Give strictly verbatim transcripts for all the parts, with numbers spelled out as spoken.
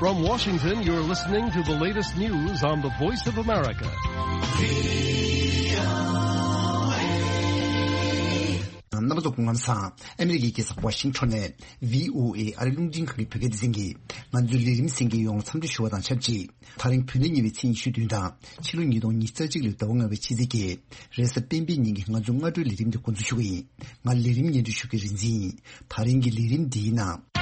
From Washington, you're listening to the latest news on the Voice of America. རྣམ་པ་ཚོ་སྐུ་ཁམས་བཟང་། ཨ་མི་རི་ཀའི་རྒྱལ་ས་ཝ་ཤིང་ཊོན་ནས་བྷི་ཨོ་ཨེ་ཨ་རིའི་རླུང་འཕྲིན་ཁང་གི་བོད་སྐད་སྡེ་ཚན་གྱིས་ང་ཚོའི་ལས་རིམ་གསན་མཁན་ཡོངས་ལ་འཚམས་འདྲི་ཞུ་བ་དང་ཆབས་ཅིག་ད་རིང་བོད་ཟླ་གཉིས་པའི་ཚེས་ཉི་ཤུ་བདུན་དང་ཕྱི་ལོ་ཉིས་སྟོང་ཉི་ཤུ་རྩ་གཅིག་ལོའི་ཟླ་བ་ལྔ་པའི་ཕྱི་ཚེས་བརྒྱད། རེས་གཟའ་སྤེན་པའི་ཉིན་གྱི་ང་ཚོའི་སྔ་དྲོའི་ལས་རིམ་འདི་འགོ་འཛུགས་ཞུ་གི་ཡིན། ང་ལས་རིམ་སྙན་སྒྲོན་ཞུ་མཁན་རིག་འཛིན་ཡིན། ད་རིང་གི་ལས་རིམ་འདིའི་ནང་།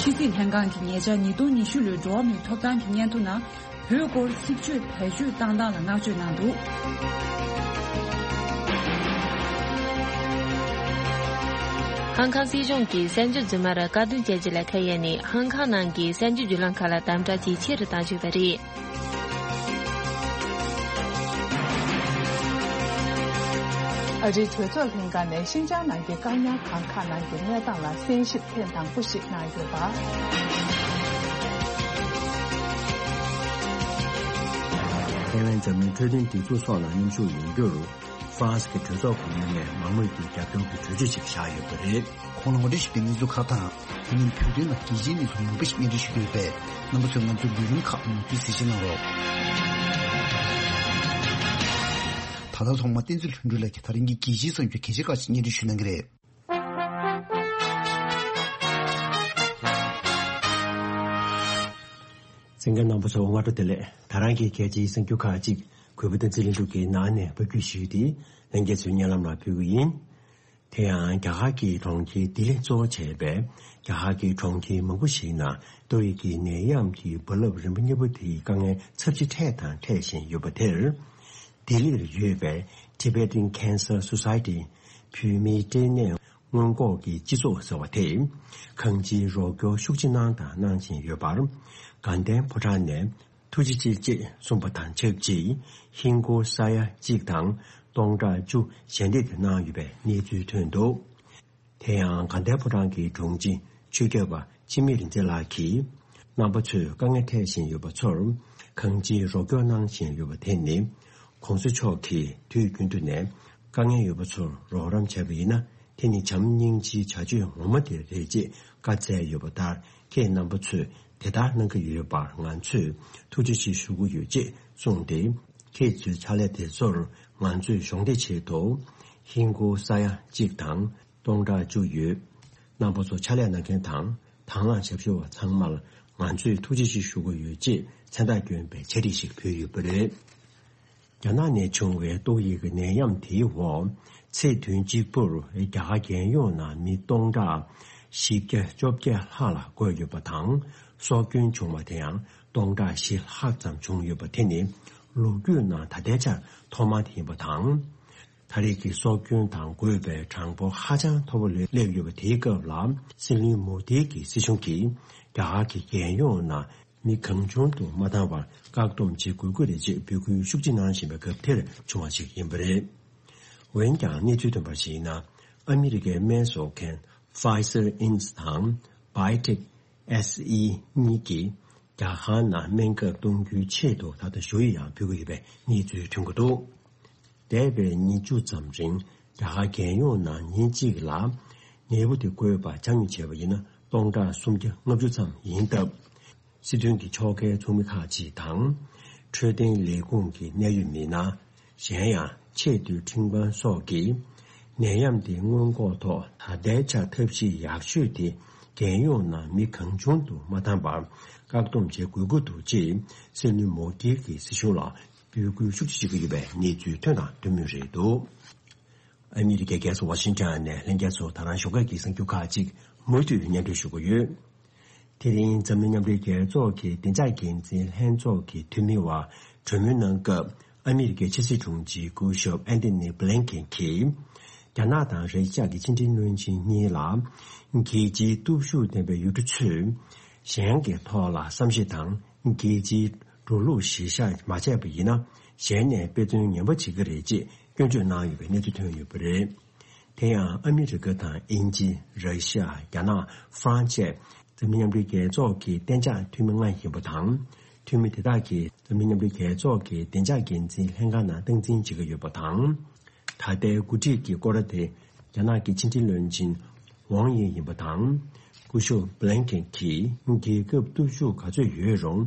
ཕྱི་སྲིད་ལྷན་ཁང་གིས་ཉེ་ཆར་ཉིས་སྟོང་ཉི་ཤུ་ལོའི་འགྲོ་བ་མིའི་ཐོབ་ཐང་གི་སྙན་ཐོ་ནང་བོད་སྐོར་ཚིག་བརྗོད་བེད་སྤྱོད་བཏང་སྟངས་ལ་བསྔགས་བརྗོད་གནང་འདུག་ཧང་ཀང་སྲིད་གཞུང་གིས་གསར་འགྱུར་རྫུན་མར་དཀར་འདོན་བྱས་རྗེས་ལ་ཁ་གཡར་ནས་ཧང་ཀང་ནང་གི་གསར་འགྱུར་བརྒྱུད་ལམ་ཁག་ལ་དམ་དྲག་ཇེ་ཆེ་རུ་བཏང་བཞིན་པ་རེད། ཨ་རིའི་གྲོས་ཚོགས་ལྷན་ཁང་ནས་ཤིན་ཅང་ནང་གི་བཀག་ཉར་ཁང་ཁག་ནང་གི་གནས་སྟངས་ལ་གསན་ཞིབ་ཐེངས་དང་པོ་ཞིག་གནང་ཡོད་པ། ཐའེ་ཝན་འཛམ་གླིང་འཕྲོད་བསྟེན་སྒྲིག་འཛུགས་སོགས་ལ་མཉམ་ཞུགས་ཡོང་རྒྱུར། ཧྥ་རན་སི་གི་གྲོས་ཚོགས་ཁོངས་མི་ནས་མང་མོས་ཀྱིས་རྒྱབ་སྐྱོར་གྱི་གྲོས་ཆོད་ཅིག་བཞག་ཡོད་པ་རེད། ཁོང་ལ་ངོ་སྤྲོད་ཞུས་པའི་གནས་ཚུལ་ཁག་དང་། དེ་མིན་བོད་དོན་ལ་རྒྱལ་སྤྱིའི་གནས་ཚུལ་མང་པོ་ཞིག་སྙན་སྒྲོན་ཞུ་གི་ཡོད་པས། རྣམ་པ་ཚོས་ང་ཚོའི་ལས་རིམ་ཁག་མུ་མཐུད་གཟིགས་ཞིབ་གནང་རོགས། ད་ལྟ་ཐོག་མར་བསྟན་འཛིན་ལྷུན་གྲུབ་ལགས་ཀྱིས་ད་རིང་གི་རྒྱལ་སྤྱིའི་གསར་འགྱུར་གལ་ཆེ་ཁག་ཅིག་སྙན་སྒྲོན་ཞུ་གནང་གི་རེད། གསན་མཁན་རྣམ་པ་ཚོ་སྔ་དྲོ་བདེ་ལེགས། ད་རང་གི་གལ་ཆེའི་གསར་འགྱུར་ཁག་ཅིག་གུས་པ་བསྟན་འཛིན་ལྷུན་གྲུབ་ཀྱིས་ནང་ནས་ཕབ་སྒྱུར་ཞུས་ཏེ་ལྷན་རྒྱས་ཚོའི་སྙན་ལམ་ལ་ཕུལ་གྱི་ཡིན། དེ་ཡང་རྒྱ་གར་གྱི་གྲོང་ཁྱེར་ལྡི་ལི་གཙོ་བོ་བྱས་པའི་རྒྱ་གར་གྱི་གྲོང་ཁྱེར་མང་པོ་ཞིག་ནང་ཏོག་དབྱིབས་ཀྱི་ནད་ཡམས་ཀྱི་རྦ་རླབས་རིམ་པ་གཉིས་པ་དེའི་དཀའ་ངལ་ཚབས་ཆེ་འཕྲད་དང་འཕྲད་བཞིན་ཡོད་པ་དེར། ལྡི་ལིར་ཡོད་པའི་Tibetan Cancer Society། བོད་མིའི་སྐྲན་ནད་སྔོན་འགོག་གི་སྤྱི་ཚོགས་ཟེར་བ་དེས་གང་ཅིའི་རོགས་སྐྱོར་ཤུགས་ཆེ་གནང་དང་གནང་བཞིན་ཡོད་པར། དགའ་ལྡན་ཕོ་བྲང་ནས་ཐུགས་རྗེ་ཆེ་ཅེས་གསུངས་པ་དང་ཆབས་ཅིག་ཧིན་སྒོར་ས་ཡ་གཅིག་དང་སྟོང་ཕྲག་བཅུ་ཞལ་འདེབས་དེ་གནང་ཡོད་པའི་གནས་ཚུལ་ཐོན་འདུག་དེ་ཡང་དགའ་ལྡན་ཕོ་བྲང་གི་དྲུང་ཆེ་ཆོས་སྐྱོབ་པ་འཆི་མེད་རིག་འཛིན་ལགས་ཀྱིས། རྣམ་པ་ཚོས་དཀའ་ངལ་འཕྲད་བཞིན་ཡོད་པ་ཚོར་གང་ཅིའི་རོགས་སྐྱོར་གནང་བཞིན་ཡོད་པ་དེ་ནི། ༸གོང་ས་མཆོག་གིས་དུས་རྒྱུན་དུ་ནས་དཀའ་ངལ་ཡོད་པ་ཚོར་རོགས་རམ་བྱས་པ་ཡིན་ན། དེ་ནི་བྱམས་སྙིང་རྗེའི་བྱ་སྤྱོད་ངོ་མ་དེ་རེད་ཅེས་བཀའ་སྩལ་ཡོད་པ་ལྟར། ཁྱེད་རྣམ་པ་ཚོས་དེ་ལྟར་གནང་གི་ཡོད་པར་ང་ཚོས་ཐུགས་རྗེ་ཆེ་ཞུ་གི་ཡོད་ཅེས་གསུངས་ཏེ། ཁྱེད་ཚོའི་ཕྱག་ལས་དེ་ཚོར་ང་ཚོས་གཞོགས་འདེགས་ཆེད་དུ་ཧིན་སྒོར་ས་ཡ་གཅིག་དང་སྟོང་ཕྲག་བཅུ་ཡོད། རྣམ་པ་ཚོ་ཕྱག་ལས་གནང་མཁན་དང་དང་བླངས་ཞབས་ཞུ་བ་ཚང་མར་ང་ཚོས་ཐུགས་རྗེ་ཆེ་ཞུ་གི་ཡོད་ཅེས་མཚན་རྟགས་བསྐྱོན་པའི་ཕྱག་བྲིས་ཤིག་ཕུལ་ཡོད་པ་རེད། རྒྱ་ནག་ནས་བྱུང་བའི་ཏོག་དབྱིབས་ཀྱི་ནད་ཡམས་དེའི་འོག་ཚེས་བདུན་གཅིག་པུར་རྒྱ་གར་རྒྱལ་ཡོངས་ནང་མི་སྟོང་ཕྲག་བཞི་བརྒྱ་བཅོ་བརྒྱད་ལྷག་ལ་འགོས་ཡོད་པ་དང་། སྲོག་སྐྱོན་བྱུང་བ་དེ་ཡང་སྟོང་ཕྲག་བཞི་ལྷག་ཙམ་བྱུང་ཡོད་པ་དེ་ནི་ལོ་རྒྱུས་ནང་ད་ལྟའི་ཆར་ཐོག་མ་དེ་ཡིན་པ་དང་། ད་རེས་ཀྱི་སྲོག་སྐྱོན་དང་འགོས་པའི་གྲངས་འབོར་ཧ་ཅང་མཐོ་པོ་ལ་སླེབས་ཡོད་པ་དེའི་སྐབས་ལ། སྲིད་བློན་མོ་དི་གི་སྲིད་གཞུང་གིས་རྒྱ་གར་གྱི་རྒྱལ་ཡོངས་ནང་མི་གང་བྱུང་དུ་མ་བཏང་བར་བཀག་སྡོམ་བྱེད་དགོས་ཀྱི་རེད་ཅེས་འབོད་སྐུལ་ཤུགས་ཆེ་གནང་བཞིན་པའི་སྐབས་དེར་བྱུང་བ་ཞིག་ཡིན་པ་རེད། འོན་ཀྱང་གནས་ཚུལ་ཐོན་པར་གཞིགས་ན། ཨ་མི་རི་ཀའི་སྨན་བཟོ་མཁན་Pfizer Inc དང་BioNTech S E གཉིས་ཀྱིས་རྒྱ་གར་ནང་སྨན་ཁབ་གཏོང་རྒྱུའི་ཆེད་དུ་ད་ལྟ་ཞུ་ཡིག་ཡང་ཕུལ་གྱི་ཡོད་པའི་གནས་ཚུལ་ཐོན་གྱི་འདུག་འདས་པའི་ཉིན་བཅུ་ཙམ་རིང་རྒྱ་གར་རྒྱལ་ཡོངས་ནང་ཉིན་གཅིག་ལ་ནད་འབུ་དེ་འགོས་པ་ཆ་སྙོམས་བྱས་པ་ཡིན་ན་སྟོང་ཕྲག་སུམ་བརྒྱ་ལྔ་བཅུ་ཙམ་ཡིན་སྟབས། སྲིད་དོན་གྱི་ཕྱོགས་འགལ་ཚོགས་མི་ཁག་ཅིག་དང་། འཕྲོད་བསྟེན་ལས་ཁུངས་ཀྱི་གནད་ཡོད་མི་སྣ། གཞན་ཡང་ཆེས་མཐོའི་ཁྲིམས་ཁང་སོགས་ཀྱིས་ནད་ཡམས་དེ་སྔོན་འགོག་ཐོག་ད་ལྟའི་ཆར་ཐབས་ཤེས་ཡག་ཤོས་དེ་རྒྱལ་ཡོངས་ནང་མི་གང་བྱུང་དུ་མ་བཏང་བར་བཀག་སྡོམ་བྱེད་དགོས་ཀྱི་འདུག་ཅེས་སྲིད་བློན་མོ་དྷི་གིས་སྲིད་གཞུང་ལ་འབོད་སྐུལ་ཤུགས་ཆེ་བྱེད་ཀྱི་ཡོད་པའི་གནས་ཚུལ་ཐོན་དང་ཐོན་མུས་རེད་འདུག་ཨ་མི་རི་ཀའི་རྒྱལ་ས་ཝ་ཤིང་ཊོན་ནས་ལྷན་རྒྱས་ཚོ་ད་རང་ཞོགས་ཀས་ཀྱི་གསར་འགྱུར་ཁག་ཅིག་མུ་མཐུད་སྙན་སྒྲོན་ཞུ་གི་ཡོད། དེ་རིང་འཛམ་གླིང་མཉམ་འབྲེལ་རྒྱལ་ཚོགས་ཀྱི་བདེ་འཇགས་འགན་འཛིན་ལྷན་ཚོགས་ཀྱི་འཐུས་མི་བར་གྲོས་མོལ་གནང་སྐབས། ཨ་མི་རི་ཀའི་ཕྱི་སྲིད་དྲུང་ཆེ་སྐུ་ཞབས་ཨན་ཐོ་ནི་བྷི་ལིན་ཀེན་གྱིས། རྒྱ་ནག་དང་ར་ཤི་ཡ་གི་ཕྱི་འབྲེལ་བློན་ཆེན་གཉིས་ལ། རྒྱལ་སྤྱིའི་སྟོབས་ཤུགས་ལྡན་པའི་ཡུལ་གྲུ་ཚོས། གཞན་གྱི་ཐོག་ལ་བསམ་ཤེས་དང་རྒྱལ་སྤྱིའི་འགྲོ་ལུགས་གཞིར་བཞག་མ་བྱས་པ་ཡིན་ན། གཞན་ནས་དཔེ་མཚོན་ངན་པ་བྱེད་ཀྱི་རེད་ཅེས་སྐྱོན་བརྗོད་གནང་ཡོད་པའི་གནས་ཚུལ་ཐོན་ཡོད་པ་རེད། དེ་ཡང་ཨ་མི་རི་ཀ་དང་དབྱིན་ཇི། ར་ཤི་ཡ། རྒྱ་ནག། ཧྥ་རན་སི་བཅས་འཛམ་གླིང་མཉམ་འབྲེལ་རྒྱལ་ཚོགས་ཀྱི་གཏན་འཇགས་འཐུས་མི་ལྔ་ཡིན་པ་དང་། འཐུས་མི་དེ་དག་གིས་འཛམ་གླིང་མཉམ་འབྲེལ་རྒྱལ་ཚོགས་ཀྱི་བདེ་འཇགས་འགན་འཛིན་ལྷན་ཁང་ནང་སྟངས་འཛིན་བྱེད་ཀྱི་ཡོད་པ་དང་། ད་ལྟའི་འགོ་ཁྲིད་ཀྱི་སྐོར་ར་དེ་ རྒྱ་ནག་གི་ཕྱི་འབྲེལ་བློན་ཆེན་ཝང་ཡི་ཡིན་པ་དང་། སྐུ་ཞབས་བྷི་ལན་ཀེན་གྱིས་རྒྱལ་ཁབ་སྟོབས་ཤུགས་ག་ཚོད་ཡོད་རུང་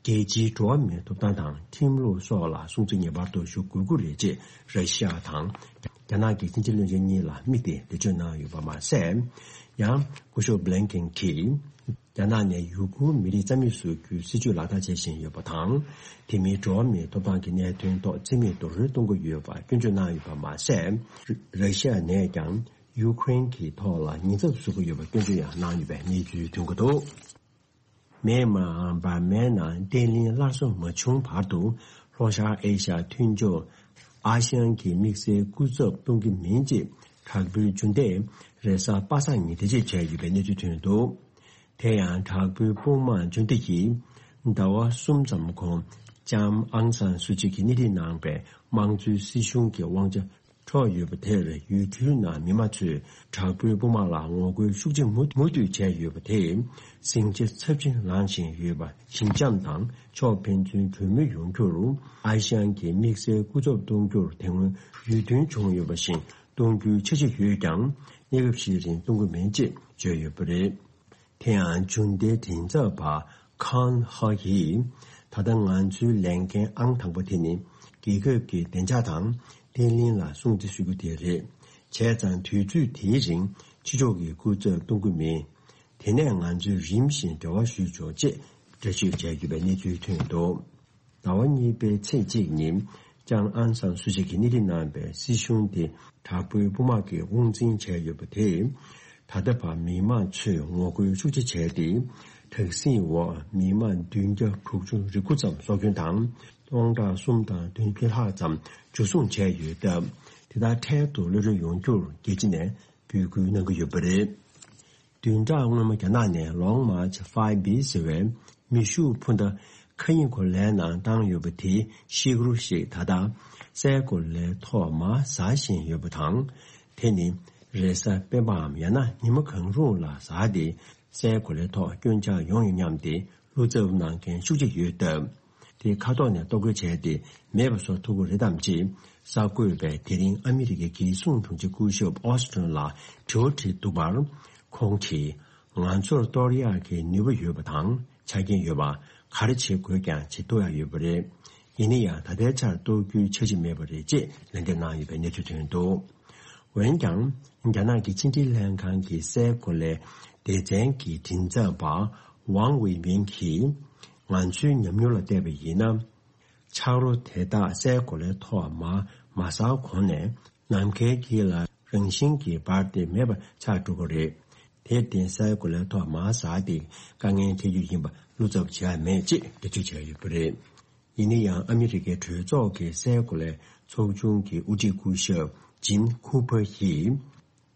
རྒྱལ་སྤྱིའི་འགྲོ་བ་མིའི་ཐོབ་ཐང་དང་ཁྲིམས་ལུགས་སོགས་ལ་སྲུང་བརྩི་ངེས་པར་དུ་ཞུ་དགོས་ཀྱི་རེད་ཅེས་ར་ཤི་ཡ་དང་རྒྱ་ནག་གི་ཕྱི་འབྲེལ་བློན་ཆེན་གཉིས་ལ་དམིགས་ཏེ་འགྲེལ་བརྗོད་གནང་ཡོད་པ་མ་ཟད། ཡང་སྐུ་ཞབས་བྷི་ལན་ཀེན་གྱིས། རྒྱ་ནག་ནས་ཡུ་གུར་མི་རིགས་རྩ་མེད་བཟོ་རྒྱུའི་སྲིད་བྱུས་ལག་བསྟར་བྱེད་བཞིན་ཡོད་པ་དང་། དེ་མིན་འགྲོ་བ་མིའི་ཐོབ་ཐང་གི་གནད་དོན་ཐོག་རྩིས་མེད་རྡོག་རོལ་གཏོང་གི་ཡོད་པ་སྐྱོན་བརྗོད་གནང་ཡོད་པ་མ་ཟད། ར་ཤི་ཡ་ནས་ཀྱང་ཡུ་ཀེ་རེན་གྱི་ཐོག་ལ་ཉེན་ཚབས་བཟོ་གི་ཡོད་པ་སྐྱོན་བརྗོད་ཡང་གནང་ཡོད་པའི་གནས་ཚུལ་ཐོན་གྱི་འདུག་མེན་མར་འབར་མའི་ནང་བརྟན་ལྷིང་སླར་གསོ་མ་བྱུང་བར་དུ། ལྷོ་ཤར་ཨེ་ཤ་ཡ་མཐུན་ཕྱོགས་ཨ་ཤི་ཡན་གྱི་དམིགས་བསལ་སྐུ་ཚབ་གཏོང་གི་མིན་ཅེས་དྲག་པོའི་འཇུ་འདེད་རེས་གཟའ་པ་སངས་ཉིན་འགྲེལ་བརྗོད་བྱས་ཡོད་པའི་གནས་ཚུལ་ཐོན་འདུག་དེ་ཡང་དྲག་པོའི་དཔུང་དམག་འཇུ་འདེད་ཀྱིས་ཟླ་བ་གསུམ་ཙམ་གོང་ལྕམ་ཨང་སན་སུ་ཅི་གིས་སྣེ་ཁྲིད་གནང་པའི་དམངས་གཙོའི་སྲིད་གཞུང་གི་དབང་ཆ་འཕྲོག་ཡོད་པ་དེར་ཡུལ་གྲུའི་ནང་མི་མང་ཚོས་དྲག་པོའི་དཔུང་དམག་ལ་ངོ་རྒོལ་ཤུགས་ཆེ་མུ་མུ་མཐུད་བྱས་ཡོད་པ་དེས་ཟིང་ཆ་ཚབས་ཆེན་ལངས་བཞིན་ཡོད་པ་ཞི་འཇམ་དང་ཕྱོགས་ཕན་ཚུན་གྲོས་མོལ་ཡོང་རྒྱུར་ཨ་ཤི་ཡན་གྱི་དམིགས་བསལ་སྐུ་ཚབ་གཏོང་རྒྱུར་དེ་སྔོན་ཡིད་མཐུན་བྱུང་ཡོད་པ་བཞིན་གཏོང་རྒྱུའི་འཆར་གཞི་ཡོད་ཀྱང་གནས་སྐབས་ཤིག་རིང་གཏོང་གི་མིན་ཅེས་བརྗོད་ཡོད་པ་རེད། དེ་ཡང་འཇུ་འདེད་མགྲིན་ཚབ་པ་ཁཱན་ཧ་ཡིས། ད་ལྟ་ང་ཚོའི་ལས་འགན་ཨང་དང་པོ་དེ་ནི་རྒྱལ་ཁབ་ཀྱི་བདེ་འཇགས་དང་བརྟན་ལྷིང་ལ་སྲུང་བརྩི་ཞུ་རྒྱུ་དེ་རེད། བྱས་ཙང་དུས་ཚོད་དེའི་རིང་ཕྱི་ཕྱོགས་ཀྱི་སྐུ་ཚབ་གཏོང་གི་མེད། དེ་ནས་ང་ཚོས་རིམ་བཞིན་འབྲེལ་བ་ཞུས་ཆོག་ཅེས་འགྲེལ་བརྗོད་བྱས་ཡོད་པའི་གནས་ཚུལ་ཐོན་འདུག་ཟླ་བ་གཉིས་པའི་ཚེས་གཅིག་ཉིན་ལྕམ་ཨང་སན་སུ་ཅི་གིས་སྣེ་ཁྲིད་གནང་པའི་སྲིད་གཞུང་དེ་དྲག་པོའི་དཔུང་དམག་གིས་དབང་འཛིན་བྱས་ཡོད་པ་དེས། ད་ལྟ་བར་མི་མང་ཚོས་ངོ་རྒོལ་ཤུགས་ཆེ་བྱས་ཏེ། དྲག་ཟིང་འོག་མི་མང་བདུན་བརྒྱ་དྲུག་ཅུ་རེ་དགུ་ཙམ་སྲོག་སྐྱོན་དང་སྟོང་ཕྲག་གསུམ་དང་བདུན་ཅུ་ལྷག་ཙམ་འཇུ་བཟུང་བྱས་ཡོད་སྟབས། དེ་དག་འཕྲལ་དུ་གློད་གྲོལ་ཡོང་རྒྱུར་རྒྱལ་སྤྱི་ནས་འབོད་སྐུལ་གནང་གི་ཡོད་པ་རེད། བདུན་ཕྲག་སྔོན་མ་རྒྱ་ནག་ནས་Long March five B ཟེར་བའི་མེ་ཤུགས་འཕུར་མདའ་མཁའ་དབྱིངས་སྒོ་ལའི་ནང་བཏང་ཡོད་པ་དེ་ཤི་གུ་རུ་ཞིག་ད་ལྟ་སའི་གོ་ལའི་ཐོག་མར་ཟགས་བཞིན་ཡོད་པ་དང་། དེ་ནི་རེས་གཟའ་སྤེན་པའམ་ཡང་ན་ཉི་མ་གང་རུང་ལ་ཟགས་ཏེ་སའི་གོ་ལའི་ཐོག་སྐྱོན་ཆག་ཡོང་ཡང་སྙམ་སྟེ་བློ་འཚབ་གནང་མཁན་ཤུགས་ཆེ་ཡོད་སྟབས། དེ་མཁའ་ཐོག་ནས་གཏོར་རྒོལ་བྱས་ཏེ་མེད་པ་བཟོ་ཐུབ་ཀྱི་རེད་དམ་ཅེས་གསར་འགོད་པས་དེ་རིང་ཨ་མི་རི་ཀའི་རྒྱལ་སྲུང་དྲུང་ཆེ་སྐུ་ཞབས་ཨོ་སི་ཊོན་ལ་དྲི་བ་དྲིས་འདུག་པར། ཁོང་གིས་ང་ཚོར་གཏོར་ཡག་གི་ནུས་པ་ཡོད་པ་དང་ཆ་རྐྱེན་ཡོད་པ། ག་རེ་བྱེད་དགོས་ཀྱང་བྱེད་ཐུབ་ཡག་ཡོད་པ་རེད། ཡིན་ན་ཡང་ད་ལྟའི་ཆར་གཏོར་རྒྱུའི་འཆར་གཞི་མེད་པ་རེད་ཅེས་ལན་འདེབས་གནང་ཡོད་པའི་གནས་ཚུལ་ཐོན་འདུག་འོན་ཀྱང་། རྒྱ་ནག་གི་ཕྱི་འབྲེལ་ལྷན་ཁང་གི་སའི་གོ་ལའི་སྡེ་ཚན་གྱི་མགྲིན་ཚབ་པ་ཝང་ཝེ་མིན་གྱིས། ང་ཚོའི་ཉམས་མྱོང་ལ་བལྟས་པ་ཡིན་ན། ཆག་རོ་དེ་དག་སའི་གོ་ལའི་ཐོག་མར་མ་ཟགས་གོང་ནས་ནམ་མཁའི་དཀྱིལ་ལ་རང་བཞིན་གྱིས་འབར་ཏེ་མེད་པ་ཆགས་འགྲོ་གི་རེད། དེར་བརྟེན་སའི་གོ་ལའི་ཐོག་མར་ཟགས་ཏེ་དཀའ་ངལ་འཕྲད་རྒྱུ་ཡིན་པ་བློ་འཚབ་བྱེད་ཡ་མེད་ཅེས་འགྲེལ་བརྗོད་བྱས་ཡོད་པ་རེད། ཡིན་ན་ཡང་ཨ་མི་རི་ཀའི་གྲོས་ཚོགས་ཀྱི་སའི་གོ་ལའི་ཚོགས་ཆུང་གི་དབུ་ཁྲིད་སྐུ་ཞབས་ཇིམ་ཁུ་པར་ཡིས།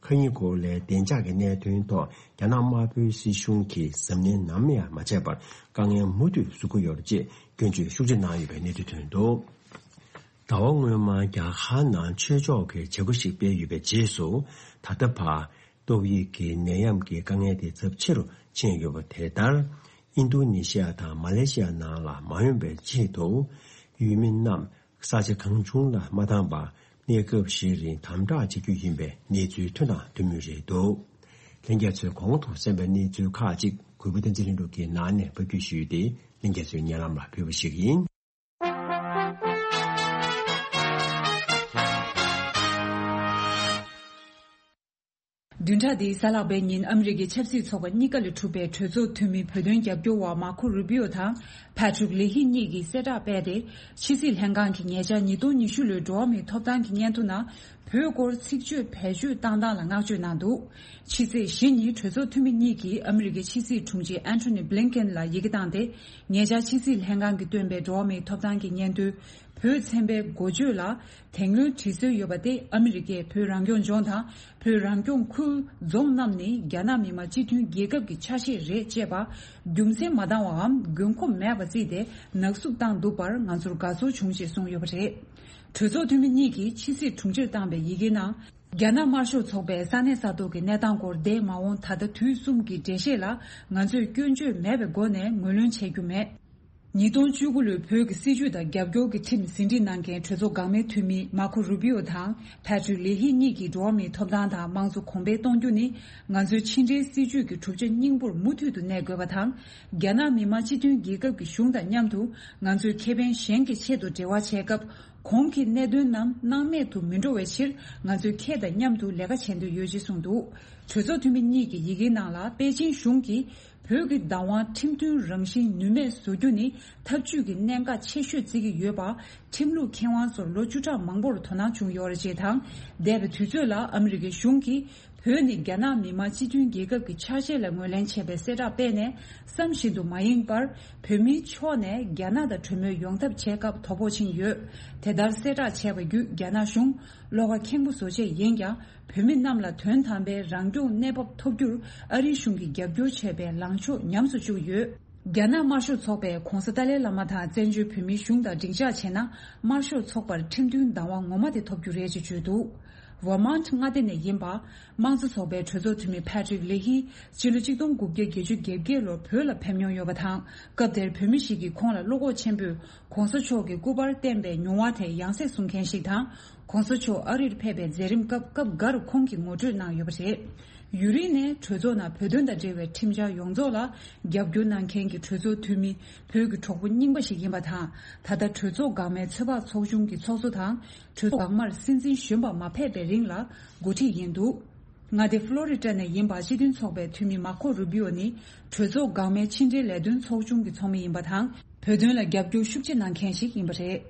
མཁའ་དབྱིངས་སྒོ་ལའི་བདེ་འཇགས་ཀྱི་གནད་དོན་ཐོག་རྒྱ་ནག་དམར་པོའི་སྲིད་གཞུང་གིས་གཟབ་ནན་ནམ་ཡང་མ་བྱས་པར་དཀའ་ངལ་མུ་མཐུད་བཟོ་གི་ཡོད་རེད་ཅེས་སྐྱོན་བརྗོད་ཤུགས་ཆེ་གནང་ཡོད་པའི་གནས་ཚུལ་ཐོན་འདུག་ཟླ་བ་སྔོན་མ་རྒྱ་གར་ནང་ཆོས་ཕྱོགས་ཀྱི་བྱེད་སྒོ་ཞིག་སྤེལ་ཡོད་པའི་རྗེས་སུ། ད་ལྟ་བར་ཏོག་དབྱིབས་ཀྱི་ནད་ཡམས་ཀྱི་དཀའ་ངལ་དེ་ཚབས་ཆེ་རུ་ཕྱིན་ཡོད་པ་དེ་ལྟར། ཨིན་རྡུ་ནེ་ཤི་ཡ་དང་མ་ལེ་ཤི་ཡ་ནང་ལ་མ་ཡོང་བའི་ཆེད་དུ། ཡུལ་མི་རྣམས་ས་ཆ་གང་བྱུང་ལ་མ་བཏང་པར་གནས་སྐབས་ཤིག་རིང་དམ་དྲག་བྱེད་རྒྱུ་ཡིན་པའི་གནས་ཚུལ་ཐོན་དང་ཐོན་མུས་རེད་འདུག་ལྷན་རྒྱས་ཚོས་གོང་དུ་གསན་པའི་གནས་ཚུལ་ཁག་ཅིག་གུས་པ་བསྟན་འཛིན་ལྷུན་གྲུབ་ཀྱི་ནང་ནས་ཕབ་སྒྱུར་ཞུས་ཏེ་ལྷན་རྒྱས་ཚོའི་སྙན་ལམ་ལ་ཕུལ་བ་ཞིག་ཡིན། བདུན་ཕྲག་འདིའི་གཟའ་ལྷག་པའི་ཉིན་ཨ་མི་རི་ཀའི་ཆབ་སྲིད་ཚོགས་པ་གཉིས་ཀ་ལས་གྲུབ་པའི་གྲོས་ཚོགས་འཐུས་མི་བོད་དོན་རྒྱབ་སྐྱོར་བ་མར་ཁོ་རུ་པིའོ་དང་ཕ་ཏྲུག་ལེ་ཧི་གཉིས་ཀྱིས་གསལ་བསྒྲགས་སྤེལ་ཏེ། ཕྱི་སྲིད་ལྷན་ཁང་གི་ཉེ་ཆར་ཉིས་སྟོང་ཉི་ཤུ་ལོའི་འགྲོ་བ་མིའི་ཐོབ་ཐང་གི་སྙན་ཐོ་ནང་བོད་སྐོར་ཚིག་བརྗོད་བེད་སྤྱོད་བཏང་སྟངས་ལ་བསྔགས་བརྗོད་གནང་འདུག་ཕྱི་ཚེས་བཞི་ཉིན་གྲོས་ཚོགས་འཐུས་མི་གཉིས་ཀྱིས་ཨ་མི་རི་ཀའི་ཕྱི་སྲིད་དྲུང་ཆེ་ཨན་ཐོ་ནི་བྷི་ལིན་ཀེན་ལ་ཡི་གེ་བཏང་སྟེ། ཉེ་ཆར་ཕྱི་སྲིད་ལྷན་ཁང་གིས་བཏོན་པའི་འགྲོ་བ་མིའི་ཐོབ་ཐང་གི་སྙན་ཐོའི་བོད་ཚན་པའི་འགོ་བརྗོད་ལ་དེ་སྔོན་བྲིས་སྲོལ་ཡོད་པ་སྟེ། ཨ་མི་རི་ཀས་བོད་རང་སྐྱོང་ལྗོངས་དང་བོད་རང་སྐྱོང་ཁུལ་རྫོང་རྣམས་ནི་རྒྱ་ནག་མི་དམངས་སྤྱི་མཐུན་རྒྱལ་ཁབ་ཀྱི་ཆ་ཤས་རེད་ཅེས་པ་རྒྱུ་མཚན་མ་འདང་བའམ་དགོས་མཁོ་མེད་པ་བརྩིས་ཏེ་ནག་བསུབ་བཏང་འདུག་པར་ང་ཚོར་དགའ་ཚོར་བྱུང་ཞེས་གསུངས་ཡོད་པ་རེད། གྲོས་ཚོགས་འཐུས་མི་གཉིས་ཀྱིས་ཕྱི་སྲིད་དྲུང་ཆེར་བཏང་པའི་ཡི་གེའི་ནང་། རྒྱ་ནག་དམར་ཤོག་ཚོགས་པའི་ས་གནས་ས་ཐོག་གི་གནས་སྟངས་སྐོར་འདས་མ་འོངས་ད་ལྟ་དུས་གསུམ་གྱི་འགྲེལ་བཤད་ལ་ང་ཚོས་སྐྱོན་བརྗོད་མེད་པའི་སྒོ་ནས་ངོས་ལེན་བྱེད་རྒྱུ་མེད། ཉིས་སྟོང་བཅུ་དགུ་ལོའི་བོད་ཀྱི་སྲིད་བྱུས་དང་རྒྱབ་སྐྱོར་གྱི་ཁྲིམས་ཟིན་བྲིས་གནང་མཁན་གྲོས་ཚོགས་འགག་མའི་འཐུས་མི་མར་ཁོ་རུ་བི་ཨོ་དང་ཕེ་ཏྲིག་ལེ་ཧི་གཉིས་ཀྱིས་འགྲོ་བ་མིའི་ཐོབ་ཐང་དང་དམངས་གཙོ་གོང་འཕེལ་གཏོང་རྒྱུ་ནི་ང་ཚོའི་ཕྱི་འབྲེལ་སྲིད་བྱུས་ཀྱི་གྲུབ་ཆ་སྙིང་པོར་མུ་མཐུད་དུ་གནས་དགོས་པ་དང་། རྒྱ་ནག་མི་དམངས་སྤྱི་མཐུན་རྒྱལ་ཁབ་ཀྱི་གཞུང་དང་མཉམ་དུ་ང་ཚོའི་ཁེ་ཕན་གཞན་གྱི་ཆེད་དུ་འབྲེལ་བ་བྱེད་སྐབས། གོང་གི་གནད་དོན་རྣམས་སྣང་མེད་དུ་མི་འགྲོ་བའི་ཕྱིར། ང་ཚོས་ཁྱེད་དང་མཉམ་དུ་ལས་ཀ་བྱེད་འདོད་ཡོད་ཅེས་གསུངས་འདུག་གྲོས་ཚོགས་འཐུས་མི་གཉིས་ཀྱི་ཡི་གེའི་ནང་ལ། པེ་ཅིང་གཞུང་གིས་བོད་ཀྱི་བདག་དབང་ཁྲིམས་མཐུན་རང་བཞིན་ནུས་མེད་བཟོ་རྒྱུ་ནི་འཐབ་ཇུས་ཀྱི་གནད་འགག་ཆེ་ཤོས་བརྩི་གི་ཡོད་པ། ཁྲིམས་ལུགས་མཁས་དབང་ཚོར་ལོ་བཅུ་ཕྲག་མང་པོར་དོ་སྣང་བྱུང་ཡོད་རེད་ཅེས་དང་། འདས་པའི་དུས་ཚོད་ལ་ཨ་མི་རི་ཀའི་གཞུང་གིས་བོད་ནི་རྒྱ་ནག་མི་དམངས་སྤྱི་མཐུན་རྒྱལ་ཁབ་ཀྱི་ཆ་ཤས་ལ་ངོས་ལེན་བྱས་པའི་གསལ་བསྒྲགས་སྤེལ་ནས། བསམ་བཞིན་དུ་མ་ཡེངས་པར་བོད་མིའི་ཕྱོགས་ནས་རྒྱ་ནག་དང་གྲོས་མོལ་ཡོང་ཐབས་བྱེད་སྐབས་དོ་ཕོག་ཕྱིན་ཡོད། དེ་ལྟར་གསལ་བསྒྲགས་བྱས་པ་བརྒྱུད། རྒྱ་ནག་གཞུང་བློ་ཁ་ཁེངས་པོ་བཟོ་ཆེད་ཡིན་ཀྱང་། བོད་མི་རྣམས་ལ་དོན་དམ་པའི་རང་སྐྱོང་གནས་བབ་ཐོབ་རྒྱུར་ཨ་རིའི་གཞུང་གིས་རྒྱབ་སྐྱོར་བྱས་པའི་ལངས་ཕྱོགས་ཉམས་སུ་བཅུག་ཡོད། རྒྱ་ནག་དམར་ཤོག་ཚོགས་པས་༧གོང་ས་ཏཱ་ལའི་བླ་མ་དང་བཙན་བྱོལ་བོད་མིའི་གཞུང་དང་སྒྲིག་འཇགས་བྱས་ན། དམར་ཤོག་ཚོགས་པར་ཁྲིམས་མཐུན་བདག་དབང་ངོ་མ་དེ་ཐོབ་རྒྱུ་རེད་ཅེས་བརྗོད་འདུག་ཝར་མཱན་ཊི་མངའ་སྡེ་ནས་ཡིན་པ། དམངས་གཙོ་ཚོགས་པའི་གྲོས་ཚོགས་འཐུས་མི་ཕེ་ཏྲིག་ལེ་ཧི། སྤྱི་ལོ་གཅིག་སྟོང་དགུ་བརྒྱ་བརྒྱད་ཅུ་གྱ་བརྒྱད་ལོར་བོད་ལ་ཕེབས་མྱོང་ཡོད་པ་དང་། སྐབས་དེར་བོད་མི་ཞིག་གིས་ཁོང་ལ་བློ་ཁོག་ཆེན་པོས་༧གོང་ས་མཆོག་གི་སྐུ་པར་བསྟན་པའི་མྱོང་བ་དེ་ཡང་སེ་གསུང་མཁན་ཞིག་དང་། ༧གོང་ས་མཆོག་ཨ་རིར་ཕེབས་པའི་མཛད་རིམ་སྐབས་སྐབས་འགར་ཁོང་གིས་ངོ་སྤྲོད་གནང་ཡོད་པ་རེད། ཡུན་རིང་ནས་གྲོས་ཚོགས་ནང་བོད་དོན་དང་འབྲེལ་བའི་ཁྲིམས་འཆར་ཡོངས་རྫོགས་ལ་རྒྱབ་སྐྱོར་གནང་མཁན་གྱི་གྲོས་ཚོགས་འཐུས་མི། བོད་ཀྱི་གྲོགས་པོ་རྙིང་པ་ཞིག་ཡིན་པ་དང་། ད་ལྟ་གྲོས་ཚོགས་འགག་མའི་ཚོད་དཔག་ཚོགས་ཆུང་གི་ཚོགས་གཙོ་དང་། གྲོས་ཚོགས་འགག་མར་སྲིད་འཛིན་གཞོན་པ་མ་ཕེབས་པའི་རིང་ལ་འགོ་ཁྲིད་ཡིན་འདུག་མངའ་སྡེ་ཕློ་རི་ཌ་ནས་ཡིན་པ། སྤྱི་མཐུན་ཚོགས་པའི་འཐུས་མི་མར་ཁོ་རུ་བི་ཨོ་ནི་གྲོས་ཚོགས་འགག་མའི་ཕྱི་འབྲེལ་ལས་དོན་ཚོགས་ཆུང་གི་ཚོགས་མི་ཡིན་པ་དང་། བོད་དོན་ལ་རྒྱབ་སྐྱོར་ཤུགས་ཆེ་གནང་མཁན་ཞིག་ཡིན་པ་རེད།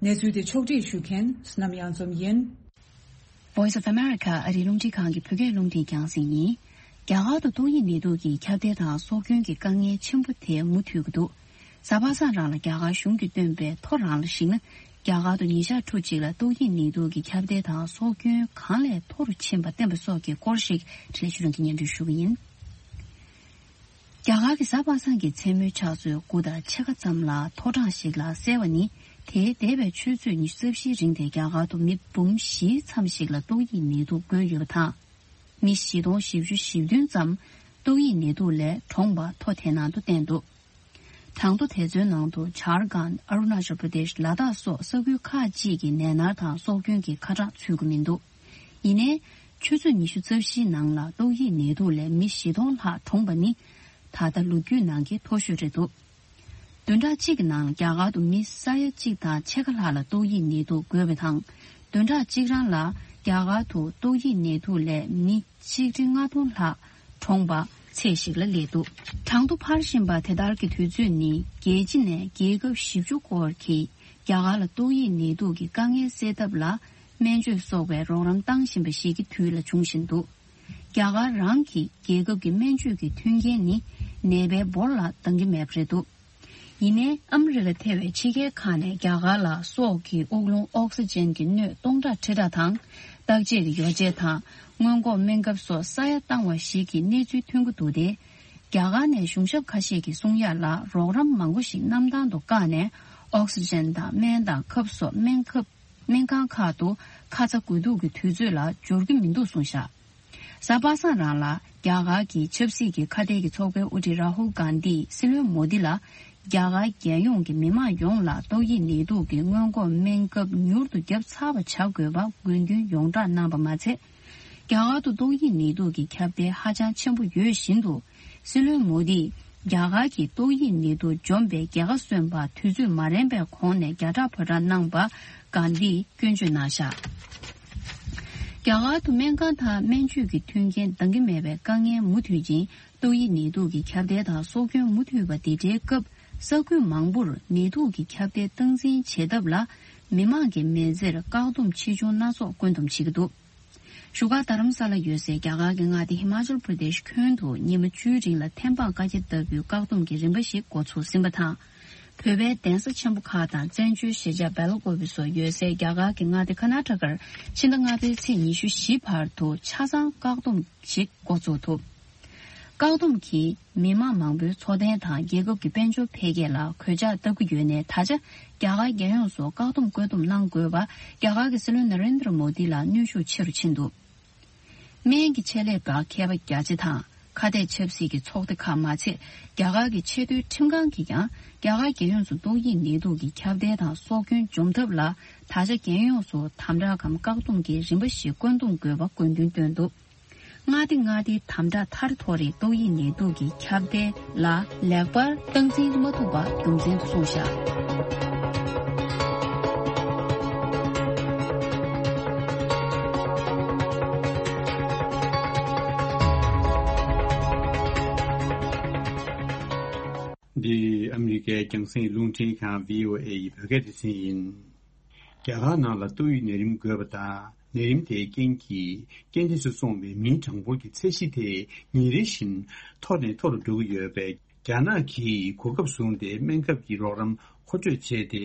གནས་ཚུལ་དེ་ཕྱོགས་སྒྲིག་ཞུ་མཁན་བསོད་ནམས་གཡང་འཛོམས་ཡིན། Voice of America ཨ་རིའི་རླུང་འཕྲིན་ཁང་གི་བོད་སྐད་རླུང་འཕྲིན་རྒྱང་སྲིང་ཡིན། རྒྱ་གར་དུ་ཏོག་དབྱིབས་ནད་དུག་གི་ཁྱབ་གདལ་དང་སྲོག་སྐྱོན་གྱི་དཀའ་ངལ་ཆེན་པོ་དེ་མུ་མཐུད་ཀྱི་འདུག་གཟའ་པ་སངས་རང་ལ་རྒྱ་གར་གཞུང་གིས་བཏོན་པའི་ཐོ་རང་ལ་གཞིགས་ན། རྒྱ་གར་དུ་ཉིན་ཞག་ཕྲུགས་གཅིག་ལ་ཏོག་དབྱིབས་ནད་དུག་གི་ཁྱབ་གདལ་དང་སྲོག་སྐྱོན་གང་ལས་མཐོ་རུ་ཕྱིན་པ་བསྟན་པ་སོགས་ཀྱི་སྐོར་ཞིག་འཕྲིན་ལས་ཆོས་སྒྲོན་གྱིས་སྙན་སྒྲོན་ཞུ་གི་ཡིན། རྒྱ་གར་གྱི་གཟའ་པ་སངས་ཀྱི་མཚན་མོའི་ཕྱག་ཚོད་དགུ་དང་ཕྱེད་ཀ་ཙམ་ལ་ཐོ་གྲངས་ཤིག་ལ་གསལ་བ་ནི། དེའི་འདས་པའི་ཆུ་ཚོད་ཉི་ཤུ་རྩ་བཞིའི་རིང་དེ་རྒྱ་གར་དུ་མི་འབུམ་བཞིའི་མཚམས་ཤིག་ལ་ཏོག་དབྱིབས་ནད་དུག་འགོས་ཡོད་པ་དང་། མི་བཞི་སྟོང་བཞི་བཅུ་ཞེ་བདུན་ཙམ་ཏོག་དབྱིབས་ནད་དུག་ལས་གྲོངས་པ་ཐོ་དེ་ནང་དུ་བསྟན་འདུག་གྲངས་ཐོ་དེ་ཚོའི་ནང་དུ་ཇར་ཁཱན། ཨ་རུ་ན་ཅལ་པྲ་དེཤ། ལ་དྭགས་སོགས་ས་ཁུལ་ཁག་ཅིག་གི་ནད་མནར་དང་སྲོག་སྐྱོན་གྱི་ཁ་གྲངས་ཚུད་ཀྱི་མི་འདུག་ཡིན་ནའི། ཆུ་ཚོད་ཉི་ཤུ་རྩ་བཞིའི་ནང་ལ་ཏོག་དབྱིབས་ནད་དུག་ལས་མི་བཞི་སྟོང་ལྷག་གྲོངས་པ་ནི། ད་ལྟ་ལོ་རྒྱུས་ནང་གི་མཐོ་ཤོས་རེད་འདུག་བདུན་ཕྲག་གཅིག་གི་ནང་རྒྱ་གར་དུ་མི་ས་ཡ་གཅིག་དང་ཕྱེད་ཀ་ལྷག་ལ་ཏོག་དབྱིབས་ནད་དུག་འགོས་པ་དང་། བདུན་ཕྲག་གཅིག་རང་ལ་རྒྱ་གར་དུ་ཏོག་དབྱིབས་ནད་དུག་ལས་མི་ཆིག་ཁྲི་ལྔ་སྟོང་ལྷག་གྲོངས་པ་ཚད་ཞིག་ལ་སླེབས་འདུག་གྲངས་ཐོ་འཕར་བཞིན་པ་དེ་ལྟར་གྱི་དུས་ཚོད་ནི། རྒྱལ་སྤྱི་ནས་རྒྱལ་ཁབ་བཞི་བཅུ་སྐོར་གྱིས་རྒྱ་གར་ལ་ཏོག་དབྱིབས་ནད་དུག་གི་དཀའ་ངལ་སེལ་ཐབས་ལ་སྨན་བཅོས་སོགས་པའི་རོགས་རམ་བཏང་བཞིན་པ་ཞིག་གི་དུས་ལ་བྱུང་བཞིན་འདུག་རྒྱ་གར་རང་གི་རྒྱལ་ཁབ་ཀྱི་སྨན་བཅོས་ཀྱི་མཐུན་རྐྱེན་ནི་ནད་པའི་འབོར་ལ་འདང་གི་མེད་པ་རེད་འདུག་ཡིན་ནའི། ཨ་མི་རི་ཀ་ཐེ་བའི་ཕྱི་རྒྱལ་ཁག་ནས་རྒྱ་གར་ལ་སྲོག་གི་དབུགས་རླུང་ཨོག་སི་ཇན་གྱི་སྣོད་སྟོང་ཕྲག་ཁྲི་ཕྲག་དང་། བརྟག་དཔྱད་ཀྱི་ཡོ་བྱད་དང་། སྔོན་འགོག་སྨན་ཁབ་སོགས་ས་ཡ་བཏང་བ་ཞིག་གི་གནས་ཚུལ་ཐོན་གྱི་འདུག་སྟེ། རྒྱ་གར་ནས་གཞུང་ཞབས་ཁ་ཤས་ཀྱིས་གསུང་ཡག་ལ། རོགས་རམ་མང་པོ་ཞིག་གནམ་ཐང་དུ་བཀག་ནས། ཨོག་སི་ཇན་དང་སྨན་དང་ཁབ་སོགས་སྨན་ཁབ། སྨན་ཁང་ཁག་ཏུ་ཁ་ཚ་དགོས་གཏུགས་ཀྱི་དུས་ཚོད་ལ་འབྱོར་གྱི་མི་འདུག་གསུངས་བཞག་གཟའ་པ་སངས་རང་ལ་རྒྱ་གར་གྱི་ཆབ་སྲིད་ཀྱི་ཁ་གཏད་ཀྱི་ཚོགས་པའི་དབུ་ཁྲིད་རཱ་ཧུལ་གྷན་དྷིས་སྲིད་བློན་མོ་དི་ལ། རྒྱ་གར་རྒྱལ་ཡོངས་ཀྱི་མི་མང་ཡོངས་ལ་ཏོག་དབྱིབས་ནད་དུག་གི་སྔོན་འགོག་སྨན་ཁབ་མྱུར་དུ་བརྒྱབ་ཚར་བ་བྱ་དགོས་པ་དགོས་འདུན་ཡོངས་བསྒྲགས་གནང་པ་མ་ཚད། རྒྱ་གར་དུ་ཏོག་དབྱིབས་ནད་དུག་གི་ཁྱབ་གདལ་ཧ་ཅང་ཆེན་པོ་ཡོད་བཞིན་དུ། སྲིད་བློན་མོ་དིས་རྒྱ་གར་གྱིས་ཏོག་དབྱིབས་ནད་དུག་འཇོམས་པའི་རྒྱལ་ཁ་སོན་པར་དུས་ཚོད་མ་རན་པའི་གོང་ནས་རྒྱ་གྲགས་ཕོ་བྲང་གནང་པ་གྷན་དྷིས་སྐྱོན་བརྗོད་གནང་བཞག་རྒྱ་གར་དུ་སྨན་ཁང་དང་སྨན་བཅོས་ཀྱི་མཐུན་རྐྱེན་འདང་གི་མེད་པའི་དཀའ་ངལ་མུ་མཐུད་ཅིང་། ཏོག་དབྱིབས་ནད་དུག་གི་ཁྱབ་གདལ་དང་སྲོག་སྐྱོན་མུ་མཐུད་པ་འདི་འདྲའི་སྐབས། ས་ཁུལ་མང་པོར་ནད་དུག་གི་ཁྱབ་གདལ་སྟངས་འཛིན་བྱེད་ཐབས་ལ། མི་མང་གི་མི་ཚེར་བཀག་སྡོམ་ཆེ་ཆུང་སྣ་ཚོགས་བཀོད་འདོམས་བྱེད་ཀྱི་འདུག་བཞུགས་སྒར་རྡ་རམ་ས་ལ་ཡོད་སའི་རྒྱ་གར་གྱི་མངའ་སྡེ་ཧི་མ་ཅལ་པྲ་དེཤ་ཁྱོན་དུ་ཉི་མ་བཅུའི་རིང་ལ་ཐེམ་སྤང་བཀའ་རྒྱ་ལྟ་བུའི་བཀག་སྡོམ་གྱི་རིམ་པ་ཞིག་འགོ་ཚུགས་ཟིན་པ་དང་། བོད་པའི་གདན་ས་ཆེན་པོ་ཁག་དང་བཙན་བྱོལ་གཞིས་ཆགས་སྦེལ་ཀོབ་སོགས་ཡོད་སའི་རྒྱ་གར་གྱི་མངའ་སྡེ་ཀར་ནཱ་ཊ་ཀར་ཕྱི་ཟླ་ལྔ་པའི་ཚེས་ཉི་ཤུ་བཞི་བར་དུ་ཆ་ཚང་བཀག་སྡོམ་ཞིག་འགོ་ཚུགས་ཐུབ། བཀག་སྡོམ་གྱིས་མི་མང་མང་པོའི་འཚོ་རྟེན་དང་རྒྱལ་ཁབ་ཀྱི་དཔལ་འབྱོར་འཕེལ་རྒྱས་ལ་གོད་ཆག་བཏབ་ཀྱི་ཡོད་ནའི། ད་ཆ་རྒྱ་གར་རྒྱལ་ཡོངས་སུ་བཀག་སྡོམ་བཀོད་འདོམས་གནང་དགོས་པ་རྒྱ་གར་གྱི་སྲིད་བློན་ན་རེན་དྲ་མོ་དི་ལ་གནོན་ཤུགས་ཆེ་རུ་ཕྱིན་འདུག་སྨན་གྱི་ཆེད་ལས་པ་མཁས་པ་བརྒྱ་ཆ་དང་ ཁ་གཏད་ཆབ་སྲིད་ཀྱི་ཚོགས་སྡེ་ཁག་མ་ཚད། རྒྱ་གར་གྱི་ཆེས་མཐོའི་ཁྲིམས་ཁང་གིས་ཀྱང་རྒྱ་གར་རྒྱལ་ཡོངས་སུ་ཏོག་དབྱིབས་ནད་དུག་གི་ཁྱབ་གདལ་དང་སྲོག་སྐྱོན་འཇོམས་ཐབས་ལ། ད་ཆ་རྒྱལ་ཡོངས་སུ་དམ་དྲག་གམ་བཀག་སྡོམ་གྱི་རིམ་པ་ཞིག་བཀོད་འདོམས་དགོས་པ་དགོས་འདུན་བཏོན་འདུག། མངའ་སྡེ་ལྔ་སྡེའི་དམ་དྲག་མཐར་ཐོག་རེད། ཏོག་དབྱིབས་ནད་དུག་གི་ཁྱབ་གདལ་ལ་ལེགས་པར་སྟངས་འཛིན་མ་ཐུབ་པ་རྒྱུ་མཚན་དུ་གསུངས་བཞག། འདི་ཨ་མི་རི་ཀའི་རྒྱང་སྲིང་རླུང་འཕྲིན་ཁང་བྷི་ཨོ་ཨེ་ཡི་བོད་སྐད་སྡེ་ཚན་ཡིན། རྒྱ་གར་ནང་ལ་ཏོག་དབྱིབས་ནད་རིམས་འགོས་པ་དང་། ནད་རིམས་དེའི་རྐྱེན་གྱིས་རྐྱེན་འདས་སུ་སོང་བའི་མིའི་གྲངས་འབོར་གྱི་ཚད་གཞི་དེ་ཉིན་རེ་བཞིན་མཐོ་ནས་མཐོ་རུ་འགྲོ་གི་ཡོད་པས། རྒྱ་ནག་གིས་གོ་སྐབས་བཟུང་སྟེ་སྨན་ཁབ་ཀྱི་རོགས་རམ་མཁོ་སྤྲོད་བྱས་ཏེ།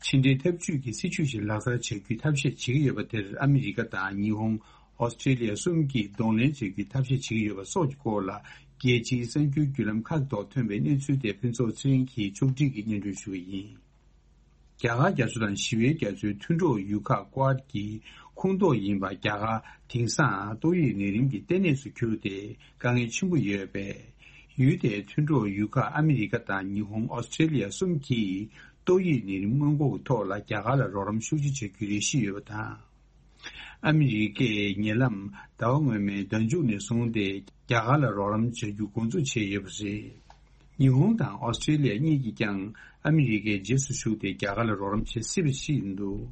ཕྱི་འབྲེལ་འཐབ་ཇུས་ཀྱི་སྲིད་ཇུས་ཤིག་ལག་བསྟར་བྱ་རྒྱུའི་ཐབས་ཤེས་བྱེད་ཀྱི་ཡོད་པ་དེར་ཨ་མི་རི་ཀ་དང་ཉི་ཧོང་། ཨོ་སི་ཀྲེ་ལི་ཡ་གསུམ་གྱིས་གདོང་ལེན་བྱ་རྒྱུའི་ཐབས་ཤེས་བྱེད་ཀྱི་ཡོད་པ་སོགས་ཀྱི་སྐོར་ལ། རྒྱལ་སྤྱིའི་གསར་འགྱུར་བརྒྱུད་ལམ་ཁག་ཐོག་ཐོན་པའི་གནས་ཚུལ་དེ་ཕུན་ཚོགས་ཚེ་རིང་གིས་ཕྱོགས་སྒྲིག་གིས་སྙན་སྒྲོན་ཞུ་གི་ཡིན། རྒྱ་གར་རྒྱ་མཚོ་དང་ཞི་བའི་རྒྱ་མཚོའི་མཐུན་གྲོགས་ཡུལ་ཁག་ཀུ་ཝཱད་ཀྱི་ཁོངས་གཏོགས་ཡིན་པ་རྒྱ་གར་དེང་སང་ཏོག་དབྱིབས་ནད་རིམས་ཀྱི་ལྟེ་གནས་སུ་གྱུར་ཏེ་དཀའ་ངལ་ཆེན་པོ་ཡོད་པས། ཡུལ་དེའི་མཐུན་གྲོགས་ཡུལ་ཁག་ཨ་མི་རི་ཀ་དང་ཉི་ཧོང་། ཨོ་སི་ཀྲེ་ལི་ཡ་གསུམ་གྱིས་ཏོག་དབྱིབས་ནད་རིམས་སྔོན་འགོག་གི་ཐོག་ལ་རྒྱ་གར་ལ་རོགས་རམ་ཤུགས་ཆེ་བྱ་རྒྱུའི་རེ་ཞུ་ཡོད་པ་དང་། ཨ་མི་རི་ཀས་ཉེ་ལམ་ཟླ་བ་སྔོན་མའི་ཟླ་མཇུག་ནས་བཟུང་སྟེ་རྒྱ་གར་ལ་རོགས་རམ་བྱ་རྒྱུ་འགོ་འཛུགས་བྱས་ཡོད་པ་རེད། ཉི་ཧོང་དང་ཨོ་སི་ཀྲེ་ལི་ཡ་གཉིས་ཀྱིས་ཀྱང་ཨ་མི་རི་ཀའི་རྗེས་སུ་ཞུགས་ཏེ་རྒྱ་གར་ལ་རོགས་རམ་བྱེད་སྲིད་པ་ཞིག་ཡིན་འདུག།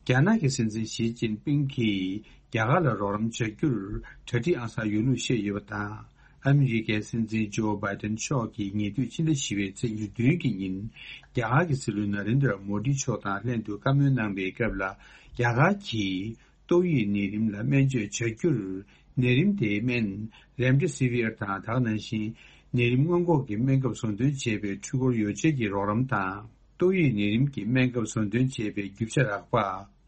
རྒྱ་ནག་གི་སྲིད་འཛིན་ཞི་ཅིན་ཕིང་གིས་རྒྱ་གར་ལ་རོགས་རམ་བྱ་རྒྱུར་གྲ་སྒྲིག་ཨང་གསར་ཡོད་ལུགས་བཤད་ཡོད་པ་དང་། ཨ་མི་རི་ཀའི་སྲིད་འཛིན་ཇོ་བྷའི་ཏན་མཆོག་གིས་ཉེ་དུས་ཕྱི་ཟླ་བཞི་པའི་ཚེས་ཉེར་བདུན་གྱི་ཉིན། རྒྱ་གར་གྱི་སྲིད་བློན་ན་རེན་དྲ་མོ་དི་མཆོག་དང་ལྷན་དུ་བཀའ་མོལ་གནང་བའི་སྐབས་ལ། རྒྱ་གར་གྱིས་ཏོག་དབྱིབས་ནད་རིམས་ལ་སྨན་བཅོས་བྱ་རྒྱུར། ནད་རིམས་དེའི་སྨན་རེམ་ཌེ་སི་ཝིར་དང་། དེ་ནང་བཞིན་ནད་རིམས་སྔོན་འགོག་གི་སྨན་ཁབ་བཟོ་འདོན་བྱེད་པའི་འཕྲུལ་འཁོར་ཡོ་བྱད་ཀྱི་རོགས་རམ་དང་། ཏོག་དབྱིབས་ནད་རིམས་ཀྱི་སྨན་ཁབ་བཟོ་འདོན་བྱེད་པའི་རྒྱུ་ཆ་རགས་པ།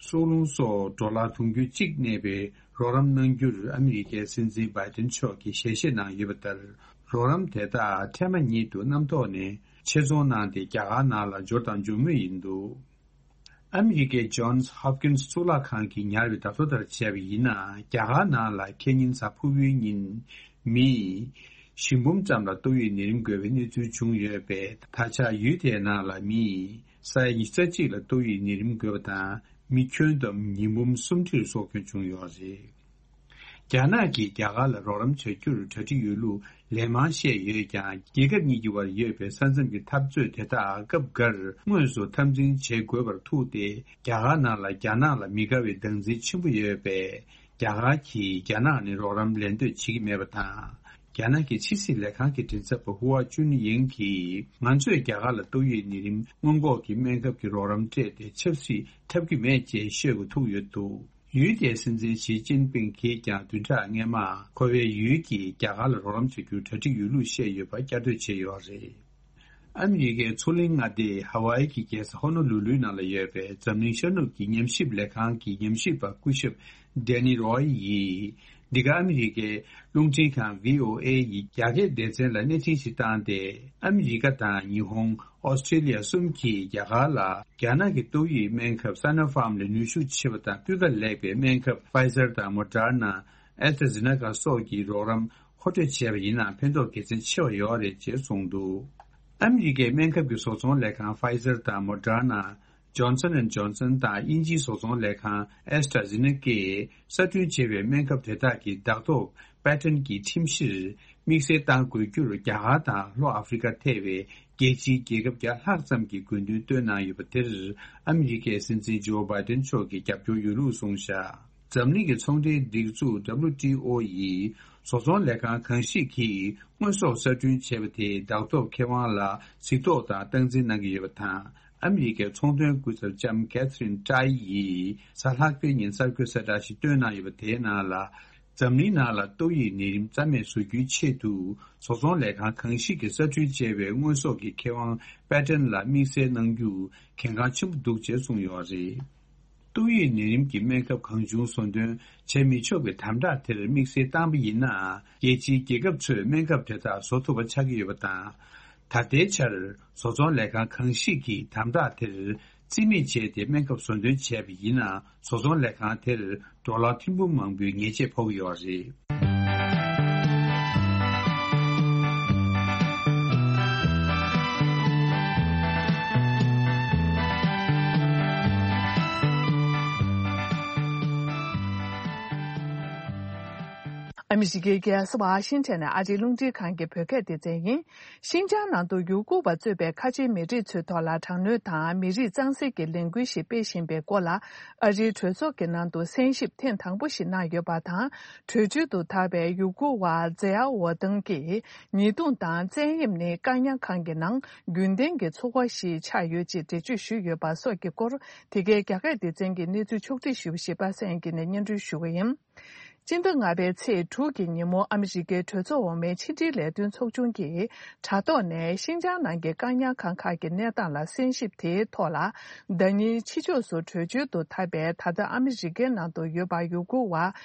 སྲོག་རླུང་སོགས་ཌོ་ལར་དུང་ཕྱུར་གཅིག་གནས་པའི་རོགས་རམ་གནང་རྒྱུར་ཨ་མི་རི་ཀའི་སྲིད་འཛིན་བྷའི་ཏན་མཆོག་གིས་ཞལ་བཞེས་གནང་ཡོད་པ་ལྟར། རོགས་རམ་དེ་དག་འཕྲལ་མ་ཉིད་དུ་གནམ་ཐོག་ནས་ཆེད་རྫོང་གནང་སྟེ་རྒྱ་གར་ནང་ལ་འབྱོར་དང་འབྱོར་མུས་ཡིན་འདུག། ཨ་མི་རི་ཀའི་ཇོན་སི་ཧོབ་ཀིན་སི་གཙུག་ལག་ཁང་གིས་ཉར་བའི་བརྡ་ཐོ་ལྟར་བྱས་པ་ཡིན་ན། རྒྱ་གར་ནང་ལ་ཁེ་ཉིན་གཟའ་ཕུར་བུའི་ཉིན་མི་བཞི་འབུམ་ཙམ་ལ་ཏོག་དབྱིབས་ནད་རིམས་འགོས་པའི་གནས་ཚུལ་བྱུང་ཡོད་པས། ད་ཆ་ཡུལ་དེའི་ནང་ལ་མི་ས་ཡ་ཉི་ཤུ་རྩ་གཅིག་ལ་ཏོག་དབྱིབས་ནད་རིམས་འགོས་པ་དང་། མི་ཁྱོན་བསྡོམས་ཉིས་འབུམ་སུམ་ཁྲིར་སྲོག་སྐྱོན་བྱུང་ཡོད་རེད། རྒྱ་ནག་གིས་རྒྱ་གར་ལ་རོགས་རམ་བྱ་རྒྱུར་གྲ་སྒྲིག་ཡོད་ལུགས་ལན་མང་བཤད་ཡོད་ཀྱང་། རྒྱལ་ཁབ་གཉིས་ཀྱི་བར་ཡོད་པའི་ས་མཚམས་ཀྱི་འཐབ་རྩོད་དེ་དག་སྐབས་འགར་དངོས་སུ་འཐབ་འཛིང་བྱེད་དགོས་པར་ཐུག་སྟེ། རྒྱ་གར་ནང་ལ་རྒྱ་ནག་ལ་མི་དགའ་བའི་སྡང་འཛིན་ཆེན་པོ་ཡོད་པས། རྒྱ་གར་གྱིས་རྒྱ་ནག་ནས་རོགས་རམ་ལེན་འདོད་བྱེད་ཀྱི་མེད་པ་དང་། རྒྱ་ནག་གི་ཕྱི་སྲིད་ལས་ཁང་གི་མགྲིན་ཚབ་པ་ཧུའ་ཅུན་ཡེང་གིས། ང་ཚོས་རྒྱ་གར་ལ་ཏོག་དབྱིབས་ནད་རིམས་སྔོན་འགོག་གི་སྨན་ཁབ་ཀྱི་རོགས་རམ་སྤྲད་དེ་ཆབ་སྲིད་འཐབ་ཀྱི་མེད་ཅེས་ཤོད་དགོས་ཐུག་ཡོད་འདུག། ཡུལ་དེའི་སྲིད་འཛིན་ཞི་ཅིན་ཕིང་གིས་ཀྱང་བདུན་ཕྲག་སྔོན་མ་ཁོ་པའི་ཡུལ་གྱིས་རྒྱ་གར་ལ་རོགས་རམ་བྱ་རྒྱུར་གྲ་སྒྲིག་ཡོད་ལུགས་བཤད་ཡོད་པ་བསྐྱར་ཟློས་བྱས་ཡོད་རེད། ཨ་མི་རི་ཀའི་མཚོ་གླིང་མངའ་སྡེ་ཧ་ཝཱ་ཡི་གི་རྒྱལ་ས་ཧོ་ནོ་ལུ་ལུའི་ནང་ལ་ཡོད་པའི་འཛམ་གླིང་ཤར་ནུབ་ཀྱི་ཉམས་ཞིབ་ལས་ཁང་གི་ཉམས་ཞིབ་པ་སྐུ་ཞབས་ཌེ་ནི་རོའི་ཡིས། འདི་ག་ཨ་མི་རི་ཀའི་རླུང་འཕྲིན་ཁང་བྷི་ཨོ་ཨེ་ཡི་རྒྱ་སྐད་སྡེ་ཚན་ལ་གནས་འཕྲིན་ཞིག་བཏང་སྟེ། ཨ་མི་རི་ཀ་དང་ཉི་ཧོང་། ཨོ་སི་ཀྲེ་ལི་ཡ་གསུམ་གྱིས་རྒྱ་གར་ལ་རྒྱ་ནག་གི་ཏོག་དབྱིབས་སྨན་ཁབ་སཱ་ནོ་ཕཱམ་ལས་ནུས་ཤུགས་ཆེ་བ་དང་སྤུས་ཀ་ལེགས་པའི་སྨན་ཁབ་ཕ་ཡི་ཛར་དང་མོ་ཌར་ན། ཨེ་སི་ཊ་ཛེ་ནེ་ཀ་སོགས་ཀྱི་རོགས་རམ་མཁོ་སྤྲོད་བྱས་པ་ཡིན་ན་ཕན་ཐོགས་དགེ་མཚན་ཆེ་བ་ཡོད་རེད་ཅེས་གསུངས་འདུག། ཨ་མི་རི་ཀའི་སྨན་ཁབ་ཀྱི་བཟོ་ཚོང་ལས་ཁང་ཕ་ཡི་ཛར་དང་མོ་ཌར་ན། ཇོན་སན་ཨེན་ཇོན་སན་དང་དབྱིན་ཇིའི་བཟོ་ཚོང་ལས་ཁང་ཨེ་སི་ཊ་ཛེ་ནེ་ཀས་གསར་སྐྲུན་བྱས་པའི་སྨན་ཁབ་དེ་དག་གི་འདག་ཐོག་པེ་ཊན་གྱི་ཁྲིམས་གཞིར་དམིགས་བསལ་གཏང་དགོས་རྒྱུར་རྒྱ་གར་དང་ལྷོ་ཨ་ཧྥེ་རི་ཁ་ཐེ་བའི་རྒྱལ་སྤྱིའི་རྒྱལ་ཁབ་བརྒྱ་ལྷག་ཙམ་གྱིས་དགོས་འདུན་བཏོན་གནང་ཡོད་པ་དེར་ཨ་མི་རི་ཀའི་སྲིད་འཛིན་ཇོ་བྷའི་ཏན་མཆོག་གིས་རྒྱབ་སྐྱོར་ཡོད་ལུགས་གསུངས་བཞག། འཛམ་གླིང་གི་ཚོང་འབྲེལ་སྒྲིག་འཛུགས་ཌབ་ལུ་ཊི་ཨོ་ཡིས་བཟོ་ཚོང་ལས་ཁང་གང་ཞིག་གིས་དངོས་ཟོག་གསར་སྐྲུན་བྱས་པ་དེའི་འདག་ཐོག་ཁེ་དབང་ལ་གཟིགས་རྟོག་དང་སྟངས་འཛིན་གནང་གི་ཡོད་པ་དང་། ཨ་མི་རི་ཀའི་ཚོང་དོན་སྐུ་ཚབ་ལྕམ་ཀེ་ཐི་རིན་ཀྲའི་ཡིས་གཟའ་ལྷག་པའི་ཉིན་གསར་འགོད་གསལ་བསྒྲགས་ཤིག་བཏོན་གནང་ཡོད་པ་དེའི་ནང་ལ། འཛམ་གླིང་ནང་ལ་ཏོག་དབྱིབས་ནད་རིམས་རྩ་མེད་བཟོ་རྒྱུའི་ཆེད་དུ་བཟོ་ཚོང་ལས་ཁང་གང་ཞིག་གིས་གསར་སྐྲུན་བྱས་པའི་དངོས་ཟོག་གི་ཁེ་དབང་པེ་ཊན་ལ་དམིགས་བསལ་གནང་རྒྱུ་གལ་འགངས་ཆེན་པོ་འདུག་ཅེས་གསུངས་ཡོད་རེད། ཏོག་དབྱིབས་ནད་རིམས་ཀྱི་སྨན་ཁབ་གང་བྱུང་བཟོ་འདོན་བྱེད་མི་ཆོག་པའི་དམ་དྲག་དེར་དམིགས་བསལ་བཏང་པ་ཡིན་ན། རྒྱལ་སྤྱིའི་རྒྱལ་ཁབ་ཚོས་སྨན་ཁབ་དེ་དག་བཟོ་ཐུབ་པ་ཆགས་ཀྱི་ཡོད་པ་དང་། ད་ལྟའི་ཆར་བཟོ་ཚོང་ལས་ཁང་གང་ཞིག་གིས་དམ་དྲག་དེར་རྩིས་མེད་བྱས་ཏེ་སྨན་ཁབ་བཟོ་འདོན་བྱས་པ་ཡིན་ན། བཟོ་ཚོང་ལས་ཁང་དེར་ཌོ་ལར་ཐེར་འབུམ་མང་པོའི་ཉེས་ཆད་ཕོག་གི་ཡོད་རེད། ཨ་མི་རི་ཀའི་རྒྱལ་ས་ཝ་ཤིང་ཊོན་ནས་ཨ་རིའི་རླུང་འཕྲིན་ཁང་གི་བོད་སྐད་སྡེ་ཚན་ཡིན། ཤིན་ཅང་ནང་དུ་ཡུ་གུར་བ་གཙོས་པའི་ཁ་ཆེའི་མི་རིགས་ཚོའི་ཐོག་ལ་དྲག་གནོན་དང་མི་རིགས་གཙང་སེལ་གྱི་ལས་འགུལ་ཞིག་སྤེལ་བཞིན་པའི་སྐོར་ལ། ཨ་རིའི་གྲོས་ཚོགས་ཀྱི་ནང་དུ་གསན་ཞིབ་ཐེངས་དང་པོ་ཞིག་གནང་ཡོད་པ་དང་། བྲོས་བྱོལ་དུ་ཐར་བའི་ཡུ་གུར་བ་ཛེ་ཡ་ཝོ་ཏུང་གིས། ཉེས་རྡུང་དང་བཙན་གཡེམ་ནི་བཀག་ཉར་ཁང་གི་ནང་རྒྱུན་ལྡན་གྱི་འཚོ་བ་ཞིག་ཆགས་ཡོད་ཅེས་འགྲེལ་བརྗོད་ཞུས་ཡོད་པ་སོགས་ཀྱི་སྐོར། དེ་གའི་རྒྱ་སྐད་སྡེ་ཚན་གྱི་གནས་ཚུལ་ཕྱོགས་བསྒྲིགས་ཞུས་པ་ཞིག་པ་སངས་སྐྱིད་ནས་སྙན་སྒྲོན་ཞུ་གི་ཡིན། སྤྱི་ཟླ་ལྔ་པའི་ཚེས་དྲུག་གི་ཉིན་མོ། ཨ་མི་རི་ཀའི་གྲོས་ཚོགས་འོག་མའི་ཕྱི་འབྲེལ་ལས་དོན་ཚོགས་ཆུང་གིས་དྲ་ཐོག་ནས་ཤིན་ཅང་ནང་གི་བཀག་ཉར་ཁང་ཁག་གི་གནས་སྟངས་ལ་གསན་ཞིབ་དེའི་ཐོག་ལ། ཟླ་ཉིན་ཕྱི་ཕྱོགས་སུ་བྲོས་བྱོལ་དུ་ཐར་པའི་ད་ལྟ་ཨ་མི་རི་ཀའི་ནང་དུ་ཡོད་པ་ཡུ་གུར་བ་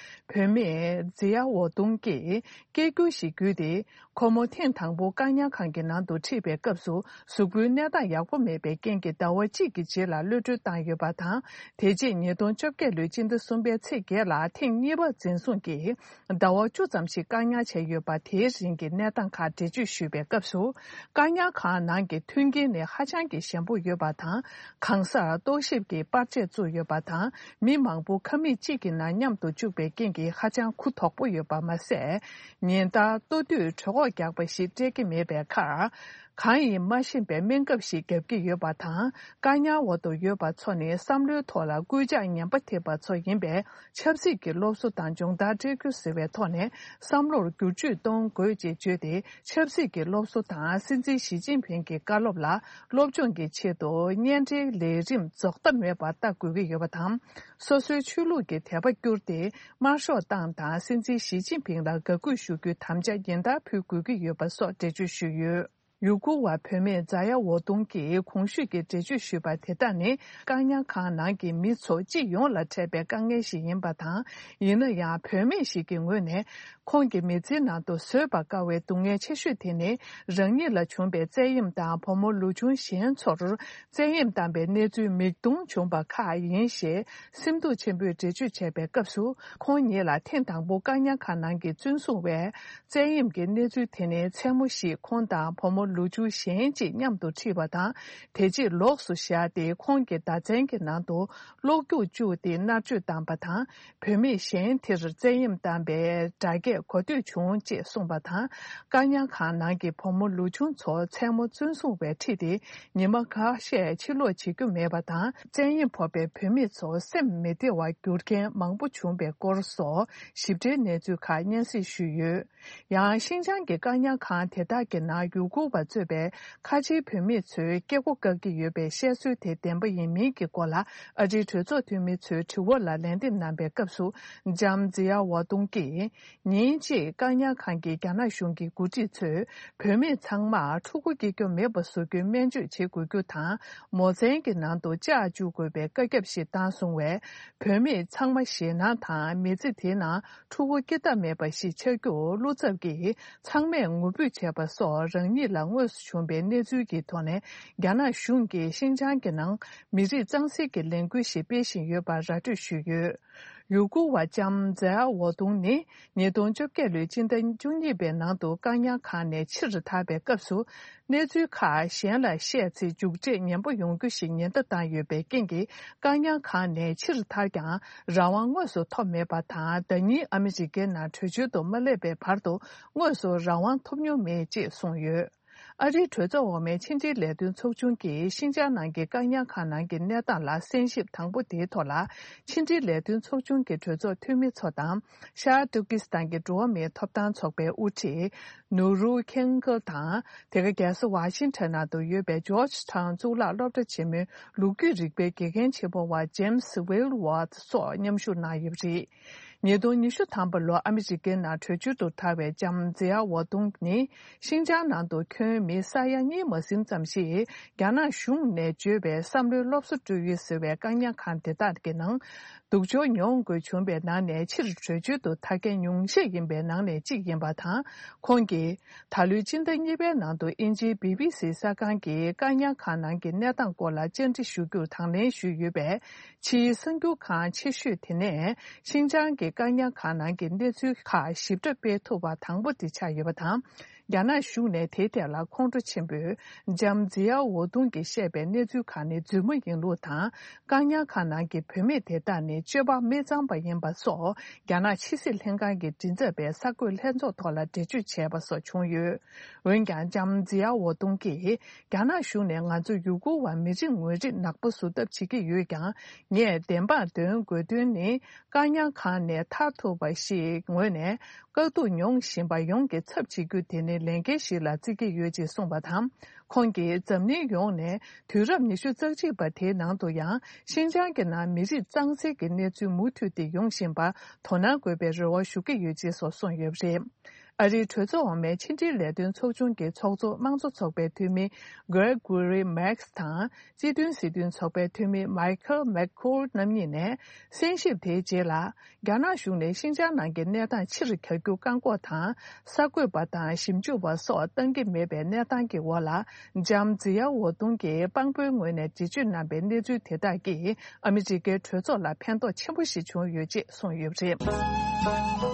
བུད་མེད་ཛི་ཡ་ཝོ་ཏུང་གིས་སྐད་སྒྱུར་ཞིག་བརྒྱུད་དེ། ཁོ་མོ་ཐེངས་དང་པོ་བཀག་ཉར་ཁང་གི་ནང་དུ་ཁྲིད་པའི་སྐབས་སུ། གཟུགས་པོའི་གནས་སྟངས་ཡག་པོ་མེད་པའི་རྐྱེན་གྱིས་ཟླ་བ་གཅིག་གི་རྗེས་ལ་གློད་གྲོལ་བཏང་ཡོད་པ་དང་། དེ་རྗེས་ཉིས་སྟོང་བཅོ་བརྒྱད་ལོའི་སྤྱི་ཟླ་གསུམ་པའི་ཚེས་བརྒྱད་ལ་ཐེངས་གཉིས་པ་འཛིན་བཟུང་གིས་ཟླ་བ་བཅུ་ཙམ་ཞིག་བཀག་ཉར་བྱས་ཡོད་པ། དེའི་རིང་གི་གནས་སྟངས་ཁག་འགྲེལ་བརྗོད་ཞུས་པའི་སྐབས་སུ། བཀག་ཉར་ཁང་ནང་གི་མཐུན་རྐྱེན་ནི་ཧ་ཅང་གི་ཞན་པོ་ཡོད་པ་དང་། གང་སར་ལྟོགས་ཞིབ་ཀྱི་པར་ཆས་བཙུགས་ཡོད་པ་དང་། མི་མང་པོ་ཁང་མིག་གཅིག་གི་ནང་མཉམ་དུ་བཅུག་པའི་རྐྱེན་གྱིས་ཧ་ཅང་གུ་དོག་པོ་ཡོད་པ་མ་ཟད། ཉིན་ལྟར་ལྟོ་དུས་གྲོད་ཁོག་རྒྱགས་པ་ཞིག་སྤྲད་ཀྱི་མེད་པའི་ཁར། གང་ཡིན་མ་ཤེས་པའི་སྨན་ཁབ་ཞིག་བརྒྱབ་ཀྱི་ཡོད་པ་དང་། བཀག་ཉར་འོག་ཏུ་ཡོད་པ་ཚོ་ནི་བསམ་བློའི་ཐོག་ལ་སྐུལ་ལྕག་ངན་པ་ཐེབས་པ་ཚོ་ཡིན་པས། ཆབ་སྲིད་ཀྱི་སློབ་གསོ་དང་སྦྱོང་བརྡར་སྤྲད་རྒྱུ་ཟེར་བའི་ཐོག་ནས་བསམ་བློར་བསྒྱུར་བཅོས་གཏོང་དགོས་ཅེས་བརྗོད་དེ། ཆབ་སྲིད་ཀྱི་སློབ་གསོ་དང་སྲིད་འཛིན་ཞི་ཅིན་ཕིང་གི་བཀའ་སློབ་ལ་སློབ་སྦྱོང་གི་ཆེད་དུ་གཉེན་འབྲེལ་ལས་རིམ་རྫོགས་མཐའ་མེད་པར་ལྟ་དགོས་ཀྱི་ཡོད་པ་དང་། སོ་སོའི་ཆོས་ལུགས་ཀྱི་དད་པ་བསྐྱུར་ཏེ། དམར་ཤོག་ཏང་དང་སྲིད་འཛིན་ཞི་ཅིན་ཕིང་ལ་དགའ་གུས་ཞུ་རྒྱུའི་དམ་བཅའ་ཉིན་ལྟར་ཕུལ་དགོས་ཀྱི་ཡོད་པ་སོགས་འགྲེལ་བརྗོད་ཞུས་ཡོད། ཡུ་གུར་བ་བུད་མེད་ཛ་ཡ་ཝོ་ཏུང་གིས་གོང་ཞུས་ཀྱི་འགྲེལ་བརྗོད་ཞུས་པ་དེ་དག་ནི། བཀག་ཉར་ཁང་ནང་གི་མི་ཚོ་སྤྱི་ཡོངས་ལ་འཕྲད་པའི་དཀའ་ངལ་ཞིག་ཡིན་པ་དང་། ཡིན་ན་ཡང་། བུད་མེད་ཞིག་གི་ངོས་ནས། ཁོང་གི་མི་ཚེའི་ནང་དུ་བཟོད་པར་དཀའ་བའི་སྡུག་བསྔལ་ཆེ་ཤོས་དེ་ནི། རང་ཉིད་ལ་བྱུང་པའི་བཙན་གཡེམ་དང་། བུ་མོ་ལོ་ཆུང་གཞན་ཚོར་བཙན་གཡེམ་བཏང་པའི་གནས་ཚུལ་མིག་མཐོང་བྱུང་པ་ཁག་ཡིན་ཞེས། སེམས་སྡུག་ཆེན་པོས་འགྲེལ་བརྗོད་བྱས་པའི་སྐབས་སུ། ཁོང་ཉིད་ལ་ཐེངས་དང་པོ་བཀག་ཉར་ཁང་ནང་གི་བཙོན་སྲུང་བས། བཙན་གཡེམ་གྱི་གནས་ཚུལ་དེ་ནི་མཚན་མོ་ཞིག་ཁོང་དང་བུ་མོ་ལོ་ཆུང་གཞན་གཅིག་མཉམ་དུ་ཁྲིད་པ་དང་། དེ་རྗེས་ལོགས་སུ་བཞག་སྟེ། ཁོང་གི་བརྡ་མཚོན་གྱི་ནང་དུ་གློག་རྒྱུག་བཅུག་སྟེ་མནར་གཅོད་བཏང་པ་དང་། བུད་མེད་གཞན་དེར་བཙན་གཡེམ་བཏང་པའི་སྒྲ་སྐད་གོ་ཐོས་བྱུང་ཅེས་གསུངས་པ་དང་། བཀག་ཉར་ཁང་ནང་གི་བུ་མོ་ལོ་ཆུང་ཚོ་མཚན་མོ་བཙོན་སྲུང་བས་ཁྲིད་དེ། ཉི་མ་ཁ་ཤས་ཕྱིར་ལོག་བྱེད་རྒྱུ་མེད་པ་དང་། བཙན་གཡེམ་ཕོག་པའི་བུད་མེད་ཚོ་སེམས་མི་བདེ་བར་གྱུར་མཁན་མང་པོ་བྱུང་པའི་སྐོར་སོགས་ཞིབ་ཕྲའི་གནས་ཚུལ་ཁག་སྙན་སེང་ཞུས་ཡོད། ཡང་། ཤིན་ཅང་གི་བཀག་ཉར་ཁང་དེ་དག་གི་ནང་ཡུ་གུར་བ་གཙོས་པའི་ཁ་ཆེའི་བུད་མེད་ཚོས་སྐྱེ་སྒོ་བཀག་གི་ཡོད་པའི་བཤད་སྲོལ་དེ་བདེན་པ་ཡིན་མིན་གྱི་སྐོར་ལ། ཨ་རིའི་གྲོས་ཚོགས་འཐུས་མི་ཚོའི་དྲི་བ་ལ་ལན་འདེབས་གནང་པའི་སྐབས་སུ། ལྕམ་ཛི་ཡ་ཝ་ཏུང་གིས། ཉིན་གཅིག་བཀག་ཉར་ཁང་གི་རྒྱ་ནག་གཞུང་གི་འགོ་ཁྲིད་ཚོས། བུད་མེད་ཚང་མར་ཕྲུ་གུ་སྐྱེ་རྒྱུ་མེད་པ་བཟོ་རྒྱུའི་སྨན་བཅོས་བྱེད་དགོས་རྒྱུ་དང་། མོ་མཚན་གྱི་ནང་དུ་ལྕགས་བཅུག་དགོས་པའི་བཀའ་ཁྱབ་ཞིག་བཏང་སོང་བས། བུད་མེད་ཚང་མ་ཞེད་སྣང་དང་། མི་ཚེ་དེའི་ནང་ཕྲུ་གུ་སྐྱེ་ཐབས་མེད་པ་ཞིག་ཆགས་རྒྱུར་བློ་འཚབ་ཀྱིས། ཚང་མས་ངུ་འབོད་བྱས་པ་སོགས། རང་ཉིད་ལ་དངོས་སུ་བྱུང་པའི་གནས་ཚུལ་གྱི་ཐོག་ནས། རྒྱ་ནག་གཞུང་གིས་ཤིན་ཅང་གི་ནང་མི་རིགས་གཙང་སེལ་གྱི་ལས་འགུལ་ཞིག་སྤེལ་བཞིན་ཡོད་པར་ར་སྤྲོད་ཞུས་ཡོད། ཡུ་གུར་བ་ལྕམ་ཛའ་ཝོ་ཏུང་ནི། ཉིས་སྟོང་བཅོ་བརྒྱད་ལོའི་སྤྱི་ཟླ་བཅུ་གཉིས་པའི་ནང་དུ་བཀག་ཉར་ཁང་ནས་ཕྱིར་ཐར་པའི་སྐབས་སུ། གནས་ཚུལ་ཁག་གཞན་ལ་བཤད་ཚེ། མཇུག་འབྲས་ངན་པ་ཡོང་རྒྱུ་ཞིག་ཉེན་བརྡ་བཏང་ཡོད་པའི་རྐྱེན་གྱིས། བཀག་ཉར་ཁང་ནས་ཕྱིར་ཐར་ཀྱང་། རང་དབང་དངོས་སུ་ཐོབ་མེད་པ་དང་། ཟླ་ཉིན་ཨ་མི་རི་ཀའི་ནང་བྲོས་བྱོལ་དུ་མ་སླེབས་པའི་བར་དུ། དངོས་སུ་རང་དབང་ཐོབ་མྱོང་མེད་ཅེས་གསུངས་ཡོད། ཨ་རིའི་གྲོས་ཚོགས་འོག་མའི་ཕྱི་འབྲེལ་ལས་དོན་ཚོགས་ཆུང་གིས། ཤིན་ཅང་ནང་གི་བཀག་ཉར་ཁང་ནང་གི་གནས་སྟངས་ལ་གསན་ཞིབ་དང་པོ་དེའི་ཐོག་ལ། ཕྱི་འབྲེལ་ལས་དོན་ཚོགས་ཆུང་གི་གྲོས་ཚོགས་འཐུས་མི་ཚོ་དང་། ཤར་ཏུར་ཀི་སི་ཐན་གྱི་འགྲོ་བ་མིའི་ཐོབ་ཐང་ཚོགས་པའི་དབུ་ཁྲིད། ནུ་རུ་ཁེང་གལ་དང་། དེ་ག་རྒྱལ་ས་ཝ་ཤིང་ཊོན་ནང་དུ་ཡོད་པའི་ཇོརྗ་ཊའོན་གཙུག་ལག་སློབ་གྲྭ་ཆེན་མོའི་ལོ་རྒྱུས་རིག་པའི་དགེ་རྒན་ཆེན་མོ་བ་ཇེམ་སི་ཝིལ་ཝར་ཐི་སོགས་མཉམ་ཞུགས་གནང་ཡོད་པ་རེད། ཉིས་སྟོང་ཉི་ཤུ་ཐམ་པ་ལོར་ཨ་མི་རི་ཀའི་ནང་བྲོས་བྱོལ་དུ་ཐར་བའི་ལྕམ་ཛི་ཡ་ཝ་ཏུང་ནི། ཤིན་ཅང་ནང་དུ་ཁྱོན་མི་ས་ཡ་གཉིས་མ་ཟིན་ཙམ་ཞིག་རྒྱ་ནག་གཞུང་ནས་བརྗོད་པའི་བསམ་བློའི་སློབ་གསོ་སྤྲོད་ཡུལ་ཟེར་བའི་བཀག་ཉར་ཁང་དེ་དག་གི་ནང་། སྡུག་སྦྱོང་མྱོང་དགོས་བྱུང་བའི་ནང་ནས་ཕྱིར་བྲོས་བྱོལ་དུ་ཐར་མཁན་ཉུང་ཤས་ཡིན་པའི་ནང་ནས་གཅིག་ཡིན་པ་དང་། ཁོང་གིས། ད་ལོའི་སྤྱི་ཟླ་གཉིས་པའི་ནང་དུ་དབྱིན་ཇིའི་བི་བི་སི་གསར་ཁང་གིས་བཀག་ཉར་ཁང་ནང་གི་གནས་སྟངས་སྐོར་ལ་བཅར་འདྲི་ཞུ་རྒྱུར་དང་ལེན་ཞུས་ཡོད་པས། ཕྱིའི་གསར་འགྱུར་ཁང་ཆེ་ཤོས་དེ་ནས་ཤིན་ཅང་གི་བཀག་ཉར་ཁང་ནང་གི་གནས་ཚུལ་ཁག་ཞིབ་ཕྲ་སྤེལ་ཐུབ་པ་དང་པོ་དེ་ཆགས་ཡོད་པ་དང་། རྒྱ་ནག་གཞུང་ནས་དེའི་ཐད་ལ་ཁོང་ཁྲོ་ཆེན་པོས་ལྕམ་ཛི་ཡའོ་ཝོ་ཏུང་གིས་བཤད་པའི་གནས་ཚུལ་ཁག་ནི་རྫུན་མ་ཡིན་ལུགས་དང་། བཀག་ཉར་ཁང་ནང་གི་བུད་མེད་དེ་དག་ནི་སྤྱོད་པ་མི་གཙང་པ་ཡིན་པ་སོགས་རྒྱ་ནག་ཕྱི་སྲིད་ལྷན་ཁང་གི་མགྲིན་ཚབ་པས་གསར་འགོད་ལྷན་ཚོགས་ཐོག་ལ་འགྲེལ་བརྗོད་བྱས་པ་སོགས་བྱུང་ཡོད། འོན་ཀྱང་ལྕམ་ཛི་ཡའོ་ཝོ་ཏུང་གིས་རྒྱ་ནག་གཞུང་ནས་ང་ཚོ་ཡུ་གུར་བ་མི་རིགས་ངོས་རིགས་ནག་པོ་བཟོ་ཐབས་བྱེད་ཀྱི་ཡོད་ཀྱང་། ངས་བདེན་པར་འདོན་དགོས་དོན་ནི། བཀག་ཉར་ཁང་ནས་ཐར་ཐུབ་པ་ཞིག་ངོས་ནས་དཀའ་སྡུག་མྱོང་བཞིན་པ་ཡོངས་ཀྱི་ཚབ་བྱེད་རྒྱུ་དེ་ནི་ལས་འགན་ཞིག་ལ་བརྩི་གི་ཡོད་ཅེས་གསུངས་པ་དང་། ཁོང་གིས་འཛམ་གླིང་ཡོངས་ནས་དུས་རབས་ཉི་ཤུ་རྩ་གཅིག་པ་དེའི་ནང་དུ་ཡང་ཤིན་ཅང་གི་ནང་མི་རིགས་གཙང་སེལ་གྱི་གནས་ཚུལ་མུ་མཐུད་དེ་ཡོང་བཞིན་པར་དོ་སྣང་དགོས་པའི་རེ་བ་ཞུ་གི་ཡོད་ཅེས་སོགས་གསུངས་ཡོད་པ་རེད། ཨ་རིའི་གྲོས་ཚོགས་འོག་མའི་ཕྱི་འབྲེལ་ལས་དོན་ཚོགས་ཆུང་གི་ཚོགས་གཙོ་དམངས་གཙོ་ཚོགས་པའི་འཐུས་མི་Gregory Meeks དང་སྤྱི་མཐུན་སྲིད་དོན་ཚོགས་པའི་འཐུས་མི་Michael McCaul རྣམ་གཉིས་ནས་གསན་ཞིབ་དེའི་རྗེས་ལ། རྒྱ་ནག་གཞུང་ནས་ཤིན་ཅང་ནང་གི་གནས་སྟངས་ཕྱིར་གྱར་རྒྱུ་བཀག་འགོག་དང་། གསར་འགོད་པ་དང་ཞིབ་འཇུག་པ་སོགས་བཏང་གི་མེད་པའི་གནས་སྟངས་ཀྱི་འོག་ལ། ལྕམ་ཛི་ཡའོ་ཝོ་ཏུང་གིས་དཔང་པོའི་ངོས་ནས་འགྲེལ་བརྗོད་གནང་པའི་གནས་ཚུལ་དེ་དག་གིས་ཨ་མི་རི་ཀའི་གྲོས་ཚོགས་ལ་ཕན་ཐོགས་ཆེན་པོ་ཞིག་བྱུང་ཡོད་ཅེས་གསུངས་ཡོད་པ་རེད།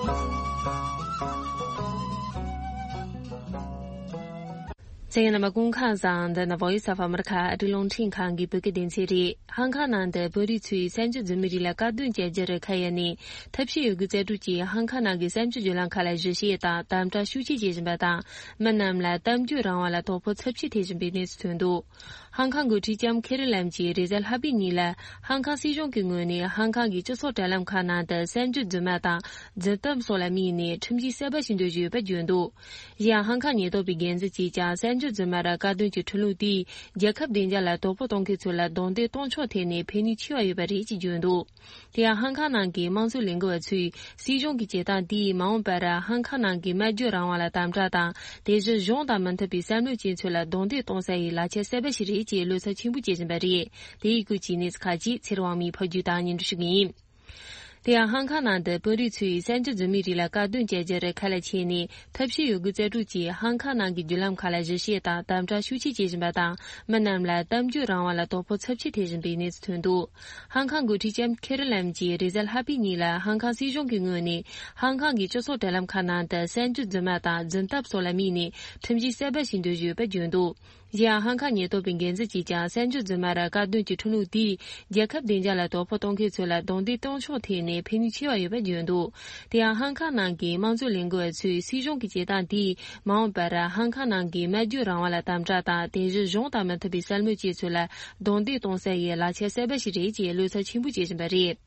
གསན་མཁན་རྣམ་པ་སྐུ་ཁམས་བཟང་། འདི་ནི་Voice of America ཨ་རིའི་རླུང་འཕྲིན་ཁང་གི་བོད་སྐད་སྡེ་ཚན་རེད། ཧང་ཁང་ནང་དུ་བོད་རིགས་ཚོས་གསར་འགྱུར་འཛིན་མི་རིགས་ལ་དཀའ་སྡུག་བྱེད་རྒྱུར་ཁ་གཡར་ནས་ཐབས་ཤེས་ཡོད་དགུ་རྩལ་སྤྲུགས་ཀྱིས་ཧང་ཁང་ནང་གི་གསར་འགྱུར་བརྒྱུད་ལམ་ཁག་ལ་གཞི་བྱས་དང་དམ་དྲག་ཤུགས་ཆེ་བྱེད་བཞིན་པ་དང་། མི་རྣམས་ལ་གཏམ་བརྗོད་རང་དབང་ལ་དོ་ཕོག་ཚབས་ཆེ་ཐེབས་བཞིན་པའི་གནས་ཚུལ་ཐོན་འདུག་ཧང་ཁང་འགོ་ཁྲིད་ལྕམ་ཁེ་རི་ལམ་གྱིས་རེས་གཟའ་ལྷག་པའི་ཉིན་ལ་ཧང་ཁང་སྲིད་གཞུང་གི་ངོས་ནས་ཧང་ཁང་གི་སྤྱི་ཚོགས་དྲ་ལམ་ཁག་ནང་དུ་གསར་འགྱུར་རྫུན་མ་དང་རྫུན་གཏམ་སོགས་ལ་དམིགས་ནས་ཁྲིམས་གཞི་གསར་པ་ཞིག་འདོན་བཞིན་ཡོད་པ་བརྗོད་འདུག་གཞན་ཡང་ཧང་ཁང་ཉེན་རྟོག་པའི་འགན་འཛིན་གྱིས་ཀྱང་གསར་འགྱུར་རྫུན་མ་ར་དཀའ་སྡུག་གི་ཁྲིམས་ལུགས་དེས་རྒྱལ་ཁབ་བདེ་འཇགས་ལ་དོ་ཕོག་གཏོང་མཁན་ཚོ་ལ་རྡུང་རྡེག་གཏོང་ཕྱོགས་ཐད་ནས་ཕན་ནུས་ཆེ་བ་ཡོད་པ་རེད་ཅེས་བརྗོད་འདུག་དེ་ཡང་ཧང་ཁང་ནང་གི་དམངས་གཙོ་ལས་འགུལ་བ་ཚོས་སྲིད་གཞུང་གི་བྱེད་སྟངས་དེས་མ་འོངས་པར་ཧང་ཁང་ནང་གི་སྨྲ་བརྗོད་རང་དབང་ལ་དམ་དྲག་དང་། དེ་བཞིན་གཞུང་དང་མི་མཐུན་པའི་བསམ་བློ་ཅན་ཚོ་ལ་རྡུང་རྡེག་གཏོང་ས་ཡི་ལག་ཆ་གསར་པ་ཞིག་རེད་ཅེས་བློ་འཚབ་ཆེན་པོ་བྱེད་བཞིན་པ་རེད། དེ་ཡི་སྐོར་གྱི་གནས་ཚུལ་ཁག་ཅིག་ཚེ་རིང་དབང་མོས་ཕབ་བསྒྱུར་དང་སྙན་སྒྲོན་ཞུ་གི་ཡིན། དེ་ཡང་ཧང་ཁང་ནང་དུ་བོད་རིགས་ཚོས་གསར་འགྱུར་འཛིན་མི་རིགས་ལ་དཀའ་སྡུག་བྱེད་རྒྱུར་ཁ་ལ་ཆས་ནས་ཐབས་ཤེས་ཡོད་དགུ་རྩལ་སྤྲུགས་ཀྱིས་ཧང་ཁང་ནང་གི་བརྒྱུད་ལམ་ཁག་ལ་གཞི་བྱས་དང་དམ་དྲག་ཤུགས་ཆེ་བྱེད་བཞིན་པ་དང་། མི་རྣམས་ལ་གཏམ་བརྗོད་རང་དབང་ལ་དོ་ཕོག་ཚབས་ཆེ་ཐེབས་བཞིན་པའི་གནས་ཚུལ་ཐོན་འདུག་ཧང་ཁང་འགོ་ཁྲིད་ལྕམ་ཁེ་རི་ལམ་གྱིས་རེས་གཟའ་ལྷག་པའི་ཉིན་ལ་ཧང་ཁང་སྲིད་གཞུང་གི་ངོས་ནས་ཧང་ཁང་གི་སྤྱི་ཚོགས་དྲ་ལམ་ཁག་ནང་དུ་གསར་འགྱུར་རྫུན་མ་དང་རྫུན་གཏམ་སོགས་ལ་དམིགས་ནས་ཁྲིམས་གཞི་གསར་པ་ཞིག་འདོན་བཞིན་ཡོད་པ་བརྗོད་འདུག་གཞན་ཡང་ཧང་ཁང་ཉེན་རྟོག་པའི་འགན་འཛིན་གྱིས་ཀྱང་གསར་འགྱུར་རྫུན་མ་ར་དཀའ་སྡུག་གི་ཁྲིམས་ལུགས་དེས་རྒྱལ་ཁབ་བདེ་འཇགས་ལ་དོ་ཕོག་གཏོང་མཁན་ཚོ་ལ་རྡུང་རྡེག་གཏོང་ཕྱོགས་ཐད་ནས་ཕན་ནུས་ཆེ་བ་ཡོད་པ་བརྗོད་འདུག་དེ་ཡང་ཧང་ཁང་ནང་གི་དམངས་གཙོ་ལས་འགུལ་བ་ཚོས་སྲིད་གཞུང་གི་བྱེད་སྟངས་དེས་མ་འོངས་པར་ཧང་ཁང་ནང་གི་སྨྲ་བརྗོད་རང་དབང་ལ་དམ་དྲག་དང་། དེ་བཞིན་གཞུང་དང་མི་མཐུན་པའི་བསམ་བློ་ཅན་ཚོ་ལ་རྡུང་རྡེག་གཏོང་ས་ཡི་ལག་ཆ་གསར་པ་ཞིག་རེད་ཅེས་བློ་འཚབ་ཆེན་པོ་བྱེད་བཞིན་པ་རེད།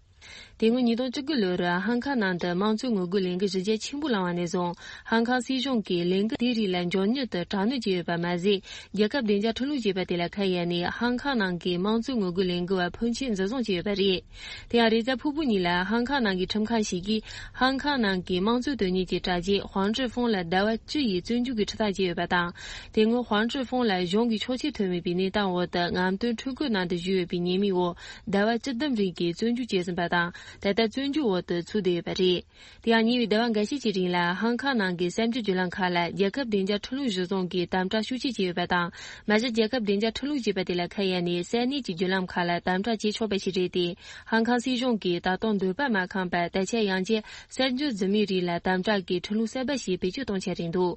དེ་སྔོན་ཉིས་སྟོང་བཅུ་དགུ་ལོར་ཧང་ཁང་ནང་དུ་དམངས་གཙོའི་ངོ་རྒོལ་ལས་འགུལ་གཞི་རྒྱ་ཆེན་པོ་བསླངས་པ་ནས་བཟུང་། ཧང་ཁང་སྲིད་གཞུང་གིས་ལས་འགུལ་དེའི་རིགས་ལ་མགྱོགས་མྱུར་དུ་དྲག་གནོན་བྱས་ཡོད་པ་མ་ཟད། རྒྱལ་ཁབ་བདེ་འཇགས་ཁྲིམས་ལུགས་ཅེས་པ་དེ་ལ་ཁ་གཡར་ནས་ཧང་ཁང་ནང་གི་དམངས་གཙོའི་ངོ་རྒོལ་ལས་འགུལ་བ་ཕོན་ཆེན་འཛིན་བཟུང་བྱས་ཡོད་པ་རེད། དེ་ཡང་རེས་གཟའ་ཕུར་བུ་ཉིན་ལ་ཧང་ཁང་ནང་གི་ཁྲིམས་ཁང་ཞིག་གིས་ཧང་ཁང་ནང་གི་དམངས་གཙོའི་དོན་གཉེར་གྱི་དྲ་རྒྱའི་ཧུང་ཀྲི་ཧྥུང་ལ་ཟླ་བ་བཅུ་ཡི་བཙོན་འཇུག་གི་ཁྲིམས་ཐག་བཅད་ཡོད་པ་དང་། དེ་སྔོན་ཧུང་ཀྲི་ཧྥུང་ལ་གཞུང་གི་ཆོག་མཆན་ཐོན་མེད་པའི་གནས་སྟངས་འོག་ཏུ་རྔམ་སྟོན་ཁྲིམས་བཀོད་ནང་དུ་བཞུགས་ཡོད་པའི་ཉེས་མིང་འོག་ཟླ་བ་བཅུ་བདུན་རིང་གི་བཙོན་འཇུག་བྱས་ཟིན་པ་དང་། ད་ལྟ་བཙོན་འཇུག་འོག་ཏུ་ཚུད་བསྡད་ཡོད་པ་རེད། དེ་ཡང་ཉེ་བའི་ཟླ་བ་འགའ་ཤས་ཀྱི་རིང་ལ་ཧང་ཁང་ནང་གི་གསར་འགྱུར་བརྒྱུད་ལམ་ཁག་ལ་རྒྱལ་ཁབ་བདེ་འཇགས་ཁྲིམས་ལུགས་གཞིར་བཟུང་གིས་དམ་དྲག་ཤུགས་ཆེ་བྱས་ཡོད་པ་དང་། མ་གཞི་རྒྱལ་ཁབ་བདེ་འཇགས་ཁྲིམས་ལུགས་ཅེས་པ་དེ་ལ་ཁ་གཡར་ནས་ས་གནས་ཀྱི་བརྒྱུད་ལམ་ཁག་ལ་དམ་དྲག་བྱེད་ཆོག་པ་ཞིག་རེད་དེ། ཧང་ཁང་སྲིད་གཞུང་གིས་ད་དུང་འདོད་པ་མ་ཁེངས་པར་ད་ཆ་ཡང་བསྐྱར་གསར་འགྱུར་འཛིན་མི་རིགས་ལ་དམ་དྲག་གི་ཁྲིམས་ལུགས་གསར་པ་ཞིག་བེད་སྤྱོད་གཏོང་འཆར་རེད་འདུག་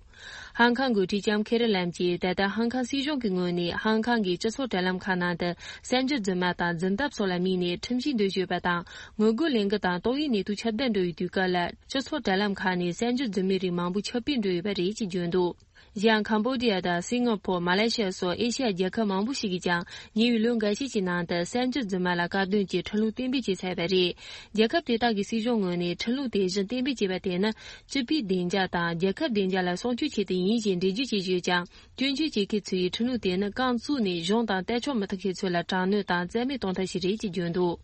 ཧང་ཁང་འགོ་ཁྲིད་ལྕམ་ཁེ་རི་ལམ་གྱིས་ད་ལྟ་ཧང་ཁང་སྲིད་གཞུང་གི་ངོས་ནས་ཧང་ཁང་གི་སྤྱི་ཚོགས་དྲ་ལམ་ཁག་ནང་དུ་གསར་འགྱུར་རྫུན་མ་དང་རྫུན་གཏམ་སོགས་ལ་དམིགས་ནས་ཁྲིམས་གཞི་འདོན་བཞིན་ཡོད་པ་དང་། ངོ་རྒོལ་ལས་འགུལ་དང་ཏོག་དབྱིབས་ནད་དུག་ཁྱབ་གདལ་འགྲོ་བའི་དུས་སྐབས་ལ་སྤྱི་ཚོགས་དྲ་ལམ་ཁག་ནས་གསར་འགྱུར་འཛིན་མི་རིགས་མང་པོ་ཁྱབ་སྤེལ་འགྲོ་ཡོད་པ་རེད་ཅེས་བརྗོད་འདུག་གཞན་ཡང་ཁམ་བྷོ་ཌི་ཡ་དང་སིང་ག་པོར། མ་ལེ་ཤི་ཡ་སོགས་ཨེ་ཤི་ཡ་རྒྱལ་ཁབ་མང་པོ་ཞིག་གིས་ཀྱང་ཉེ་བའི་ལོ་འགའ་ཤས་ཀྱི་ནང་དུ་གསར་འགྱུར་རྫུན་མ་ལ་དཀའ་སྡུག་གི་ཁྲིམས་ལུགས་གཏན་འབེབས་བྱས་ཚར་བ་རེད། རྒྱལ་ཁབ་དེ་དག་གི་སྲིད་གཞུང་ངོས་ནས་ཁྲིམས་ལུགས་དེ་བཞིན་གཏན་འབེབས་བྱས་པ་དེ་ནི་སྤྱི་པའི་བདེ་འཇགས་དང་རྒྱལ་ཁབ་བདེ་འཇགས་ལ་སྲུང་སྐྱོབ་ཆེད་དུ་ཡིན་ཞེས་འགྲེལ་བརྗོད་བྱེད་བཞིན་ཡོད་ཀྱང་། སྐྱོན་བརྗོད་བྱེད་མཁན་ཚོས་ཁྲིམས་ལུགས་དེ་ནི་རྐང་བཙུགས་ནས་གཞུང་དང་ལྟ་ཕྱོགས་མི་མཐུན་མཁན་ཚོ་ལ་དྲག་གནོན་དང་རྩ་མེད་གཏོང་ཐབས་ཤིག་རེད་ཅེས་བརྗོད་འདུག་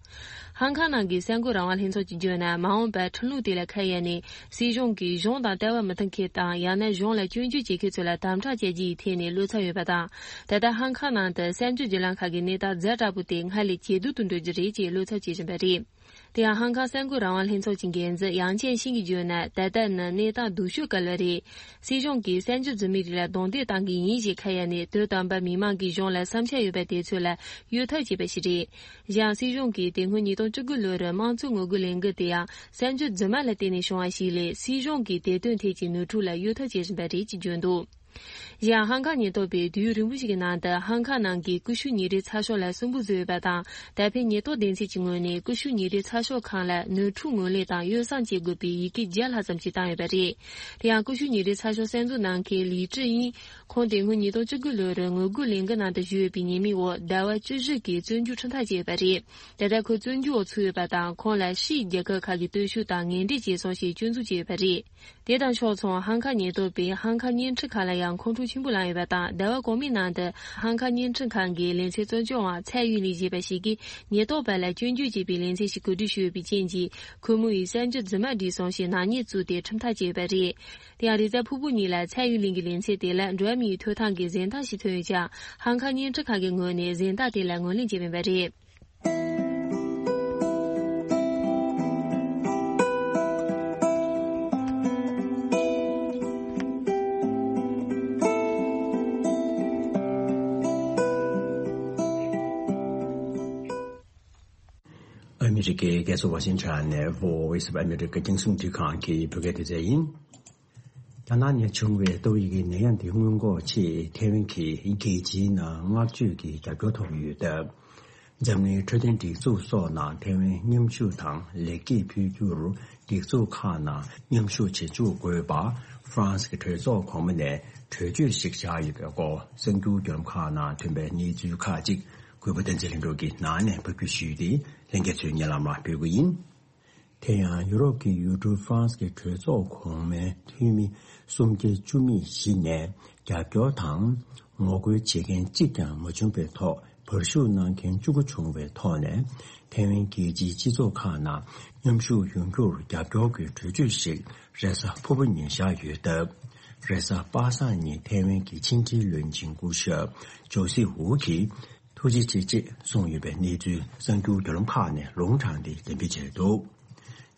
ཧང་ཁང་ནང་གི་གསར་འགོད་རང་དབང་ལྷན་ཚོགས་ཀྱིས་བརྗོད་ན། མ་འོངས་པར་ཁྲིམས་ལུགས་དེ་ལ་ཁ་གཡར་ནས་སྲིད་གཞུང་གིས་གཞུང་དང་ལྟ་བ་མི་མཐུན་མཁན་དང་། ཡང་ན་གཞུང་ལ་སྐྱོན་བརྗོད་བྱེད་མཁན་ཚོ་ལ་དམ་དྲག་བྱ་རྒྱུ་ཡི་ཐད་ནས་བློ་འཚབ་ཡོད་པ་དང་། ད་ལྟ་ཧང་ཁང་ནང་དུ་གསར་འགྱུར་བརྒྱུད་ལམ་ཁག་གི་གནས་སྟངས་ཛ་དྲག་པོ་དེ་སྔར་ལས་ཇེ་སྡུག་ཏུ་འགྲོ་རྒྱུ་རེད་ཅེས་བློ་འཚབ་བྱེད་བཞིན་པ་རེད། དེ་ཡང་ཧང་ཀང་གསར་འགོད་རང་དབང་ལྷན་ཚོགས་ཀྱི་འགན་འཛིན་ཡང་ཅན་ཤིང་གིས་བརྗོད་ན། ད་ལྟ་ནི་གནས་སྟངས་སྡུག་ཤོས་སྐབས་ལ་རེད། སྲིད་གཞུང་གིས་གསར་འགྱུར་རྫུན་མའི་རིགས་ལ་རྡུང་རྡེག་བཏང་གི་ཡིན་ཞེས་ཁ་གཡར་ནས། དོན་དམ་པར་མི་མང་གིས་གཞུང་ལ་བསམ་འཆར་ཡོད་པ་དེ་ཚོ་ལ་གཡོལ་ཐབས་བྱས་པ་ཞིག་རེད། གཞན་སྲིད་གཞུང་གིས་དེ་སྔོན་ཉིས་སྟོང་བཅུ་དགུ་ལོར་དམངས་གཙོའི་ངོ་རྒོལ་ལས་འགུལ་དེ་ཡང་གསར་འགྱུར་རྫུན་མ་ལ་བརྟེན་ནས་བྱུང་བ་ཞིག་ལས། སྲིད་གཞུང་གིས་དེ་དོན་ཐད་ཀྱི་ནོར་འཁྲུལ་ལ་གཡོལ་ཐབས་བྱེད་བཞིན་པ་རེད་ཅེས་བརྗོད་འདུག། གཞན་ཧང་ཀང་ཉེན་རྟོག་པས་དུས་ཡུན་རིང་པོ་ཞིག་གི་ནང་དུ་ཧང་ཀང་ནང་གི་ཀུ་ཤུ་ཉིན་རེའི་ཚགས་ཤོག་ལ་སུན་པོ་བཟོས་ཡོད་པ་དང་། ད་ཕན་ཉེན་རྟོག་སྡེ་ཚན་གྱི་ངོས་ནས་ཀུ་ཤུ་ཉིན་རེའི་ཚགས་ཤོག་ཁང་ལ་ནོར་འཁྲུལ་ངོས་ལེན་དང་གཡོ་བསྲང་བྱེད་དགོས་པའི་ཡི་གེ་བརྒྱ་ལྷག་ཙམ་ཞིག་བཏང་ཡོད་པ་རེད། དེ་ཡང་ཀུ་ཤུ་ཉིན་རེའི་ཚགས་ཤོག་གསར་འཛུགས་གནང་མཁན་ལི་ཀྲི་དབྱིན། ཁོང་དེ་སྔོན་ཉིས་སྟོང་བཅུ་དགུ་ལོར་ངོ་རྒོལ་ལས་འགུལ་ནང་དུ་ཞུགས་ཡོད་པའི་ཉེས་མིང་འོག་ཟླ་བ་བཅུ་བཞི་གི་བཙོན་འཇུག་ཁྲིམས་ཐག་བཅད་ཡོད་པ་རེད། དེ་ལྟར་ཁོ་བཙོན་འཇུག་འོག་ཚུད་ཡོད་པ་དང་། ཁོང་ལ་ཕྱིའི་རྒྱལ་ཁབ་ཁག་གི་སྟོན་ཤུགས་དང་ངན་འབྲེལ་བྱས་སོང་ཞེས་སྐྱོན་འཛུགས་བྱས་ཡོད་པ་རེད། དེ་དང་ཕྱོགས་མཚུངས། ཧང་ཀང་ཉེན་རྟོག་པས་ཧང་ཀང་བརྙན་འཕྲིན་ཁང་ལ་ཡང་ཁོང་ཁྲོ་ཆེན་པོ་ལངས་ཡོད་པ་དང་། ཟླ་བ་གོང་མའི་ནང་དུ་ཧང་ཀང་བརྙན་འཕྲིན་ཁང་གི་ལེ་ཚན་གཙོ་སྐྱོང་བ་ཚའེ་ཡུན་ལི་ཞེས་པ་ཞིག་གིས་ཉེན་རྟོག་པ་ལ་སྐྱོན་བརྗོད་བྱས་པའི་ལེ་ཚན་ཞིག་གོ་སྒྲིག་ཞུས་ཡོད་པའི་རྐྱེན་གྱིས། ཁོ་མོ་ཡིས་གསར་འགྱུར་རྫུན་མ་བྲིས་སོང་ཞེས་ནག་ཉེས་བཙུགས་ཏེ་ཁྲིམས་ཐག་བཅད་ཡོད་པ་རེད། དེ་ཡང་རེས་གཟའ་ཕུར་བུ་ཉིན་ལ་ཚའེ་ཡུན་ལི་གི་ལེ་ཚན་དེ་ལ་འགྲོ་བ་མིའི་ཐོབ་ཐང་གི་གཟེངས་རྟགས་ཤིག་ཐོན་ཡོད་ཀྱང་། ཧང་ཀང་བརྙན་འཕྲིན་ཁང་གི་ངོས་ནས་གཟེངས་རྟགས་དེ་ལ་ངོས་ལེན་བྱས་མེད་པ་རེད། ཨ་མི་རི་ཀའི་རྒྱལ་ས་ཝ་ཤིང་ཊོན་ནས་Voice of America རྒྱང་སྲིང་འཕྲིན་ཁང་གི་བོད་སྐད་སྡེ་ཚན་ཡིན། རྒྱ་ནག་ནས་བྱུང་བའི་ཏོག་དབྱིབས་ཀྱི་ནད་ཡམས་དེ་སྔོན་འགོག་ཆེད་ཐའེ་ཝན་གྱིས་རྒྱལ་སྤྱིའི་ནང་བསྔགས་བརྗོད་ཀྱི་རྒྱབ་སྐྱོར་ཐོབ་ཡོད་སྟབས། འཛམ་གླིང་འཕྲོད་བསྟེན་སྒྲིག་འཛུགས་སོགས་ནང་ཐའེ་ཝན་མཉམ་ཞུགས་དང་ལེགས་སྐྱེས་ཕུལ་རྒྱུར། སྒྲིག་འཛུགས་ཁག་ནང་མཉམ་ཞུགས་བྱེད་བཅུག་དགོས་པ། ཧྥ་རན་སི་གི་གྲོས་ཚོགས་གོང་མ་ནས་གྲོས་ཆོད་ཞིག་བཞག་ཡོད་པའི་སྐོར། གསར་འགྱུར་བརྒྱུད་ལམ་ཁག་ནང་ཐོན་པའི་གནས་ཚུལ་ཁག་ཅིག་གུས་པ་བསྟན་འཛིན་ལྷུན་གྲུབ་ཀྱིས་ནང་ནས་ཕབ་སྒྱུར་ཞུས་ཏེ། ལྷན་རྒྱས་ཚོས་སྙན་ལམ་ལ་ཕུལ་གྱི་ཡིན། དེ་ཡང་ཡུ་རོབ་ཀྱི་ཡུལ་གྲུ་ཧྥ་རན་སི་གི་གྲོས་ཚོགས་གོང་མའི་འཐུས་མི་སུམ་བརྒྱ་བཅུ་མེད་བཞི་ནས་རྒྱབ་སྐྱོར་དང་ངོ་རྒོལ་བྱེད་མཁན་གཅིག་ཀྱང་མ་བྱུང་བའི་ཐོག། བར་ཞུགས་གནང་མཁན་བཅུ་དགུ་བྱུང་བའི་ཐོག་ནས། ཐའེ་ཝན་རྒྱལ་སྤྱིའི་སྤྱི་ཚོགས་ཁག་ནང་མཉམ་ཞུགས་ཡོང་རྒྱུར་རྒྱབ་སྐྱོར་གྱི་གྲོས་ཆོད་ཞིག་རེས་གཟའ་ཕུར་བུ་ཉིན་བཞག་ཡོད་སྟབས། རེས་གཟའ་པ་སངས་ཉིན་ཐའེ་ཝན་གྱི་ཕྱི་འབྲེལ་བློན་ཆེན་སྐུ་ཞབས་ཇོ་སི་ཝུ་གིས་ཐུགས་རྗེ་ཆེ་ཅེས་གསུངས་ཡོད་པའི་གནས་ཚུལ་གསར་འགྱུར་བརྒྱུད་ལམ་ཁག་ནས་ལུང་དྲངས་ཏེ་འགྲེམས་སྤེལ་བྱས་འདུག།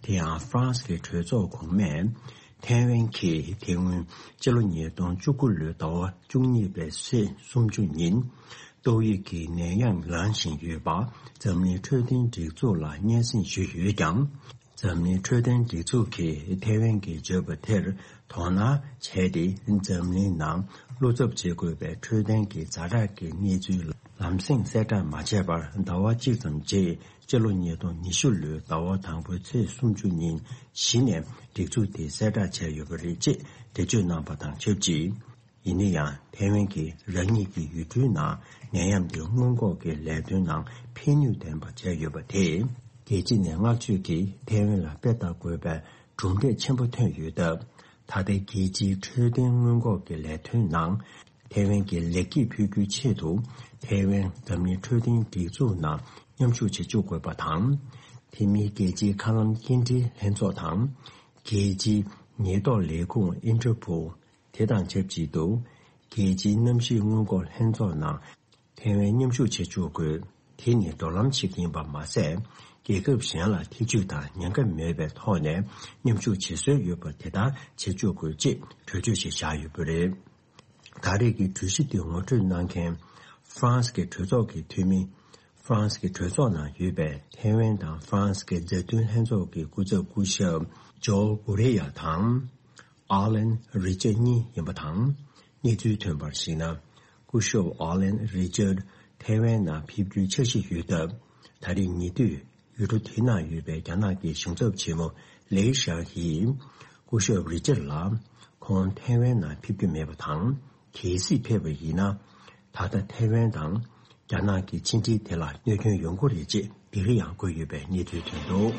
དེ་ཡང་ཧྥ་རན་སི་གི་གྲོས་ཚོགས་གོང་མས་ཐའེ་ཝན་གྱིས་དེ་སྔོན་སྤྱི་ལོ་ཉིས་སྟོང་བཅུ་དགུ་ལོའི་ཟླ་བ་བཅུ་གཉིས་པའི་ཚེས་སུམ་ཅུ་ཉིན། ཏོག་དབྱིབས་ཀྱི་ནད་ཡམས་ལངས་བཞིན་ཡོད་པ་འཛམ་གླིང་འཕྲོད་བསྟེན་སྒྲིག་འཛུགས་ལ་སྙན་སེང་ཞུས་ཡོད་ཀྱང་། འཛམ་གླིང་འཕྲོད་བསྟེན་སྒྲིག་འཛུགས་ཀྱིས་ཐའེ་ཝན་གྱིས་བརྗོད་པ་དེར་དོ་སྣང་བྱས་ཏེ། འཛམ་གླིང་ནང་བློ་འཚབ་བྱེད་དགོས་པའི་འཕྲོད་བསྟེན་གྱི་ཛ་དྲག་གི་གནས་ཚུལ་ལམ་སེང་གསལ་བསྒྲགས་མ་བྱས་པར་ཟླ་བ་གཅིག་ཙམ་རྗེས། སྤྱི་ལོ་ཉིས་སྟོང་ཉི་ཤུ་ལོའི་ཟླ་བ་དང་པོའི་ཚེས་སུམ་ཅུ་ཉིན་གཞི་ནས་སྒྲིག་འཛུགས་དེ་གསལ་བསྒྲགས་བྱས་ཡོད་པ་རེད་ཅེས་འགྲེལ་བརྗོད་གནང་པ་དང་ཆབས་ཅིག། ཡིན་ན་ཡང་། ཐའེ་ཝན་གྱིས་རང་ཉིད་ཀྱི་ཡུལ་གྲུའི་ནང་ནད་ཡམས་དེ་སྔོན་འགོག་གི་ལས་དོན་ནང་ཕན་ནུས་ལྡན་པ་བྱས་ཡོད་པ་དེས། རྒྱལ་སྤྱི་ནས་བསྔགས་བརྗོད་ཀྱིས་ཐའེ་ཝན་ལ་དཔེ་ལྟ་དགོས་པའི་གྲུབ་འབྲས་ཆེན་པོ་ཐོན་ཡོད་སྟབས། ད་ལྟའི་རྒྱལ་སྤྱིའི་འཕྲོད་བསྟེན་སྔོན་འགོག་གི་ལས་དོན་ནང་ཐའེ་ཝན་གྱིས་ལེགས་སྐྱེས་ཕུལ་རྒྱུའི་ཆེད་དུ། ཐའེ་ཝན་འཛམ་གླིང་འཕྲོད་བསྟེན་སྒྲིག་འཛུགས་ནང་མཉམ་ཞུགས་བྱེད་བཅུག་དགོས་པ་དང་། དེ་མིན་རྒྱལ་སྤྱིའི་མཁའ་ལམ་སྐྱེལ་འདྲེན་ལྷན་ཚོགས་དང་། རྒྱལ་སྤྱིའི་ཉེན་རྟོག་ལས་ཁུངས་ཨིན་ཊར་པོལ། དེ་དང་ཆབས་ཅིག་ཏུ། རྒྱལ་སྤྱིའི་གནམ་གཤིས་སྔོན་འགོག་ལྷན་ཚོགས་ནང་ཐའེ་ཝན་མཉམ་ཞུགས་བྱེད་བཅུག་དགོས། དེ་ནི་འགྲོ་ལམ་ཞིག་ཡིན་པ་མ་ཟད། རྒྱལ་ཁབ་གཞན་ལ་ཐེ་ཇུས་དང་ཉེན་ཁ་མེད་པའི་ཐོག་ནས་མཉམ་ཞུགས་བྱེད་སྲོལ་ཡོད་པ་དེ་ལྟར་བྱེད་བཅུག་དགོས་ཅེས་གྲོས་ཆོད་ཞིག་བཞག་ཡོད་པ་རེད། ད་རེས་ཀྱི་གྲོས་གཞི་དེ་ངོ་སྤྲོད་གནང་མཁན་ཧྥ་རན་སི་གི་གྲོས་ཚོགས་ཀྱི་འཐུས་མི། ཧྥ་རན་སི་གི་གྲོས་ཚོགས་ནང་ཡོད་པའི་ཐའེ་ཝན་དང་ཧྥ་རན་སི་གི་མཛའ་མཐུན་ལྷན་ཚོགས་ཀྱི་སྐུ་ཚབ་སྐུ་ཞབས་ཇོ་གུ་རེ་ཡ་དང་། ཨ་ལན་རི་ཅར་གཉིས་ཡིན་པ་དང་། གནས་ཚུལ་ཐོན་པར་གཞིགས་ན། སྐུ་ཞབས་ཨ་ལན་རི་ཅར་ཐའེ་ཝན་ནང་ཕེབས་རྒྱུའི་འཆར་གཞི་ཡོད་སྟབས། ད་རེས་ཉེ་དུས་ཡུལ་གྲུ་དེ་ནང་ཡོད་པའི་རྒྱ་ནག་གི་གཞུང་ཚབ་ཆེན་མོ་ལེའི་ཞང་ཧིས་སྐུ་ཞབས་རི་ཅར་ལ་ཁོང་ཐའེ་ཝན་ནང་ཕེབས་རྒྱུ་མེད་པ་དང་། གལ་སྲིད་ཕེབས་པ་ཡིན་ན། ད་ལྟ་ཐའེ་ཝན་དང་རྒྱ་ནག་གི་ཕྱི་འབྲེལ་དེ་ལ་གནོད་སྐྱོན་ཡོང་གི་རེད་ཅེས་སྡིགས་ར་ཡང་བསྐུལ་ཡོད་པའི་གནས་ཚུལ་ཐོན་འདུག།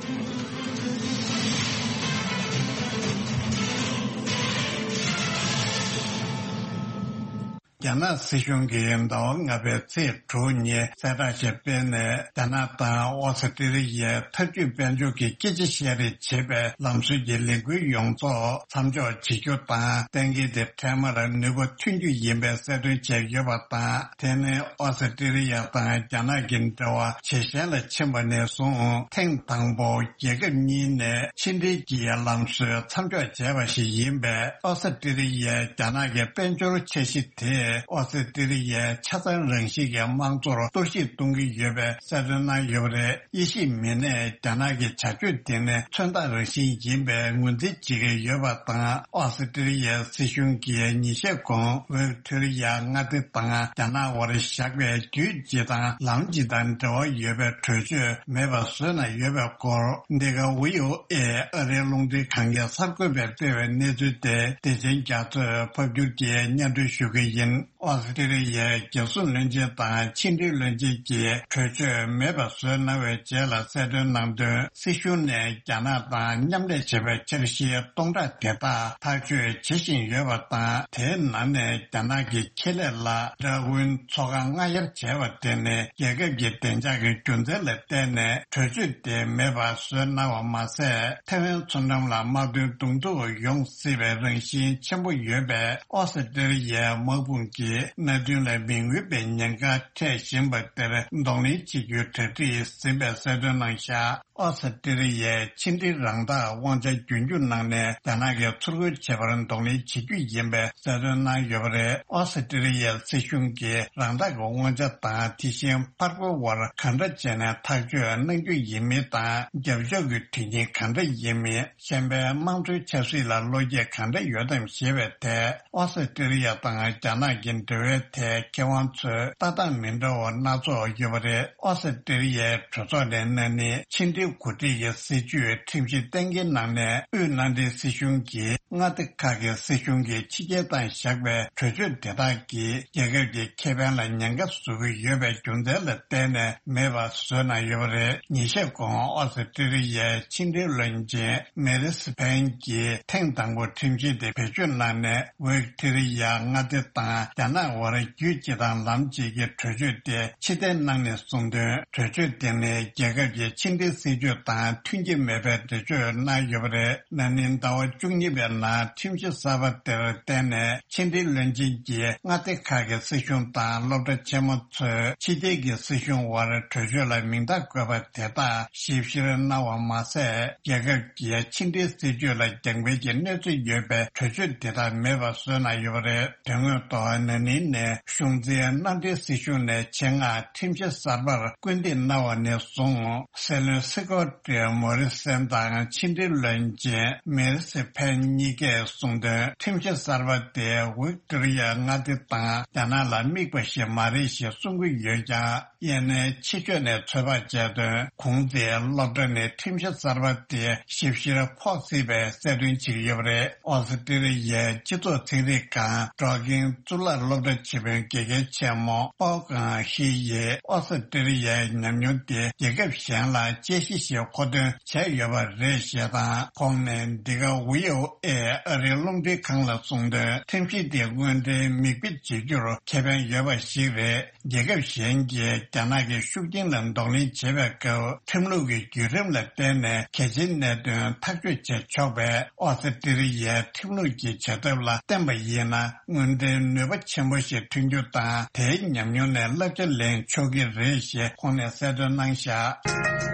རྒྱ་ནག་སྲིད་གཞུང་གིས་ཟླ་བ་ལྔ་པའི་ཚེས་དྲུག་ཉིན་གསལ་བསྒྲགས་ཤིག་སྤེལ་ནས། རྒྱ་ནག་དང་ཨོ་སི་ཀྲི་ལི་ཡའི་འཐབ་ཇུས་དཔལ་འབྱོར་གྱི་སྐད་ཆ་བཤད་རེས་བྱེད་པའི་ལམ་སྲོལ་གྱི་ལས་འགུལ་ཡོངས་རྫོགས་མཚམས་འཇོག་བྱེད་རྒྱུ་དང་། གཏན་འཁེལ་དེ་འཕྲལ་མར་ནུས་པ་ཐོན་རྒྱུ་ཡིན་པའི་གསལ་སྟོན་བྱས་ཡོད་པ་དང་། དེ་ནི་ཨོ་སི་ཀྲི་ལི་ཡ་དང་རྒྱ་ནག་གི་འབྲེལ་བ་ཇེ་ཞན་ལ་ཕྱིན་པ་ནས་བཟུང་ཐེངས་དང་པོ་རྒྱལ་ཁབ་གཉིས་ནས་ཕྱི་འབྲེལ་གྱི་ལམ་སྲོལ་མཚམས་འཇོག་བྱས་པ་ཞིག་ཡིན་པས། ཨོ་སི་ཀྲི་ལི་ཡས་རྒྱ་ནག་གི་དཔལ་འབྱོར་འཆར་གཞི་དེས་ཨོ་སི་ཀྲི་ལི་ཡའི་ཆ་ཚང་རང་བཞིན་གྱི་དམངས་གཙོར་གཏོར་བཤིག་གཏོང་གི་ཡོད་པའི་གསལ་སྟོན་གནང་ཡོད་པ་རེད། དབྱེ་ཞིབ་མི་སྣས་རྒྱ་ནག་གི་བྱ་སྤྱོད་དེ་ནི་མཚོན་རྟགས་རང་བཞིན་ཡིན་པའི་ངོས་འཛིན་བྱེད་ཀྱི་ཡོད་པ་དང་། ཨོ་སི་ཀྲི་ལི་ཡའི་སྲིད་གཞུང་གིས་ཉིན་ཤས་གོང་ཝིག་ཐོ་རི་ཡ་མངའ་སྡེ་དང་རྒྱ་ནག་དབར་བཞག་པའི་རྒྱུད་སྤྱི་དང་ལམ་སྤྱི་དང་འབྲེལ་བ་ཡོད་པའི་གྲོས་ཆོད་མེད་པ་བཟོས་གནང་ཡོད་པའི་སྐོར། འདི་ག་ཝི་ཨོ་ཨེ་ཨ་རིའི་རླུང་འཕྲིན་ཁང་གི་གསར་འགོད་པས་སྤེལ་བའི་གནས་ཚུལ་དེ་བདེ་ཆེན་རྒྱ་མཚོས་ཕབ་སྒྱུར་གྱིས་སྙན་སྒྲོན་ཞུ་གི་ཡིན། ཨོ་སི་ཀྲི་ལི་ཡའི་རྒྱལ་སྲུང་བློན་ཆེན་དང་ཕྱི་འབྲེལ་བློན་ཆེན་གྱིས་གྲོས་ཆོད་མེད་པ་བཟོས་གནང་བའི་རྗེས་ལ་གསལ་སྟོན་གནང་དོན། སྲིད་གཞུང་ནས་རྒྱ་ནག་དང་མཉམ་ལས་བྱེད་པའི་འཆར་གཞིའི་སྟོང་ཕྲག་དེ་དག་ཐག་གཅོད་བྱེད་བཞིན་ཡོད་པ་དང་། དེའི་ནང་ནས་རྒྱ་ནག་གི་ཁེ་ལས་ལ་ཌར་ཝིན་མཚོ་ཁ་མངག་གཡར་བྱས་པ་དེ་ནི་རྒྱལ་ཁབ་ཀྱི་བདེ་འཇགས་ཀྱི་རྒྱུ་མཚན་ལ་བརྟེན་ནས་གྲོས་ཆོད་དེ་མེད་པ་བཟོས་གནང་བ་མ་ཟད། ཐའེ་ཝན་མཚོ་འགྲམ་ལ་དམག་དོན་གདོང་ཐུག་ཡོང་སྲིད་པའི་རང་བཞིན་ཆེན་པོ་ཡོད་པས། ཨོ་སི་ཀྲི་ལི་ཡའི་དམག་དཔུང་གིས་མནའ་མཐུན་ལ་མི་མངོན་པའི་ཉེན་ཁ་འཕྲད་བཞིན་པ་དེར་གདོང་ལེན་བྱེད་རྒྱུའི་གྲ་སྒྲིག་ཟིན་པའི་གསལ་སྟོན་གནང་བཞག་ཨོ་སི་ཀྲི་ལི་ཡའི་ཕྱི་འབྲེལ་རང་བདག་དབང་ཆ་རྒྱུན་སྐྱོང་གནང་ནས་རྒྱ་ནག་གིས་ཚུར་རྒོལ་བྱེད་པར་གདོང་ལེན་བྱེད་རྒྱུ་ཡིན་པའི་གསལ་སྟོན་གནང་ཡོད་པ་རེད། ཨོ་སི་ཀྲི་ལི་ཡའི་སྲིད་གཞུང་གིས་རང་བདག་གི་དབང་ཆ་དང་དེ་བཞིན་ཕར་རྒོལ་བར་ག་འདྲ་བྱས་ནས་ཐག་གཅོད་གནང་རྒྱུ་ཡིན་མིན་དང་། རྒྱབ་ཕྱོགས་ཀྱི་དོན་རྐྱེན་ག་འདྲ་ཡིན་མིན། གཞན་པའི་དམངས་གཙོའི་ཆབ་སྲིད་ལ་བློ་སྐྱེད་ག་འདྲ་ཡོད་དམ་ཞེས་པའི་ཐད། ཨོ་སི་ཀྲི་ལི་ཡ་དང་རྒྱ་ནག་གི་འབྲེལ་བའི་ཐད་མཁས་དབང་ཚོས་ལྟ་སྟངས་མི་འདྲ་བ་སྣ་ཚོགས་ཡོད་པ་རེད། ཨོ་སི་ཀྲི་ལི་ཡའི་གྲོས་ཚོགས་ནས་ན་ནིང་ཕྱི་འབྲེལ་འགོ་ཁྲིད་ཀྱི་སྲིད་ཇུས་ཁྲིམས་གཞི་གཏན་འཁེལ་གནང་ནས། དབུས་མནའ་འབྲེལ་སྲིད་གཞུང་གིས་མངའ་སྡེ་ཁག་གི་སྲིད་གཞུང་གིས་ཕྱི་རྒྱལ་དང་བཞག་པའི་གྲོས་ཆོད་དེ་དག་གིས་རྒྱལ་ཁབ་ཀྱི་ཁེ་ཕན་ལ་ཉེན་ཁ་བཟོ་གི་ཡོད་པའི་རྒྱུ་མཚན་ལ་བརྟེན་ནས་མེད་པ་བཟོས་གནང་ཡོད་པ་རེད། ཉིན་ཤས་གོང་ཨོ་སི་ཀྲི་ལི་ཡའི་ཕྱི་འབྲེལ་བློན་ཆེན་མེ་རི་སི་ཕན་གྱིས་ཐེངས་དང་པོ་ཁྲིམས་གཞི་དེ་བེད་སྤྱོད་གནང་ནས། ཝིག་ཐི་རི་ཡ་མངའ་སྡེ་དང་རྒྱ་ནག་དབར་རྒྱུད་སྤྱི་དང་ལམ་སྤྱི་གི་གྲོས་ཆོད་དེ་ཕྱིར་འཐེན་གནང་ནས་གསུངས་དོན། གྲོས་ཆོད་དེ་ནི་རྒྱལ་ཁབ་ཀྱི་ཕྱི་འབྲེལ་སྲིད་ཇུས་དང་མཐུན་གྱི་མེད་པའི་འགྲེལ་བརྗོད་གནང་ཡོད་པ་རེད། ན་ནིང་ཟླ་བ་བཅུ་གཉིས་པའི་ནང་ཁྲིམས་གཞི་གསར་པ་དེར་བརྟེན་ནས་ཕྱི་འབྲེལ་བློན་ཆེན་གྱིས་མངའ་སྡེ་ཁག་གི་སྲིད་གཞུང་དང་སློབ་གྲྭ་ཆེན་མོ་ཚོས་ཕྱི་རྒྱལ་གྱི་སྲིད་གཞུང་དབར་གྲོས་ཆོད་ལ་མིང་རྟགས་བཀོད་པ་དེ་དག་ཞིབ་བཤེར་གནང་བ་མ་ཟད། རྒྱལ་ཁབ་ཀྱི་ཕྱི་འབྲེལ་སྲིད་ཇུས་ལ་རྒྱང་འཕེན་གྱི་གནས་ཚུལ་ཡོད་པའི་གྲོས་ཆོད་དེ་དག་མེད་པ་བཟོས་གནང་ཡོད་པ་རེད། དོན་དངོས་ཐོག་ན་ནིང་ནས་གཞུང་འཛིན་མནའ་འབྲེལ་སྲིད་གཞུང་ནས་ཆེད་མངགས་ཁྲིམས་གཞི་གསར་པར་སྐུལ་འདེད་གནང་བ་ནས་བཟུང་། སྲིད་བློན་སི་ཀོ་ཏི་མོ་རི་སན་དང་ཕྱི་འབྲེལ་བློན་ཆེན་མེ་རི་སི་ཕན་གཉིས་ཀས་གསུངས་དོན། ཁྲིམས་གཞི་གསར་པ་དེ་ཝིག་ཏོ་རི་ཡ་མངའ་སྡེ་དང་རྒྱ་ནག་ལ་དམིགས་པ་ཞིག་མ་རེད་ཞེས་གསུང་གི་ཡོད་ཀྱང་། ཡང་ན་ཕྱི་ཕྱོགས་ནས་ཚོད་དཔག་བྱས་དོན། གོང་ཚེས་སློབ་གྲྭ་ནས་ཁྲིམས་གཞི་གསར་པ་དེ་ཞིབ་བཤེར་ཕོག་སྲིད་པའི་གསལ་སྟོན་བྱེད་ཀྱི་ཡོད་པ་རེད། ཨོ་སི་ཀྲི་ལི་ཡའི་སྤྱི་ཚོགས་ཚན་རིག་ཁང་འབྲོག་ཁྱིམ་གཙུག་ལག་སློབ་གྲྭ་ཆེད་དཔོན་དགེ་རྒན་ཆེན་མོ་ཨོ་ཀང་ཧི་ཡིས་ཨོ་སི་ཀྲི་ལི་ཡའི་ཉམས་མྱོང་དེ་རྒྱལ་ཁབ་གཞན་ལ་དཔྱད་གཞི་ཞིག་མཁོ་འདོན་བྱས་ཡོད་པ་རེད་ཞེས་དང་། ཁོང་ནས་འདི་ག་ཝི་ཨོ་ཨེ་ཨ་རིའི་རླུང་འཕྲིན་ཁང་ལ་གསུངས་དོན། ཁྲིམས་གཞི་དེ་དངོས་འབྲེལ་མིག་དཔེ་བྱེད་རྒྱུར་ཁེ་ཕན་ཡོད་པ་ཞིག་རེད། རྒྱལ་ཁབ་གཞན་གྱིས་རྒྱ་ནག་གི་ཤུགས་རྐྱེན་ལ་གདོང་ལེན་བྱེད་པའི་སྐབས། ཁྲིམས་ལུགས་ཀྱི་བརྒྱུད་རིམ་ལ་བརྟེན་ནས་གལ་ཆེའི་གནད་དོན་ཐག་གཅོད་བྱེད་ཆོག་པས། ཨོ་སི་ཀྲི་ལི་ཡའི་ཁྲིམས་ལུགས་ཀྱི་བྱེད་ཐབས་ལ་བརྟེན་པ་ཡིན་ན། དངོས་འབྲེལ་ནུས་པ་ཆེན་པོ་ཞིག་ཐོན་རྒྱུ་དང་། དེའི་ཉམས་མྱོང་ནས་བསླབ་བྱ་ལེན་ཆོག་གི་རེད་ཞེས་ཁོང་ནས་གསལ་སྟོན་གནང་བཞག་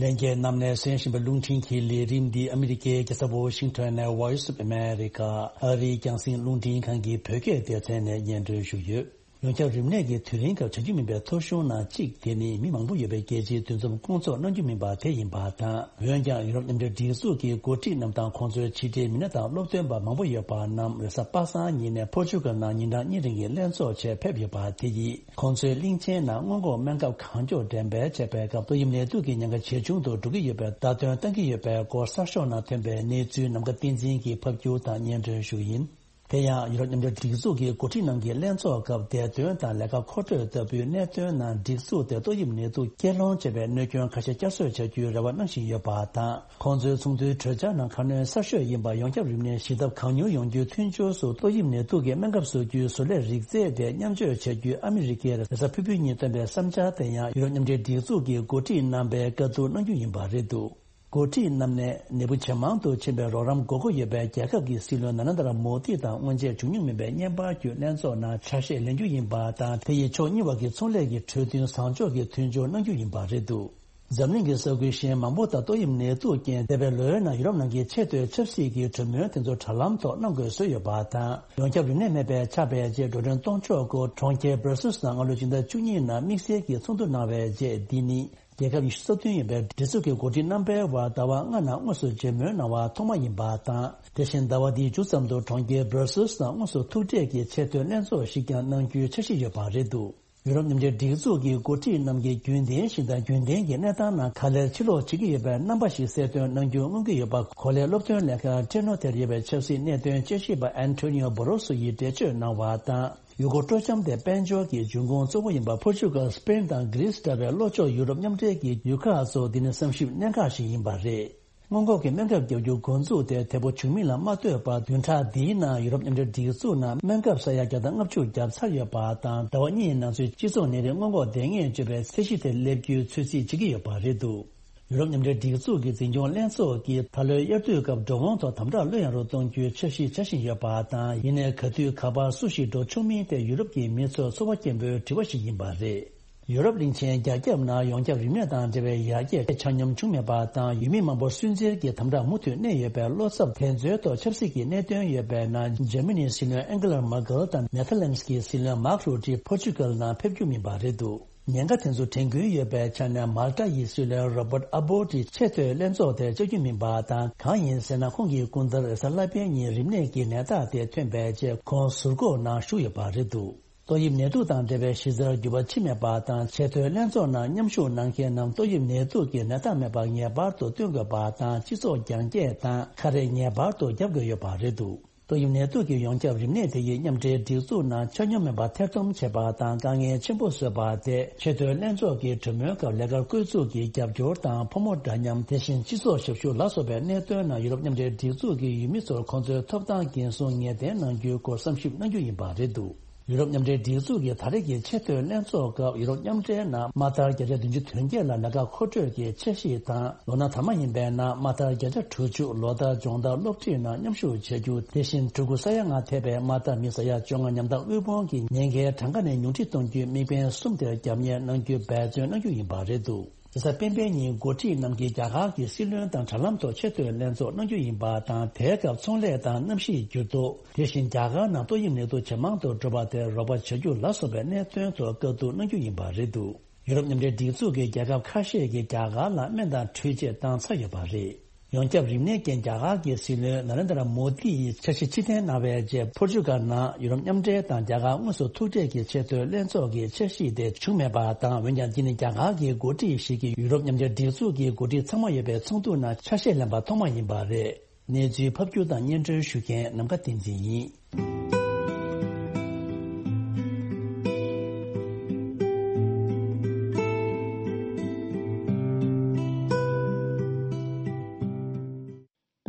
ལྷན་རྒྱས་རྣམས་ནས་གསན་བཞིན་པའི་རླུང་འཕྲིན་གྱི་ལས་རིམ་འདི་ཨ་མི་རི་ཀའི་རྒྱལ་ས་ཝོ་ཤིང་ཊོན་ནས་Voice of America ཨ་རིའི་རྒྱང་སྲིང་རླུང་འཕྲིན་ཁང་གི་བོད་སྐད་སྡེ་ཚན་ནས་སྙན་སྒྲོན་ཞུས་ཡོད། ཡོངས་ཁྱབ་རིམས་ནད་ཀྱི་དུས་རིང་སྐབས་བྱ་རྒྱུ་མིན་པའི་ཐོ་གཞུང་ནང་གཅིག་དེ་ནི་མི་མང་པོ་ཡོད་པའི་རྒྱལ་སྤྱིའི་འདུ་འཛོམས་སྐོང་ཚོགས་གནང་རྒྱུ་མིན་པ་དེ་ཡིན་པ་དང་། འོན་ཀྱང་ཡུ་རོབ་མཉམ་འབྲེལ་སྒྲིག་འཛུགས་ཀྱི་འགོ་ཁྲིད་རྣམས་དང་ཁོང་ཚོའི་ཕྱི་དྲིལ་མི་སྣ་དང་སློབ་སྟོན་པ་མང་པོ་ཡོད་པ་རྣམས་རེས་གཟའ་པ་སངས་ཉིན་ནས་པོར་ཅུ་གལ་ནང་ཉིན་གྲངས་གཉིས་རིང་གི་ལྷན་ཚོགས་ཆེད་ཕེབས་ཡོད་པ་དེ་ཡིས། ཁོང་ཚོའི་གླིང་ཆེན་ནང་སྔོན་འགོག་སྨན་ཁབ་གང་མགྱོགས་འགྲེམས་སྤེལ་བྱས་པའི་སྐབས་ཏོག་དབྱིབས་ནད་དུག་གི་ཉེན་ཁ་ཇེ་ཆུང་དུ་འགྲོ་གི་ཡོད་པའི་བརྡ་སྟོན་བཏང་གི་ཡོད་པའི་སྐོར་གསར་ཤོག་ནང་ཐོན་པའི་གནས་ཚུལ་ནམ་མཁའ་བསྟན་འཛིན་གྱིས་ཕབ་སྒྱུར་དང་སྙན་སྒྲོན་ཞུ་གི་ཡིན། དེ་ཡང་ཡུ་རོབ་མཉམ་འབྲེལ་སྒྲིག་འཛུགས་ཀྱི་འགོ་ཁྲིད་རྣམས་ཀྱི་ལྷན་ཚོགས་སྐབས་བདེ་དོན་དང་ལས་ཀ་མཁོ་སྤྲོད་ལྟ་བུའི་གནད་དོན་ནང་སྒྲིག་འཛུགས་དེ་ཏོག་དབྱིབས་ནད་དུག་སྐྱེད་སློང་བྱེད་པའི་གནོད་སྐྱོན་ཁ་ཤས་བསྐྱར་གསོ་བྱ་རྒྱུའི་རེ་བ་གནང་བཞིན་ཡོད་པ་དང་། ཁོང་ཚོའི་ཚོགས་འདུའི་གྲོས་འཆར་ནང་ཁ་སྣོན་གསར་ཤོས་ཡིན་པ། ཡོངས་ཁྱབ་རིམས་ནད་ཞི་ཐབས་གང་མྱུར་ཡོང་རྒྱུའི་མཐུན་སྦྱོར་སུ་ཏོག་དབྱིབས་ནད་དུག་གི་སྨན་ཁབ་བཟོ་རྒྱུའི་བཟོ་ལས་རིག་རྩལ་དེ་མཉམ་སྤྱོད་བྱ་རྒྱུའི་ཨ་མི་རི་ཀའི་རེས་གཟའ་ཕུར་བུའི་ཉིན་བཏོན་པའི་བསམ་འཆར་དེ་ཡང་ཡུ་རོབ་མཉམ་འབྲེལ་སྒྲིག་འཛུགས་ཀྱི་འགོ་ཁྲིད་རྣམ་པས་བཀའ་བསྡུར་གནང་རྒྱུ་ཡིན་པ་རེད་འདུག་འགོ་ཁྲིད་རྣམས་ནས་ནད་འབུ་ཇེ་མང་དུ་ཕྱིན་པའི་རོགས་རམ་དགོས་མཁོ་ཡོད་པའི་རྒྱལ་ཁབ་ཀྱི་སྲིད་བློན་ན་རེན་དྲ་མོ་དི་དང་སྔོན་ཆད་བྱུང་མྱོང་མེད་པའི་བརྙན་པར་བརྒྱུད་ལྷན་ཚོགས་ནང་ཆ་ཤས་ལེན་རྒྱུ་ཡིན་པ་དང་། དེ་ཡིས་ཕྱོགས་གཉིས་བར་གྱི་ཚོང་ལས་ཀྱི་གྲོས་མཐུན་བཟང་ཕྱོགས་ཀྱི་མཐུན་སྦྱོར་གནང་རྒྱུ་ཡིན་པ་རེད་འདུག་འཛམ་གླིང་གི་ས་ཁུལ་གཞན་མང་པོ་དང་ཏོག་དབྱིབས་ནད་དུག་རྐྱེན་འདས་པའི་ལོའི་ནང་ཡུ་རོབ་ནང་གི་ཆེས་མཐོའི་ཆབ་སྲིད་ཀྱི་གྲོས་མོལ་དེ་ཚོ་དྲ་ལམ་ཐོག་གནང་དགོས་བཟོས་ཡོད་པ་དང་། ཡོངས་ཁྱབ་རིམས་ནད་མེད་པའི་ཆར་པའི་རྗེས་འགྲོ་གྲོན་གཏོང་ཕྱོགས་སྐོར་གྲོང་ཁྱེར་སྦར་སིལ་ནང་སྔ་ལོའི་སྤྱི་ཟླ་བཅུ་གཉིས་ནང་དམིགས་བསལ་གྱི་ཚོགས་འདུ་གནང་བའི་རྗེས། འདི་ནི། རྒྱལ་ཁབ་ཉི་ཤུ་རྩ་བདུན་ཡིན་པའི་སྒྲིག་འཛུགས་ཀྱི་འགོ་ཁྲིད་རྣམ་པའི་དབར་ཟླ་བ་ལྔ་ནང་དངོས་སུ་མཇལ་མོལ་གནང་བ་ཐོག་མ་ཡིན་པ་དང་། དེ་བཞིན་ཟླ་བ་འདིའི་མཇུག་ཙམ་དུ་གྲོང་ཁྱེར་སྦར་སིལ་ནང་དངོས་སུ་ཐུག་འཕྲད་ཀྱིས་ཆེས་མཐོའི་ལྷན་ཚོགས་ཤིག་ཀྱང་གནང་རྒྱུའི་འཆར་གཞི་ཡོད་པ་རེད་འདུག་ཡུ་རོབ་མཉམ་འབྲེལ་སྒྲིག་འཛུགས་ཀྱི་འགོ་ཁྲིད་རྣམས་ཀྱིས་རྒྱུན་ལྡན་ཞིག་དང་རྒྱུན་ལྡན་གྱི་གནས་སྟངས་ནང་ག་ལེར་ཕྱིར་ལོག་བྱེད་ཀྱི་ཡོད་པའི་རྣམ་པ་ཞིག་གསལ་སྟོན་གནང་རྒྱུ་མངོན་གྱི་ཡོད་པ། གོ་ལའི་སློབ་སྟོན་ལས་ཁང་ཊེ་ནོ་ཐེར་ཡོད་པའི་ཆབ་སྲིད་གནད་དོན་དཔྱད་ཞིབ་པ་ཨན་ཐོ་ནིའོ་བྷོ་རོ་སོ་ཡིས་འགྲེལ་བརྗོད་གནང་བ་དང་། ཡུལ་སྐོར་སྤྲོ་འཆམ་དེ་དཔལ་འབྱོར་གྱི་འབྱུང་ཁུངས་གཙོ་བོ་ཡིན་པ་ཕོར་ཅུ་གལ། སི་པེན་དང་གྷི་རི་སི་འདྲ་བའི་ལྷོ་ཕྱོགས་ཡུ་རོབ་མཉམ་འབྲེལ་གྱི་ཡུལ་ཁག་ཚོ་འདི་ནི་བསམ་ཞིབ་གནད་འགག་ཞིག་ཡིན་པ་རེད། སྔོན་འགོག་གི་སྨན་ཁབ་བརྒྱབ་རྒྱུ་འགོ་འཛུགས་དེ་དལ་པོ་བྱུང་མིན་ལ་མ་ལྟོས་པར། བདུན་ཕྲག་འདིའི་ནང་ཡུ་རོབ་མཉམ་འབྲེལ་སྒྲིག་འཛུགས་ནང་སྨན་ཁབ་ས་ཡ་བརྒྱ་དང་ལྔ་བཅུ་བརྒྱབ་ཚར་ཡོད་པ་དང་། ཟླ་བ་གཉིས་ནང་ཚུད་སྤྱི་ཚོགས་ནད་རིགས་སྔོན་འགོག་སྡེ་ངོས་སྤྱོད་པའི་ཚད་གཞི་དེ་སླེབས་རྒྱུའི་ཚོད་རྩིས་བྱེད་ཀྱི་ཡོད་པ་རེད་འདུག་ཡུ་རོབ་མཉམ་འབྲེལ་སྒྲིག་འཛུགས་ཀྱི་འཛིན་སྐྱོང་ལྷན་ཚོགས་ཀྱིས་ད་ལོའི་དབྱར་དུས་སྐབས་འགྲོ་འོང་ཐོག་དམ་དྲག་ལྷོད་ཡངས་རུ་གཏོང་རྒྱུའི་འཆར་གཞི་བྱ་བཞིན་ཡོད་པ་དང་། ཡིན་ནའི་ག་དུས་ག་པར་སུ་ཞིག་འགྲོ་ཆོག་མིན་དེ་ཡུ་རོབ་ཀྱི་མི་ཚོར་ཚོར་བ་སྐྱེན་པོའི་དྲི་བ་ཞིག་ཡིན་པ་རེད། ཡུ་རོབ་གླིང་ཆེན་རྒྱ་ཁྱབ་ནང་ཡོངས་ཁྱབ་རིམས་ནད་དང་འབྲེལ་བའི་ཡར་རྒྱས་ཆ་སྙོམས་བྱུང་མེད་པ་དང་། ཡུལ་མི་མང་པོ་སུན་གཙེར་གྱི་དམ་དྲག་མུ་མཐུད་གནས་ཡོད་པའི་ལོ་ཚབ་དེ་ཚོའི་ཐོག་ཆབ་སྲིད་ཀྱི་གནད་དོན་ཡོད་པའི་ནང་འཇར་མ་ནིའི་སྲིད་བློན་ཨན་གྷི་ལ་མར་ཀལ་དང་ནེ་ཐར་ལན་སི་ཀྱི་སྲིད་བློན་མཱག་རུ་ཏི་ཕོར་ཅུ་གལ་ནང་ཕེབས་རྒྱུ་མིན་པ་རེད་འདུག་ཉེན་ཁ་དེ་ཚོ་དྲན་སྐུལ་ཡོད་པའི་ཆ་ནས། མཱལ་ཏཱ་ཡི་སྲིད་བློན་རོ་བརྟ་ཨ་བྷོ་ཏི་ཆེས་མཐོའི་ལྷན་ཚོགས་དེར་བཅར་རྒྱུ་མིན་པ་དང་། གང་ཡིན་ཟེར་ན། ཁོང་གི་སྐུ་ཟླར་རེས་གཟའ་ལྷག་པའི་ཉིན་རིམས་ནད་ཀྱི་ནད་རྟགས་དེ་ཐོན་པའི་རྗེས། ཁོང་ཟུར་འགོག་ནང་ཞུགས་ཡོད་པ་རེད་འདུག་ཏོག་དབྱིབས་ནད་དུག་དང་འབྲེལ་བའི་གཞི་རྩར་འགྱུར་བ་ཕྱིན་མེད་པ་དང་། ཆེས་མཐོའི་ལྷན་ཚོགས་ནང་མཉམ་ཞུགས་གནང་མཁན་རྣམས་ཏོག་དབྱིབས་ནད་དུག་གི་ནད་རྟགས་མེད་པ་ངེས་པར་དུ་སྟོན་དགོས་པ་དང་། སྤྱི་ཚོགས་རྒྱང་བཀྱེད་དང་ཁ་རས་ངེས་པར་དུ་བརྒྱབ་དགོས་ཡོད་པ་རེད་འདུག་ཏོག་དབྱིབས་ནད་དུག་གི་ཡོངས་ཁྱབ་རིམས་ནད་དེ་ཡིས་མཉམ་འབྲེལ་སྒྲིག་འཛུགས་ནང་ཆ་སྙོམས་མེད་པ་ཐེར་འདོན་བྱས་པ་དང་། དཀའ་ངལ་ཆེན་པོ་བཟོས་པ་དེ། ཆེས་མཐོའི་ལྷན་ཚོགས་ཀྱི་གྲོས་མོལ་སྐབས་ལས་ཀར་བསྐོས་ཚུགས་ཀྱི་རྒྱབ་སྐྱོར་དང་། ཕོ་མོ་འདྲ་མཉམ། དེ་བཞིན་སྤྱི་ཚོགས་ཞབས་ཞུ་ལ་སོགས་པའི་གནད་དོན་ནང་ཡུ་རོབ་མཉམ་འབྲེལ་སྒྲིག་འཛུགས་ཀྱི་ཡུལ་མི་ཚོར་ཁོང་ཚོའི་ཐོབ་ཐང་འགན་སྲུང་ངེས་གཏན་གནང་རྒྱུའི་སྐོར་བསམ་ཞིབ་གནང་རྒྱུ་ཡིན་པ་རེད་འདུག་ཡུ་རོབ་མཉམ་འབྲེལ་སྒྲིག་འཛུགས་ཀྱི་ད་རེས་ཀྱི་ཆེས་མཐོའི་ལྷན་ཚོགས་སྐབས་ཡུ་རོབ་མཉམ་འབྲེལ་ནང་དམག་དར་བརྒྱ་ཆ་བདུན་ཅུ་དོན་བརྒྱད་ལ་ལས་ཀ་མཁོ་སྤྲོད་ཀྱི་འཆར་གཞི་དང་། ལོ་ན་དར་མ་ཡིན་པའི་ནང་དམག་དར་བརྒྱ་ཆ་དྲུག་ཅུ། ལོ་ལྟར་སྦྱོང་བརྡར་སློབ་ཁྲིད་ནང་མཉམ་ཞུགས་བྱ་རྒྱུ། དེ་བཞིན་ཕྲུ་གུ་ས་ཡ་ལྔ་ཐེ་བའི་དམག་དར་མི་ས་ཡ་བཅོ་ལྔ་ཉམ་ཐག་དབུལ་ཕོངས་ཀྱི་ཉེན་ཁའི་གྲངས་ཀ་ནས་ཉུང་འཕྲི་གཏོང་རྒྱུའི་དམིགས་འབེན་གསུམ་དེར་རྒྱབ་གཉེར་གནང་རྒྱུའི་འབད་བརྩོན་གནང་རྒྱུ་ཡིན་པ་རེད་འདུག་རེས་གཟའ་སྤེན་པའི་ཉིན་འགོ་ཁྲིད་རྣམས་ཀྱིས་རྒྱ་གར་གྱི་སྲིད་བློན་དང་དྲ་ལམ་ཐོག་ཆེས་མཐོའི་ལྷན་ཚོགས་གནང་རྒྱུ་ཡིན་པ་དང་། དེའི་སྐབས་ཚོང་ལས་དང་གནམ་གཤིས་འགྱུར་ལྡོག་དེ་བཞིན་རྒྱ་གར་ནང་ཏོག་དབྱིབས་ནད་དུག་ཇེ་མང་དུ་འགྲོ་བ་དེར་རོགས་པ་བྱ་རྒྱུ་ལ་སོགས་པའི་གནད་དོན་ཐོག་བཀའ་བསྡུར་གནང་རྒྱུ་ཡིན་པ་རེད་འདུག་ཡུ་རོབ་མཉམ་འབྲེལ་སྒྲིག་འཛུགས་ཀྱི་རྒྱལ་ཁབ་ཁ་ཤས་ཀྱིས་རྒྱ་གར་ལ་སྨན་དང་འཕྲུལ་ཆས་བཏང་ཚར་ཡོད་པ་རེད། ཡོངས་ཁྱབ་རིམས་ནད་རྐྱེན་རྒྱ་གར་གྱི་སྲིད་བློན་ན་རེན་དྲ་མོ་དི་ཡིས་འཆར་གཞི་ཕྱིར་འཐེན་གནང་བའི་རྗེས། ཕོར་ཅུ་གལ་ནང་ཡུ་རོབ་མཉམ་འབྲེལ་དང་རྒྱ་གར་དངོས་སུ་ཐུག་འཕྲད་ཀྱི་ཆེས་མཐོའི་ལྷན་ཚོགས་ཀྱི་འཆར་གཞི་དེ་བྱུང་མེད་པ་དང་། འོན་ཀྱང་འདི་ནི་རྒྱ་གར་གྱི་འགོ་ཁྲིད་ཞིག་གིས་ཡུ་རོབ་མཉམ་འབྲེལ་སྒྲིག་འཛུགས་ཀྱི་འགོ་ཁྲིད་ཚང་མ་ཡོད་པའི་ཚོགས་འདུ་ནང་ཆ་ཤས་ལེན་པ་ཐོག་མ་ཡིན་པ་རེད། གནས་ཚུལ་ཕབ་སྒྱུར་དང་སྙན་སྒྲོན་ཞུ་མཁན་ནམ་མཁའ་བསྟན་འཛིན་ཡིན།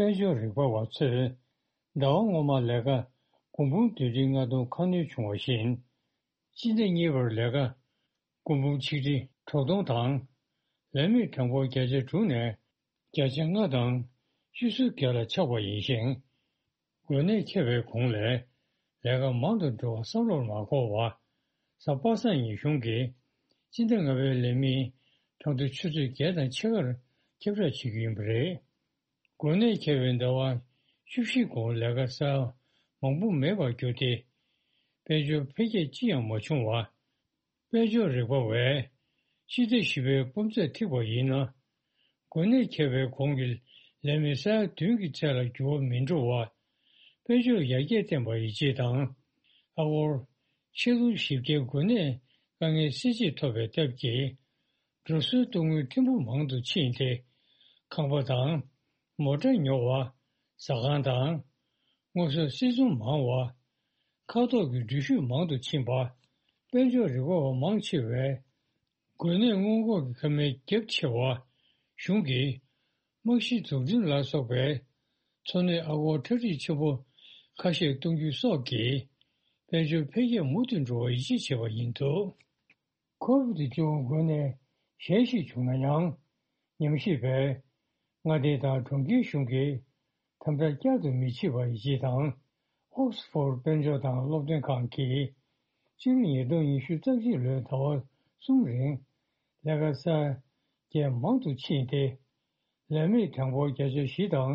དཔལ་འབྱོར་རིག་པ་བ་ཚོས་ཟླ་བ་སྔོན་མ་ལས་ཀ་སྒོར་འབུམ་བདུན་ཁྲི་ལྔ་སྟོང་ཁ་སྣོན་བྱུང་བ་བཞིན། སྤྱི་ཟླ་གཉིས་པར་ལས་ཀ་སྒོར་འབུམ་ཆིག་ཁྲི་དྲུག་སྟོང་དང་། ལས་མི་གྲངས་འབོར་བརྒྱ་ཆ་དྲུག་ནས་བརྒྱ་ཆ་ལྔ་དང་བཅུ་གསུམ་བརྒྱ་ལ་ཆག་པ་ཡིན་ཞིང་། འགོས་ནད་ཁྱབ་པའི་གོང་ལས་ལས་ཀ་མང་དུ་འགྲོ་བ་བསམ་བློར་མ་འཁོར་བར། གཟའ་པ་སངས་ཉིན་གཞུང་གིས་སྤྱི་ཟླ་ལྔ་པའི་ལས་མི་གྲངས་ཐོ་ཆུ་ཚོད་བརྒྱད་དང་ཕྱེད་ཀར་ཁྱབ་བསྒྲགས་བྱེད་ཀྱི་ཡིན་པ་རེད། འགོས་ནད་ཁྱབ་པའི་ཟླ་བ་བཅུ་བཞི་གོང་ལས་ཀ་གསར་མང་པོ་མེད་པར་གྱུར་ཏེ། དཔལ་འབྱོར་འཕེལ་རྒྱས་ཅི་ཡང་མ་བྱུང་བར། དཔལ་འབྱོར་རིག་པ་བས་སྤྱི་ཟླ་བཞི་པའི་སྤུས་ཚད་ཐིག་པ་ཡིན་ན། འགོས་ནད་ཁྱབ་པའི་གོང་གི་ལས་མི་ས་ཡ་བདུན་གྱི་ཚད་ལ་འགྱུར་བ་མི་འགྲོ་བར། དཔལ་འབྱོར་ཡར་རྒྱས་བསྟན་པ་ཡིན་ཅེས་དང་། ཨ་སྒོར་ཆིག་སྟོང་བཞི་བརྒྱའི་འགོས་ནད་དཀའ་ངལ་སེལ་ཆེད་ཐོབ་པའི་སྟབས་ཀྱིས། འགྲོ་སོན་གཏོང་དངུལ་ཐེར་འབུམ་མང་དུ་ཕྱིན་ཏེ། ཁང་པ་དང་། མོ་ཊ་ཉོ་བ། ཟ་ཁང་དང་། སྔོ་སོགས་སིལ་ཚོང་མང་བ། ཁ་ཐོག་གི་འགྲུལ་བཞུད་མང་དུ་ཕྱིན་པ། དཔལ་འབྱོར་རིག་པ་བ་མང་ཆེ་བས། འགོས་ནད་སྔོན་འགོག་གི་ཁབ་སྨན་རྒྱབ་ཆེ་བ། གཞུང་གིས་རྨང་གཞི་འཛུགས་སྐྲུན་ལ་སོགས་པའི་འཚོ་གནས་ཨ་སྒོར་གྲ་སྒྲིག་ཆེན་པོ་ཁ་ཤས་གཏོང་རྒྱུ་སོགས་ཀྱིས་དཔལ་འབྱོར་འཕེལ་རྒྱས་མུ་མཐུད་འགྲོ་བར་ཡིད་ཆེས་བྱས་པ་ཡིན་འདུག། ཁོ་ཝིད་བཅུ་དགུ་འགོས་ནད་གཞན་ཞིག་བྱུང་ན་ཡང་། ཉམས་ཞིབ་པས་མངའ་སྡེ་དང་གྲོང་ཁྱེར་གཞུང་གིས་དམ་དྲག་བསྐྱར་དུ་མི་བྱེད་པར་ཡིད་ཆེས་དང་། ཨོག་སི་ཕོར་དཔལ་འབྱོར་དང་སློབ་སྟོན་ཁང་གིས་སྤྱི་ལོ་ཉིས་སྟོང་ཉི་ཤུ་རྩ་གཅིག་ལོའི་ཟླ་བ་གསུམ་རིང་ལས་ཀ་གསར་བརྗེ་མང་དུ་ཕྱིན་ཏེ། ལས་མེད་གྲངས་འབོར་བརྒྱ་ཆ་བཞི་དང་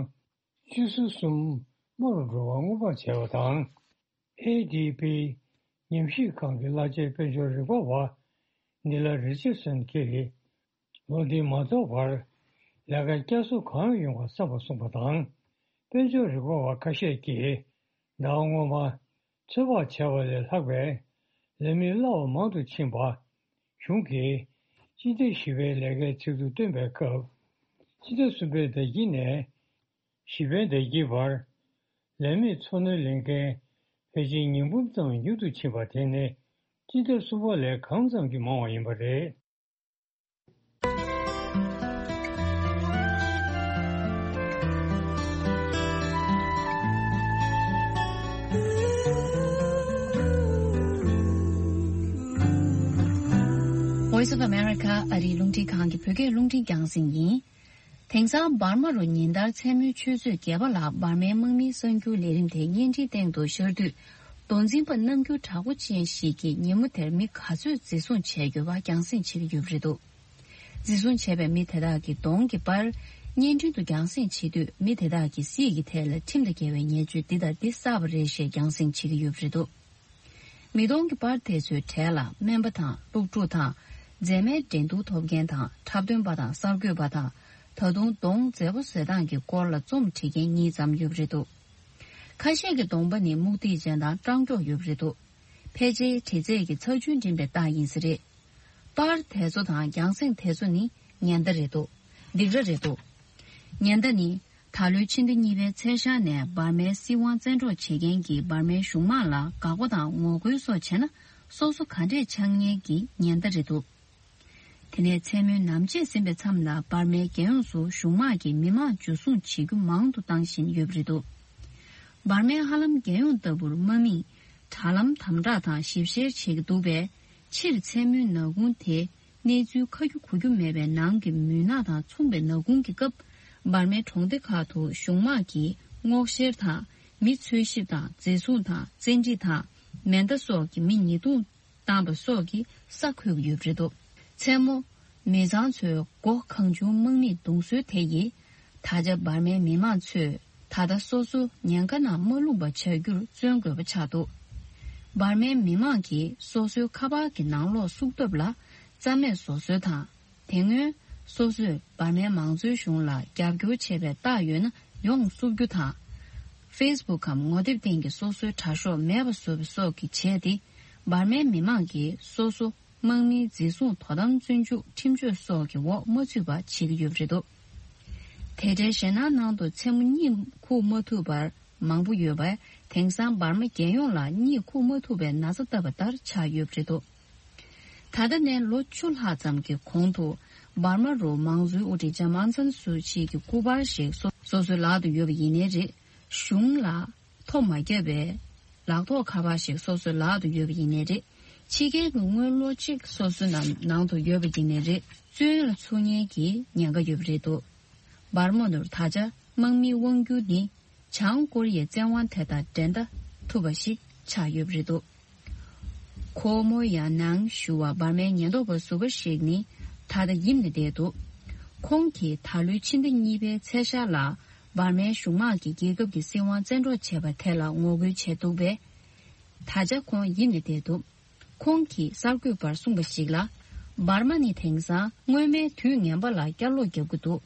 སྤྱི་ཟུར་གསུམ་དམའ་རུ་འགྲོ་བར་སྔོན་དཔག་བྱས་པ་དང་། ཨེ་ཌི་པི་ཉམས་ཞིབ་ཁང་གི་གླ་ཆ་དཔལ་འབྱོར་རིག་པ་བ་ནི་ལ་རི་ཅར་སོན་གྱིས། ལོ་འདི་མ་རྫོགས་བར་ལས་ཀ་བསྐྱར་གསོ་གང་ཡོང་བ་བསམ་པ་གསུངས་པ་དང་། དཔལ་འབྱོར་རིག་པ་བ་ཁ་ཤས་ཀྱིས་ཟླ་བ་སྔོན་མ་ཚོད་དཔག་བྱས་པ་ལས་ལྷག་པའི་ལས་མི་གླ་བ་མང་དུ་ཕྱིན་པ། གཞུང་གིས་སྤྱི་ཟླ་བཞི་པའི་ལས་ཀའི་ཚིག་ཐོ་བཏོན་པའི་སྐབས། སྤྱི་ཟླ་གསུམ་པའི་ཟླ་དཀྱིལ་ནས་བཞི་པའི་ཟླ་དཀྱིལ་བར་ལས་མེད་འཚོ་སྣོན་ལེན་མཁན་ཕལ་ཆེར་ཉིས་འབུམ་ཙམ་ཉུང་དུ་ཕྱིན་པ་དེ་ནི་སྤྱི་ཟླ་གསུམ་པ་ལས་གང་ཙམ་གྱིས་མང་བ་ཡིན་པ་རེད། Voice of America ཨ་རིའི་རླུང་འཕྲིན་ཁང་གི་བོད་སྐད་རླུང་འཕྲིན་རྒྱང་སྲིང་ཡིན། དེང་སང་འབར་མ་རུ་ཉིན་ལྟར་མཚན་མོའི་ཆུ་ཚོད་བརྒྱད་པ་ལ་འབར་མའི་དམག་མིའི་གསར་འགྱུར་ལས་རིམ་དེ་བརྙན་འཕྲིན་སྟེང་དུ་ཤར་དུས། མདོ་འཛིན་པ་རྣམ་འགྱུར་དྲག་པོ་ཅན་ཞིག་གིས་ཉིན་མོ་དེར་མི་ག་ཚོད་འཛིན་བཟུང་བྱས་ཡོད་པ་རྒྱང་སྲིང་བྱེད་ཀྱི་ཡོད་པ་རེད་འདུག། འཛིན་བཟུང་བྱས་པའི་མི་དེ་དག་གི་གདོང་གི་པར་བརྙན་འཕྲིན་དུ་རྒྱང་སྲིང་བྱེད་དུས། མི་དེ་དག་གི་སྲིད་ཀྱི་ཐད་ལ་ཁྲིམས་དང་འགལ་བའི་ཉེས་སྤྱོད་འདི་དང་འདི་བསགས་པ་རེད་ཞེས་རྒྱང་སྲིང་བྱེད་ཀྱི་ཡོད་པ་རེད་འདུག། མི་གདོང་གི་པར་དེ་ཚོའི་གྲས་ལ་སྨན་པ་དང་སློབ་ཕྲུག་དང་། མཛེས་མའི་འགྲན་བསྡུར་ཐོབ་མཁན་དང་འཁྲབ་སྟོན་པ་དང་གསར་འགོད་པ་དང་། ད་དུང་གདོང་མཛེས་པོ་བཟོ་སྟངས་ཀྱི་སྐོར་ལ་རྩོམ་འབྲི་མཁན་གཉིས་ཙམ་ཡོད་པ་རེད་འདུག། ཁ་ཤས་ཀྱི་གདོང་པ་ནི་མུག་སྟེགས་ཅན་དང་སྐྲག་མགྱོགས་ཡོད་པ་རེད་འདུག། ཕལ་ཆེར་འདྲི་རྩད་ཀྱི་ཚར་གཅོད་འགྲིམ་པའི་རྟགས་ཡིན་ས་རེད། པར་དེ་ཚོ་དང་རྒྱང་སྲིང་དེ་ཚོ་ནི་ཉེན་བརྡ་རེད་འདུག། སྡིགས་ར་རེད་འདུག། ཉེན་བརྡ་ནི། ད་ལོའི་ཕྱི་ཟླ་གཉིས་པའི་ཚེས་ཤར་ནས་འབར་མའི་སྲིད་དབང་བཙན་འཕྲོག་བྱེད་མཁན་གྱིས་འབར་མའི་གཞུང་དམག་ལ་དགག་པ་དང་ངོ་རྒོལ་སོགས་བྱས་ན། སོ་སོ་ག་འདྲས་ཆགས་ངེས་ཀྱི་ཉེན་བརྡ་རེད་འདུག། དེ་ནས་མཚན་མོའི་ནམ་ཕྱེད་ཟིན་པའི་མཚམས་ལ་འབར་མའི་རྒྱལ་ཡོངས་སུ་གཞུང་དམག་གིས་མི་མང་འཇུ་བཟུང་བྱེད་རྒྱུ་མང་དུ་བཏང་བཞིན་ཡོད་པ་རེད་འདུག། འབར་མའི་ཧ་ལམ་རྒྱལ་ཡོངས་ལྟ་བུར་དམག་མིས་དྲ་ལམ་དམ་དྲག་དང་ཞིབ་བཤེར་བྱེད་ཀྱི་འདུག་པས། སྤྱིར་མཚན་མོའི་ནག་ཁུང་དེ་གནས་ཚུལ་ཁ་རྒྱུ་གོ་རྒྱུ་མེད་པའི་ནང་གི་མུན་ནག་དང་མཚུངས་པའི་ནག་ཁུང་གི་སྐབས། འབར་མའི་གྲོང་སྡེ་ཁག་ཏུ་གཞུང་དམག་གིས་སྔོག་བཤེར་དང་མི་འཚོལ་ཞིབ་དང་འཛིན་བཟུང་དང་བཙན་ཁྲིད་དང་མེ་མདའ་སོགས་ཀྱིས་མི་ཉེས་རྡུང་བཏང་པ་སོགས་ཀྱི་ས་འཁོལ་གྱི་ཡོད་པ་རེད་འདུག། མཚན་མོ། མི་ཚང་ཚོས་མགོ་གང་བྱུང་དམག་མིས་རྡུང་སྲོལ་དེ་ཡིས། ད་ཆ་འབར་མའི་མི་མང་ཚོས་ད་ལྟ་སོ་སོ་ཉེན་ཁ་ནང་མ་ལྷུང་པ་བྱ་རྒྱུར་བརྩོན་དགོས་པ་ཆགས་འདུག། འབར་མའི་མི་མང་གིས་སོ་སོའི་ཁ་པར་གྱི་ནང་ལོགས་སུབ་ཐབས་ལ་རྩ་མེད་བཟོ་སྲོལ་དང་། དེ་སྔོན་སོ་སོས་འབར་མའི་མང་གཙོའི་གཞུང་ལ་རྒྱབ་སྐྱོར་བྱས་པའི་རྟགས་ཡོད་ན་ཡོངས་སུབ་རྒྱུ་དང་། Facebook་གམ་ངོ་དེབ་སྟེང་གི་སོ་སོའི་དྲ་ཤོག་མེད་པ་བཟོ་བ་སོགས་ཀྱིས་བྱས་ཏེ། འབར་མའི་མི་མང་གིས་སོ་སོ་དམག་མིའི་འཛིན་བཟུང་དོ་དམ་བཙོན་འཇུག་ཁྲིམས་གཅོད་སོགས་ཀྱི་འོག་མ་ཚུད་པ་བྱེད་ཀྱི་ཡོད་པ་རེད་འདུག། དེ་འདྲའི་ཞེད་སྣང་ནང་དུ་མཚན་མོ་གཉིད་ཁུག་མ་ཐུབ་པར་མང་པོ་ཡོད་པས། དེང་སང་འབར་མ་རྒྱལ་ཡོངས་ལ་གཉིད་ཁུག་མ་ཐུབ་པའི་ན་ཚ་བཏབ་པ་ལྟར་ཆགས་ཡོད་པ་རེད་འདུག། ད་ལྟ་ནས་ལོ་བཅུ་ལྷག་ཙམ་གྱི་གོང་དུ། འབར་མ་རུ་མང་གཙོའི་དབུ་ཁྲིད་ལྕམ་ཨང་སན་སུའུ་ཅི་གི་སྐུ་པར་ཞིག་སོ་སོ་སོའི་ལག་ཏུ་ཡོད་པ་ཡིན་ནའི་རེད། གཞུང་ལ་ཐོ་མ་བརྒྱབ་པའི་ལག་ཐོགས་ཁ་པར་ཞིག་སོ་སོའི་ལག་ཏུ་ཡོད་པ་ཡིན་ནའི་རེད། ཕྱི་རྒྱལ་གྱི་དངུལ་ལོ་གཅིག་སོ་སོའི་ནང་ནང་དུ་ཡོད་པ་ཡིན་ནའི་རེད། བཙོན་ལ་ཚུད་མཁན་གྱི་ཉེན་ཁ་ཡོད་པ་རེད་འདུག། འབར་མ་ནུར་ད་ཆ་དམག་མིའི་དབང་སྒྱུར་ནི་བྱང་ཀོ་རི་ཡའི་བཙན་དབང་དེ་དང་འགྲན་ཟླ་ཐུབ་པ་ཞིག་ཆགས་ཡོད་པ་རེད་འདུག། ཁོ་མོ་ཡང་ནང་ཞུ་བ་འབར་མའི་ཉེན་རྟོག་པ་ཟུར་པ་ཞིག་ནི་ད་ལྟ་ཡིབ་ནས་བསྡད་འདུག། ཁོང་གིས་ད་ལོའི་ཕྱི་ཟླ་གཉིས་པའི་ཚེས་ཤར་ལ་འབར་མའི་གཞུང་དམག་གིས་རྒྱལ་ཁབ་ཀྱི་སྲིད་དབང་བཙན་འཕྲོག་བྱས་པ་དེ་ལ་ངོ་རྒོལ་བྱས་འདུག་པས། ད་ཆ་ཁོང་ཡིབ་ནས་བསྡད་འདུག། ཁོང་གིས་གསར་འགོད་པར་གསུངས་པ་ཞིག་ལ། འབར་མ་ནི་དེང་སང་སྔོན་མའི་དུས་ངན་པ་ལ་བསྐྱར་ལོག་རྒྱབ་ཀྱི་འདུག།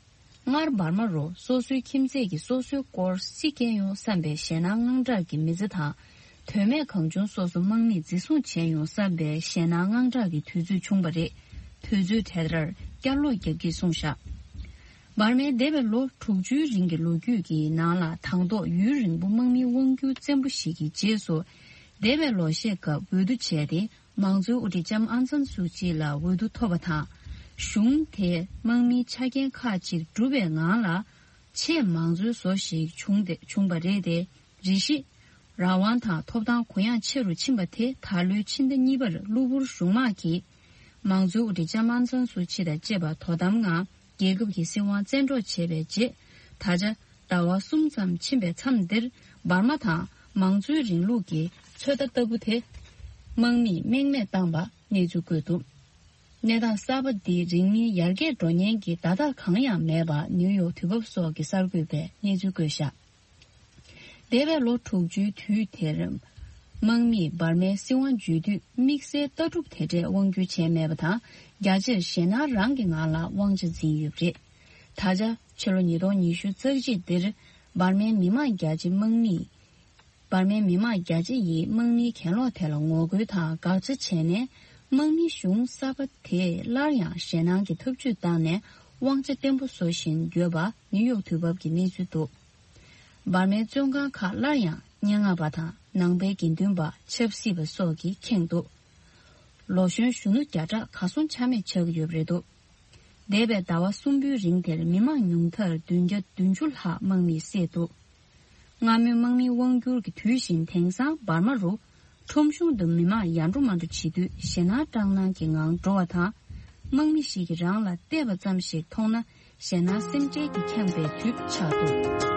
སྔར་འབར་མ་རུ་སོ་སོའི་ཁྱིམ་མཚེས་ཀྱིས་སོ་སོའི་སྐོར་སྲི་སྐྱེལ་ཡོང་བསམ་པའི་ཞེད་སྣང་དངངས་སྐྲག་གི་མི་ཚེ་དང་། དོན་མེད་གང་བྱུང་སོ་སོ་དམག་མིས་འཛིན་བཟུང་བྱས་ཡོང་བསམ་པའི་ཞེད་སྣང་དངངས་སྐྲག་གི་དུས་ཚོད་བྱུང་བ་རེད། དུས་ཚོད་དེ་ལྟར་བསྐྱར་ལོག་རྒྱབ་ཀྱིས་གསུངས་བཞག། འབར་མའི་འདས་པའི་ལོ་དྲུག་ཅུའི་རིང་གི་ལོ་རྒྱུས་ཀྱི་ནང་ལ། དང་ཐོག་ཡུན་རིང་པོ་དམག་མིའི་དབང་སྒྱུར་བཙན་པོ་ཞིག་གི་རྗེས་སུ། འདས་པའི་ལོ་ཤས་སྐབས་འོས་བསྡུ་བྱས་ཏེ། མང་གཙོའི་དབུ་ཁྲིད་ལྕམ་ཨང་སན་སུའུ་ཅི་ལ་འོས་བསྡུ་ཐོབ་པ་དང་། གཞུང་དེ་དམག་མིའི་ཆ་རྐྱེན་ཁག་ཅིག་གྲུབ་པའི་ངང་ལ། ཆེས་མང་གཙོའི་བཟོ་ཞིག་བྱུང་སྟེ། བྱུང་བ་རེད་དེ། རེ་ཞིག་རང་དབང་དང་ཐོབ་ཐང་གུ་ཡངས་ཆེ་རུ་ཕྱིན་པ་དེ། ད་ལོའི་ཕྱི་ཟླ་གཉིས་པར་གློ་བུར་གཞུང་དམག་གིས་མང་གཙོའི་དབུ་ཁྲིད་ལྕམ་ཨང་སན་སུའུ་ཅི་དང་བཅས་པ་དོ་དམ་ངང་རྒྱལ་ཁབ་ཀྱི་སྲིད་དབང་བཙན་འཕྲོག་བྱས་པའི་རྗེས། ད་ཆ་ཟླ་བ་གསུམ་ཙམ་ཕྱིན་པའི་མཚམས་འདིར། འབར་མ་དང་མང་གཙོའི་རིང་ལུགས་ཀྱི་ཚོད་ལྟ་ལྟ་བུ་དེ་དམག་མིས་རྨེག་མེད་བཏང་པ་གནས་ཚུལ་བཀོད་འདུག་གནས་སྟངས་གསར་པ་འདི་རིང་མིན་ཡར་རྒྱས་འགྲོ་ཉེན་གྱི་བརྡ་རྟགས་གང་ཡང་མེད་པ། ནིའུ་ཡོག་དུས་བབ་སོགས་ཀྱི་གསར་འགོད་པས་གནས་ཚུལ་བཀོད་བཞག་འདས་པའི་ལོ་དྲུག་ཅུའི་དུས་དེར། དམག་མིས་འབར་མའི་སྲིད་དབང་བརྗོད་དུས། དམིགས་བསལ་ལྟ་གྲུབ་དེ་འདྲས་དབང་སྒྱུར་བྱས་མེད་པ་དང་། རྒྱ་ཆེར་ཞེད་སྣང་རང་གི་ངང་ལ་དབང་ཆ་འཛིན་ཡོད་པ་རེད། ད་ཆ་ཕྱི་ལོ་ཉིས་སྟོང་ཉི་ཤུ་རྩ་གཅིག་འདིར། འབར་མའི་མི་མང་རྒྱ་ཆེ་དམག་མིས། འབར་མའི་མི་མང་རྒྱ་ཆེ་ཡིས་དམག་མིའི་གྱེན་ལོག་དེ་ལ་ངོ་རྒོལ་དང་དགག་བྱ་བྱས་ནས། དམག་མི་གཞུང་གསར་པ་དེས་སླར་ཡང་ཞེད་སྣང་གི་ཐབས་ཇུས་བཏང་ནས། དབང་ཆ་བརྟན་པོ་བཟོ་བཞིན་ཡོད་པ་ནིའུ་ཡོག་དུས་བབ་ཀྱིས་གནས་ཚུལ་འདུག་འབར་མའི་བཙོན་ཁང་ཁག་སླར་ཡང་སྙན་ངག་པ་དང་ནང་པའི་དགེ་འདུན་པ། ཆབ་སྲིད་པ་སོགས་ཀྱིས་ཁེངས་འདུག་ལོ་གཞོན་གཞོན་ནུ་བརྒྱ་ཕྲག་གར་སོང་ཆ་མེད་ཆགས་ཀྱི་ཡོད་པ་རེད་འདུག་འདས་པའི་ཟླ་བ་གསུམ་པོའི་རིང་དེར་མི་མང་ཉུང་མཐར་བདུན་བརྒྱ་བདུན་ཅུ་ལྷག་དམག་མིས་བསད་འདུག་སྔ་མོའི་དམག་མིའི་དབང་སྒྱུར་གྱི་དུས་བཞིན། དེང་སང་འབར་མ་རུ་ཁྲོམ་གཞུང་དུ་མི་མང་ཡར་འགྲོ་མར་འགྲོ་བྱེད་དུས། ཞེད་སྣང་སྐྲག་སྣང་གི་ངང་འགྲོ་བ་དང་། དམག་མི་ཞིག་གིས་རང་ལ་བལྟས་པ་ཙམ་ཞིག་མཐོང་ན། ཞེད་སྣང་སེམས་ཁྲལ་གྱིས་ཁེངས་པའི་དུས་ཆགས་འདུག་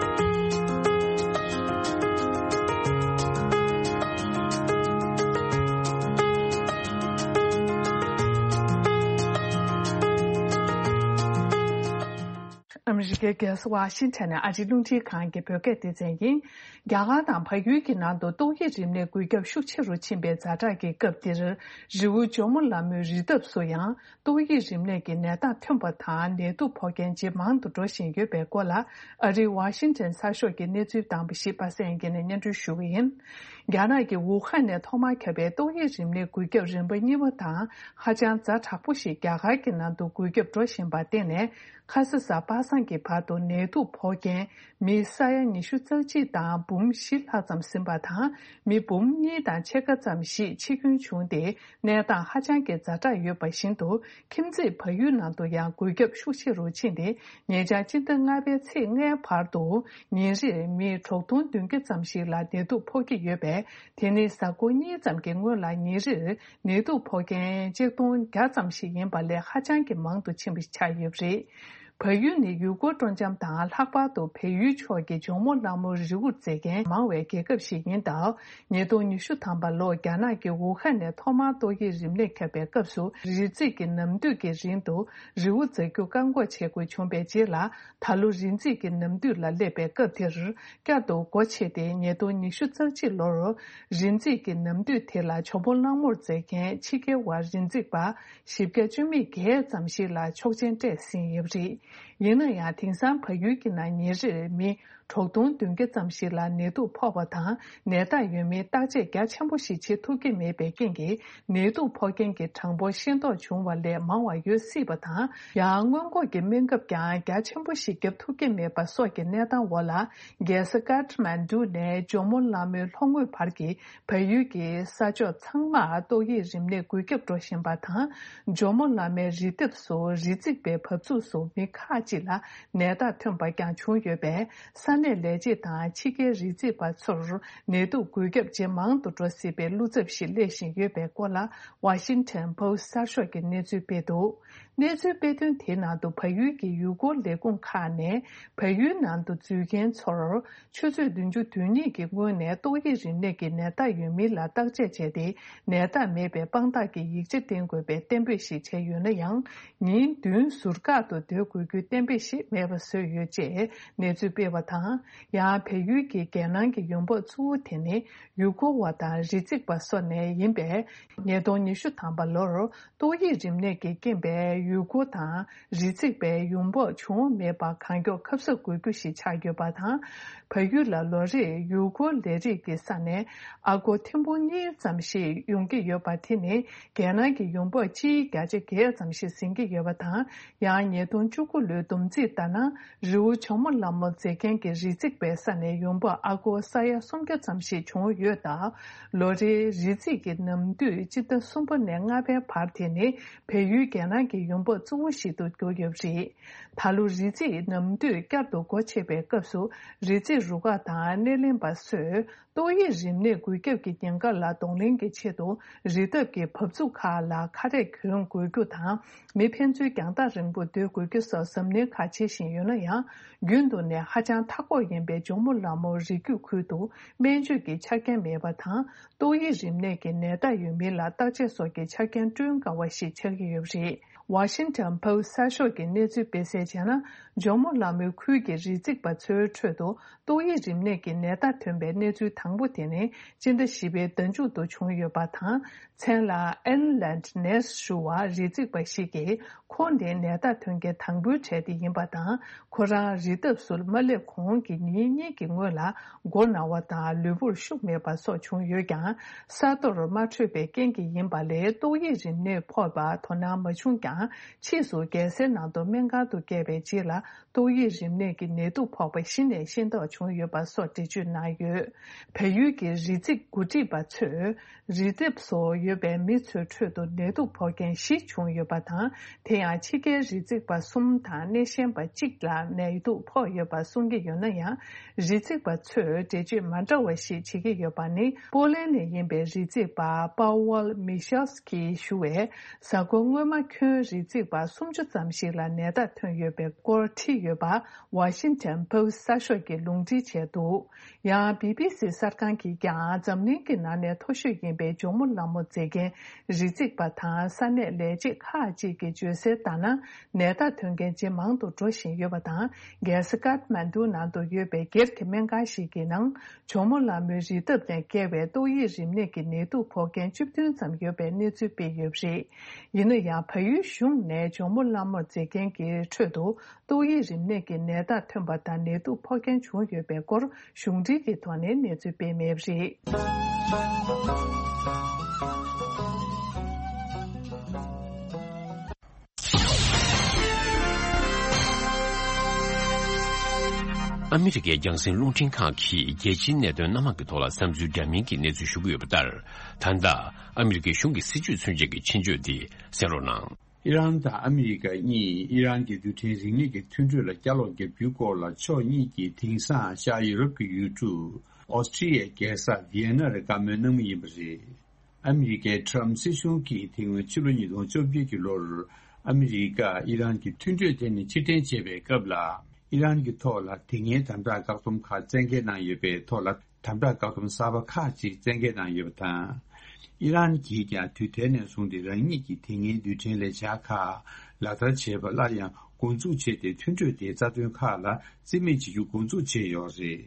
ཨ་མི་རི་ཀའི་རྒྱལ་ས་ཝ་ཤིང་ཊོན་ནས་ཨ་རིའི་རླུང་འཕྲིན་ཁང་གི་བོད་སྐད་སྡེ་ཚན་ཡིན། རྒྱ་གར་དང་བལ་ཡུལ་གྱི་ནང་དུ་ཏོག་དབྱིབས་རིམས་ནད་འགོས་ཁྱབ་ཤུགས་ཆེ་རུ་ཕྱིན་པའི་ཛ་དྲག་གི་སྐབས་འདིར། རི་བོ་ཇོ་མོ་ལ་མོའི་རི་འདབས་སུ་ཡང་ཏོག་དབྱིབས་རིམས་ནད་ཀྱི་ནད་རྟགས་ཐོན་པ་དང་། ནད་དུག་ཕོག་མཁན་ཇེ་མང་དུ་འགྲོ་བཞིན་ཡོད་པའི་སྐོར་ལ། ཨ་རིའི་ཝ་ཤིང་ཊོན་གསར་ཤོག་གི་གནས་ཚུལ་དང་པོ་ཞིག་པ་སངས་སྐྱིད་ནས་སྙན་སྒྲོན་ཞུ་གི་ཡིན། རྒྱ་ནག་གི་ཝུ་ཧན་ནས་ཐོག་མར་ཁྱབ་པའི་ཏོག་དབྱིབས་རིམས་ནད་འགོས་ཁྱབ་རིམ་པ་གཉིས་པ་དང་། ཧ་ཅང་ཛ་དྲག་པོ་ཞིག་རྒྱ་གར་གྱི་ནང་དུ་འགོས་ཁྱབ་འགྲོ་བཞིན་པར་བརྟེན་ནས། ཁ་ས་གཟའ་པ་སངས་ཀྱི་བར་དུ་ནད་དུག་ཕོག་མཁན་མི་ས་ཡ་ཉི་ཤུ་རྩ་གཅིག་དང་འབུམ་བཞི་ལྷག་ཙམ་ཟིན་པ་དང་། མི་འབུམ་གཉིས་དང་ཕྱེད་ཀ་ཙམ་ཞིག་འཆི་སྐྱོན་བྱུང་སྟེ། གནས་སྟངས་ཧ་ཅང་གི་ཛ་དྲག་ཡོད་པ་བཞིན་དུ། ཁྱིམ་མཚེས་བལ་ཡུལ་ནང་དུ་ཡང་འགོས་ཁྱབ་ཤུགས་ཆེ་རུ་ཕྱིན་ཏེ། ཉེ་ཆར་སྤྱི་ཟླ་ལྔ་པའི་ཚེས་ལྔའི་བར་དུ། ཉིན་རེར་མི་དྲུག་སྟོང་བདུན་བརྒྱ་ཙམ་ཞིག་ལ་ནད་དུག་ཕོག་གི་ཡོད་པས། དེ་ནི་གཟའ་འཁོར་གཉིས་ཙམ་གྱི་སྔོན་ལ་ཉིན་རེར་ནད་དུག་ཕོག་མཁན་ཆིག་སྟོང་བརྒྱ་ཙམ་ཞིག་ཡིན་པ་ལས་ཧ་ཅང་གི་མང་དུ་ཕྱིན་པ་ཆགས་ཡོད་པ་རེད། བལ་ཡུལ་ནི་ཡུལ་སྐོར་སྤྲོ་འཆམ་དང་། ལྷག་པར་དུ་བལ་ཡུལ་ཕྱོགས་ཀྱི་ཇོ་མོ་གླང་མོའི་རི་བོར་འཛེག་མཁན་མང་བའི་རྒྱལ་ཁབ་ཞིག་ཡིན་སྟབས། ཉིས་སྟོང་ཉི་ཤུ་ཐམ་པ་ལོར་རྒྱ་ནག་གི་ཝུ་ཧན་ནས་ཐོག་མར་ཏོག་དབྱིབས་རིམས་ནད་ཁྱབ་པའི་སྐབས་སུ། རི་འཛེག་གི་ནམ་དུས་ཀྱི་རིང་དུ་རི་བོ་འཛེག་རྒྱུ་བཀག་འགོག་བྱེད་དགོས་བྱུང་བའི་རྗེས་ལ། ད་ལོ་རི་འཛེག་གི་ནམ་དུས་ལ་སླེབས་པའི་སྐབས་དེར། བསྐྱར་དུ་སྒོ་ཕྱེ་སྟེ། ཉིས་སྟོང་ཉི་ཤུ་རྩ་གཅིག་ལོར་རི་འཛེག་གི་ནམ་དུས་དེ་ལ་ཇོ་མོ་གླང་མོར་འཛེག་མཁན་ཕྱི་རྒྱལ་བ་རི་འཛེག་པ་བཞི་བརྒྱ་བཅུ་མེད་བརྒྱད་ཙམ་ཞིག་ལ་ཆོག་མཆན་སྤྲད་ཟིན་ཡོད་པ་རེད། ཡིན་ན་ཡང་། དེང་སང་བལ་ཡུལ་གྱི་ནང་ཉིན་རེར་མི་དྲུག་སྟོང་བདུན་བརྒྱ་ཙམ་ཞིག་ལ་ནད་དུག་ཕོག་པ་དང་། ནད་རྟགས་ཡོད་མིན་བརྟག་དཔྱད་རྒྱ་ཆེན་པོ་ཞིག་བྱེད་ཐུབ་ཀྱི་མེད་པའི་རྐྱེན་གྱིས། ནད་དུག་ཕོག་མཁན་གྱི་གྲངས་འབོར་ཤེས་རྟོགས་བྱུང་བ་ལས་མང་བ་ཡོད་སྲིད་པ་དང་། ཡང་སྔོན་འགོག་གི་སྨན་ཁབ་ཀྱང་རྒྱ་ཆེན་པོ་ཞིག་བརྒྱབ་ཐུབ་ཀྱི་མེད་པ་སོགས་ཀྱི་གནས་སྟངས་འོག་ལ། རྒྱལ་ས་ཀ་ཐ་མན་ཌུ་ནས་ཇོ་མོ་གླང་མོའི་ལྷོ་ངོས་བར་གྱི་བལ་ཡུལ་གྱི་ས་ཕྱོགས་ཚང་མར་ཏོག་དབྱིབས་རིམས་ནད་འགོས་ཁྱབ་འགྲོ་བཞིན་པ་དང་། ཇོ་མོ་གླང་མའི་རི་ལྡེབས་སུ་རི་འཛེག་པའི་བབས་ཚུགས་སུ་མི་ཁག་ཅིག་ལ་ནད་རྟགས་ཐོན་པ་ཀྱང་བྱུང་ཡོད་པས། ས་གནས་ལས་བྱེད་དང་ཕྱི་རྒྱལ་རི་འཛེག་པ་ཚོར་ནད་དུག་འགོས་ཁྱབ་ཇེ་མང་དུ་འགྲོ་སྲིད་པའི་བློ་འཚབ་ཞིག་སླེབས་བཞིན་ཡོད་པའི་སྐོར་ལ། ཝ་ཤིང་ཊོན་པོ་སི་ཊི་གསར་ཤོག་གིས་གནས་ཚུལ་སྤེལ་འདུག་གནས་ཚུལ་སྤེལ་དོན་དེའི་ནང་དུ། བལ་ཡུལ་གྱི་ཡུལ་སྐོར་ལས་ཁུངས་ཁག་ནས་བལ་ཡུལ་ནང་དུ་འཛུལ་མཁན་ཚོར། ཆུ་ཚོད་བདུན་ཅུ་དོན་གཉིས་ཀྱི་སྔོན་ནས་ཏོག་དབྱིབས་རིམས་ནད་ཀྱི་ནད་རྟགས་ཡོད་མིན་ལ་བརྟག་དཔྱད་བྱས་ཏེ། ནད་རྟགས་མེད་པའི་དཔང་རྟགས་ཀྱི་ཡིག་ཆ་བསྟན་དགོས་པའི་གཏན་འབེབས་ཤིག་བྱས་ཡོད་ན་ཡང་། ཉིན་བདུན་ཟུར་བཀག་ཏུ་སྡོད་དགོས་རྒྱུའི་གཏན་འབེབས་ཤིག་མེད་པ་བཟོས་ཡོད་ཅེས་གནས་ཚུལ་སྤེལ་བ་དང་། ཡང་བལ་ཡུལ་གྱི་རྒྱལ་ནང་གི་ཡོང་འབབ་གཙོ་བོ་དེ་ནི་ཡུལ་སྐོར་བ་དང་རི་འཛེག་པ་སོགས་ནས་ཡིན་པས། ཉིས་སྟོང་ཉི་ཤུ་ཐམ་པ་ལོར་ཏོག་དབྱིབས་རིམས་ནད་ཀྱི་རྐྱེན་པས། ཡུལ་སྐོར་དང་རི་འཛེག་པའི་ཡོང་འབབ་བྱུང་མེད་པ་གང་མགྱོགས་ཁ་གསབ་དགོས་རྒྱུ་ཞིག་ཆགས་ཡོད་པ་དང་། བལ་ཡུལ་ལ་ལོ་རེར་ཡུལ་སྐོར་ལས་རིགས་ཀྱི་ས་ནས་ཨ་སྒོར་ཐེར་འབུམ་གཉིས་ཙམ་ཞིག་ཡོང་གི་ཡོད་པ་དེ་ནི་རྒྱལ་ནང་གི་ཡོང་འབབ་སྤྱིའི་བརྒྱ་ཆ་བརྒྱད་ཙམ་ཞིག་ཟིན་གྱི་ཡོད་པ་དང་། ཡང་ཉིས་སྟོང་བཅུ་དགུ་ལོའི་བསྡོམས་རྩིས་ལྟར་ན། རི་བོ་ཇོ་མོ་ལ་མོ་མཛེས་རྒྱན་གྱི་རི་འཛེག་པའི་ས་ནས་ཡོང་འབབ་ཨ་སྒོར་ས་ཡ་སུམ་བརྒྱ་ཙམ་ཞིག་བྱུང་ཡོད་སྟབས། ལོ་རེའི་རི་འཛེག་གི་ནམ་དུས་སྤྱི་ཟླ་གསུམ་པ་ནས་ལྔ་པའི་བར་དེ་ནི་བལ་ཡུལ་རྒྱལ་ནང་གི་ཡོང་འབབ་གཙོ་བོ་ཞིག་ཏུ་གྱུར་ཡོད་པ་རེད། ད་ལོ་རི་འཛེག་ནམ་དུས་བསྐྱར་དུ་སྒོ་ཕྱེ་བའི་སྐབས་སུ། རི་འཛེག་རུ་ཁག་དང་སྣེ་ལེན་པ་ཚོས། ཏོག་དབྱིབས་རིམས་ནད་འགོས་ཁྱབ་ཀྱི་ཉེན་ཁ་ལ་གདོང་ལེན་གྱི་ཆེད་དུ། རི་འདབས་ཀྱི་བབས་ཚུགས་ཁག་ལ་ཁ་རས་གྱོན་དགོས་རྒྱུ་དང་། མི་ཕན་ཚུན་རྒྱང་ཐག་རིང་པོ་སྡོད་དགོས་རྒྱུ་སོགས་གཟབ་ནན་ཁག་བྱེད་བཞིན་ཡོད་ན་ཡང་། རྒྱུན་དུ་ནས་ཧ་ཅང་མཐའ་འཁོར་ཡིན་པའི་ཇོ་མོ་ལ་མོ་རི་རྒྱུད་ཁུལ་དུ་སྨན་བཅོས་ཀྱི་ཆ་རྐྱེན་མེད་པ་དང་། ཏོག་དབྱིབས་རིམས་ནད་ཀྱི་ནད་རྟགས་ཡོད་མིན་ལ་བརྟག་དཔྱད་སོགས་ཀྱི་ཆ་རྐྱེན་བསྐྲུན་དཀའ་བ་ཞིག་ཆགས་ཀྱི་ཡོད་པ་རེད། Washington Post་གསར་ཤོག་གིས་གནས་ཚུལ་སྤེལ་གསལ་བྱས་ན། ཇོ་མོ་ལ་མོའི་ཁུལ་གྱི་རི་འཛེག་པ་ཚོའི་ཁྲོད་དུ། ཏོག་དབྱིབས་རིམས་ནད་ཀྱི་ནད་རྟགས་ཐོན་པའི་གནས་ཚུལ་དང་པོ་དེ་ནི། སྤྱི་ཟླ་བཞི་པའི་ཟླ་མཇུག་ཏུ་བྱུང་ཡོད་པ་དང་། མཚན་ལ་Inland Ness ཞུ་བ་རི་འཛེག་པ་ཞིག་གིས། ཁོང་ནི་ནད་རྟགས་ཐོན་མཁན་དང་པོའི་གྲས་དེ་ཡིན་པ་དང་། ཁོ་རང་རི་འདབས་སུ་མ་སླེབས་གོང་གི་ཉིན་གཉིས་ཀྱི་སྔོན་ལ། མགོ་ན་བ་དང་ལུས་པོར་ཤུགས་མེད་པ་སོགས་བྱུང་ཡོད་ཀྱང་། ས་རྡོར་མ་འཕྲོད་པའི་རྐྱེན་གྱིས་ཡིན་པ་ལས། ཏོག་དབྱིབས་རིམས་ནད་ཕོག་པར་དོ་སྣང་མ་བྱུང་ཀྱང་། ཕྱིས་སུ་རྒྱལ་སའི་ནང་དུ་སྨན་ཁང་དུ་བསྐྱལ་བའི་རྗེས་ལ། ཏོག་དབྱིབས་རིམས་ནད་ཀྱི་ནད་དུག་ཕོག་པ་གཞི་ནས་ཤེས་རྟོགས་བྱུང་ཡོད་པ་སོགས་འགྲེལ་བརྗོད་གནང་ཡོད། བལ་ཡུལ་གྱི་རི་འཛེག་འགོ་ཁྲིད་པ་ཚོས། རི་འདབས་སུ་ཡོད་པའི་མི་ཚོའི་ཁྲོད་དུ་ནད་དུག་ཕོག་མཁན་བཞི་བྱུང་ཡོད་པ་དང་། དེ་ཡང་ཕྱི་རྒྱལ་རི་འཛེག་པ་གསུམ་དང་སྣེ་ཤན་པ་གཅིག་ལ་ནད་དུག་ཕོག་ཡོད་པ་གསུང་གི་ཡོད་ན་ཡང་། རི་འཛེག་པ་ཚོས་འགྲེལ་བརྗོད་མ་འདྲ་བ་ཞིག་བྱེད་ཀྱི་ཡོད་པ་ནི། པོ་ལན་ནས་ཡིན་པའི་རི་འཛེག་པ་Paweł Michalski་ཞུ་བས། གཟའ་འཁོར་སྔོན་མ་ཁྱོན་རི་འཛེག་པ་སུམ་ཅུ་ཙམ་ཞིག་ལ་ནད་རྟགས་ཐོན་ཡོད་པའི་སྐོར་བྲིས་ཡོད་པ། Washington Post་གསར་ཤོག་གིས་ལུང་འདྲེན་བྱས་འདུག། ཡང་། བི་བི་སི་གསར་ཁང་གིས་ཀྱང་། འཛམ་གླིང་གི་ནང་ནས་མཐོ་ཤོས་ཡིན་པའི་ཇོ་མོ་ལ་མོ་མཛེས་རྒྱན་རི་འཛེག་པ་དང་ས་གནས་ལས་བྱེད་ཁག་ཅིག་གིས་བརྗོད་གསལ་ལྟར་ན། ནད་རྟགས་ཐོན་མཁན་ཇེ་མང་དུ་འགྲོ་བཞིན་ཡོད་པ་དང་། རྒྱལ་ས་ཀཏ་མན་ཌུ་ནང་དུ་ཡོད་པའི་སྒེར་གྱི་སྨན་ཁང་ཞིག་གི་ནང་། ཇོ་མོ་ལ་མོའི་རི་འདབས་ནས་བསྐྱལ་བའི་ཏོག་དབྱིབས་རིམས་ནད་ཀྱི་ནད་དུག་ཕོག་མཁན་བཅུ་བདུན་ཙམ་ཡོད་པའི་གནས་ཚུལ་སྤེལ་ཡོད་པ་རེད། ཡིན་ན་ཡང་། བལ་ཡུལ་གཞུང་ནས་ཇོ་མོ་ལ་མོ་མཛེས་རྒྱན་གྱི་ཁྲོད་དུ། ཏོག་དབྱིབས་རིམས་ནད་ཀྱི་ནད་རྟགས་ཐོན་པ་དང་ནད་དུག་ཕོག་མཁན་བྱུང་ཡོད་པའི་སྐོར་གཞུང་འབྲེལ་གྱི་ཐོག་ནས་གནས་ཚུལ་སྤེལ་མེད་པ་རེད། ཨ་མི་རི་ཀའི་རྒྱང་སྲིང་རླུང་འཕྲིན་ཁང་གིས་རྒྱལ་སྤྱིའི་གནད་དོན་སྣ་མང་གི་ཐོག་ལ་བསམ་ཚུལ་འདྲ་མིན་གྱི་གནས་ཚུལ་ཞུ་གི་ཡོད་པ་ལྟར། ད་ལྟ་ཨ་མི་རི་ཀའི་གཞུང་གི་སྲིད་བྱུས་མཚོན་བྱེད་ཀྱི་ཆེད་བརྗོད་འདི་གསན་རོགས་གནང་། ཨི་རན་དང་ཨ་མི་རི་ཀ་གཉིས་ཨི་རན་གྱི་རྡུལ་ཕྲན་རིག་གནས་ཀྱི་མཐུན་གྲོས་ལ་བསྐྱར་ལོག་བརྒྱབ་རྒྱུའི་སྐོར་ལ་ཕྱོགས་གཉིས་ཀྱིས་དེང་སང་ཤར་ཡུ་རོབ་ཀྱི་ཡུལ་གྲུ་ཨོ་སི་ཀྲི་ཡའི་རྒྱལ་ས་ཝི་ཡེ་ན་རུ་བཀའ་མོལ་གནང་མུས་ཡིན་པ་རེད། ཨ་མི་རི་ཀའི་ཁྲམ་སྲིད་གཞུང་གིས་དེ་སྔོན་ཕྱི་ལོ་ཉིས་སྟོང་བཅོ་བརྒྱད་ཀྱི་ལོར་ཨ་མི་རི་ཀ་ཨི་རན་གྱི་མཐུན་གྲོས་དེ་ནས་ཕྱིར་འཐེན་བྱས་པའི་སྐབས་ལ། ཨི་རན་གྱི་ཐོག་ལ་དེ་སྔའི་དམ་དྲག་བཀག་སྡོམ་ཁག་བཙན་འགེལ་གནང་ཡོད་པའི་ཐོག་ལ། དམ་དྲག་བཀག་སྡོམ་གསར་པ་ཁག་ཅིག་བཙན་འགེལ་གནང་ཡོད་པ་དང་། ཨི་རན་གྱིས་ཀྱང་དུས་དེ་ནས་བཟུང་སྟེ་རང་ཉིད་ཀྱི་དེ་སྔའི་རྡུལ་ཕྲན་ལས་འཆར་ཁག་ལག་བསྟར་བྱེད་པ་སླར་ཡང་འགོ་འཛུགས་བྱས་ཏེ། མཐུན་གྲོས་དེའི་རྩ་དོན་ཁག་ལ་རྩིས་མེད་བྱེད་རྒྱུ་འགོ་འཛུགས་བྱས་ཡོད་རེད།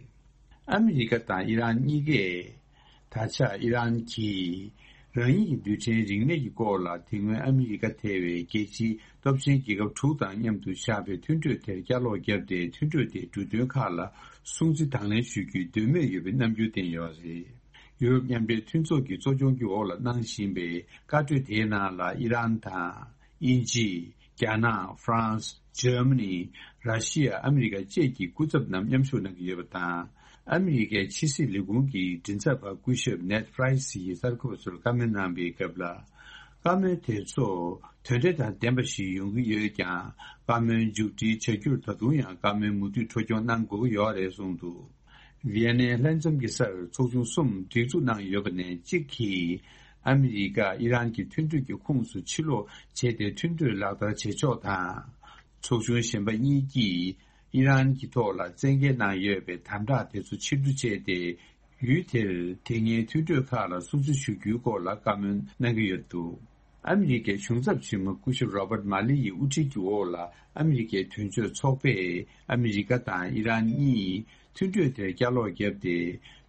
ཨ་མི་རི་ཀ་དང་ཨི་རན་གཉིས་ཀས། ད་ཆ་ཨི་རན་གྱིས་རང་ཉིད་ཀྱི་རྡུལ་ཕྲན་རིག་གནས་ཀྱི་སྐོར་ལ་དེ་སྔོན་ཨ་མི་རི་ཀ་ཐེ་བའི་རྒྱལ་སྤྱིའི་སྟོབས་ཆེན་རྒྱལ་ཁབ་དྲུག་དང་མཉམ་དུ་བཞག་པའི་མཐུན་གྲོས་དེར་བསྐྱར་ལོག་བརྒྱབ་སྟེ། མཐུན་གྲོས་དེའི་འབྲུ་དོན་ཁག་ལ་སྲུང་བརྩི་དང་ལེན་ཞུ་རྒྱུའི་འདོད་མོས་ཡོད་པའི་རྣམ་འགྱུར་བསྟན་ཡོད་རེད། ཡུ་རོབ་མཉམ་འབྲེལ་མཐུན་ཚོགས་ཀྱི་གཙོ་སྐྱོང་གི་འོག་ལ་གནང་བཞིན་པའི་བཀའ་གྲོས་དེའི་ནང་ལ་ཨི་རན་དང་། དབྱིན་ཇི། རྒྱ་ནག། ཧྥ་རན་སི། འཇར་མ་ནི། ར་ཤི་ཡ། ཨ་མི་རི་ཀ་བཅས་ཀྱི་སྐུ་ཚབ་རྣམས་མཉམ་ཞུགས་གནང་གི་ཡོད་པ་དང་། ཨ་མི་རི་ཀའི་ཕྱི་སྲིད་ལས་ཁུངས་ཀྱི་མགྲིན་ཚབ་པ་སྐུ་ཞབས་ནེད་པ་རའི་སི་ཡིས་གསར་འགོད་པ་ཚོར་བཀའ་མོལ་གནང་པའི་སྐབས་ལ། བཀའ་མོལ་དེ་ཚོ་དོན་འབྲས་དང་ལྡན་པ་ཞིག་ཡོང་གི་ཡོད་ཀྱང་། བཀའ་མོལ་མཇུག་སྒྲིལ་བྱ་རྒྱུར་ད་དུང་ཡང་བཀའ་མོལ་མུ་མཐུད་འཕྲོ་སྐྱོང་གནང་དགོས་ཀྱི་ཡོད་རེད་གསུངས་འདུག། ཝི་ཡེ་ནའི་ལྷན་འཛོམས་ཀྱི་སར་ཚོགས་ཆུང་གསུམ་སྒྲིག་འཛུགས་གནང་ཡོད་པ་ནས་གཅིག་གིས་ཨ་མི་རི་ཀ་ཨི་རན་གྱི་མཐུན་གྲོས་ཀྱི་ཁོངས་སུ་ཕྱིར་ལོག་བྱས་ཏེ། མཐུན་གྲོས་ལག་བསྟར་བྱེད་ཕྱོགས་དང་། ཚོགས་ཆུང་གཞན་པ་གཉིས་ཀྱིས་ཨི་རན་གྱི་ཐོག་ལ་བཙན་འགེལ་གནང་ཡོད་པའི་དམ་དྲག་དེ་ཚོ་ཕྱིར་བསྡུ་བྱས་ཏེ། ཡུལ་དེར་དེ་སྔའི་མཐུན་གྲོས་ཁག་ལ་སྲུང་བརྩི་ཞུ་རྒྱུའི་སྐོར་ལ་བཀའ་མོལ་གནང་གི་ཡོད་འདུག། ཨ་མི་རི་ཀའི་གཞུང་ཚབ་ཆེན་མོ་སྐུ་ཞབས་Robert Malley་ཡི་དབུ་ཁྲིད་ཀྱི་འོག་ལ་ཨ་མི་རི་ཀའི་དོན་གཅོད་ཚོགས་པས་ཨ་མི་རི་ཀ་དང་ཨི་རན་གཉིས་མཐུན་གྲོས་དེར་བསྐྱར་ལོག་བརྒྱབ་སྟེ།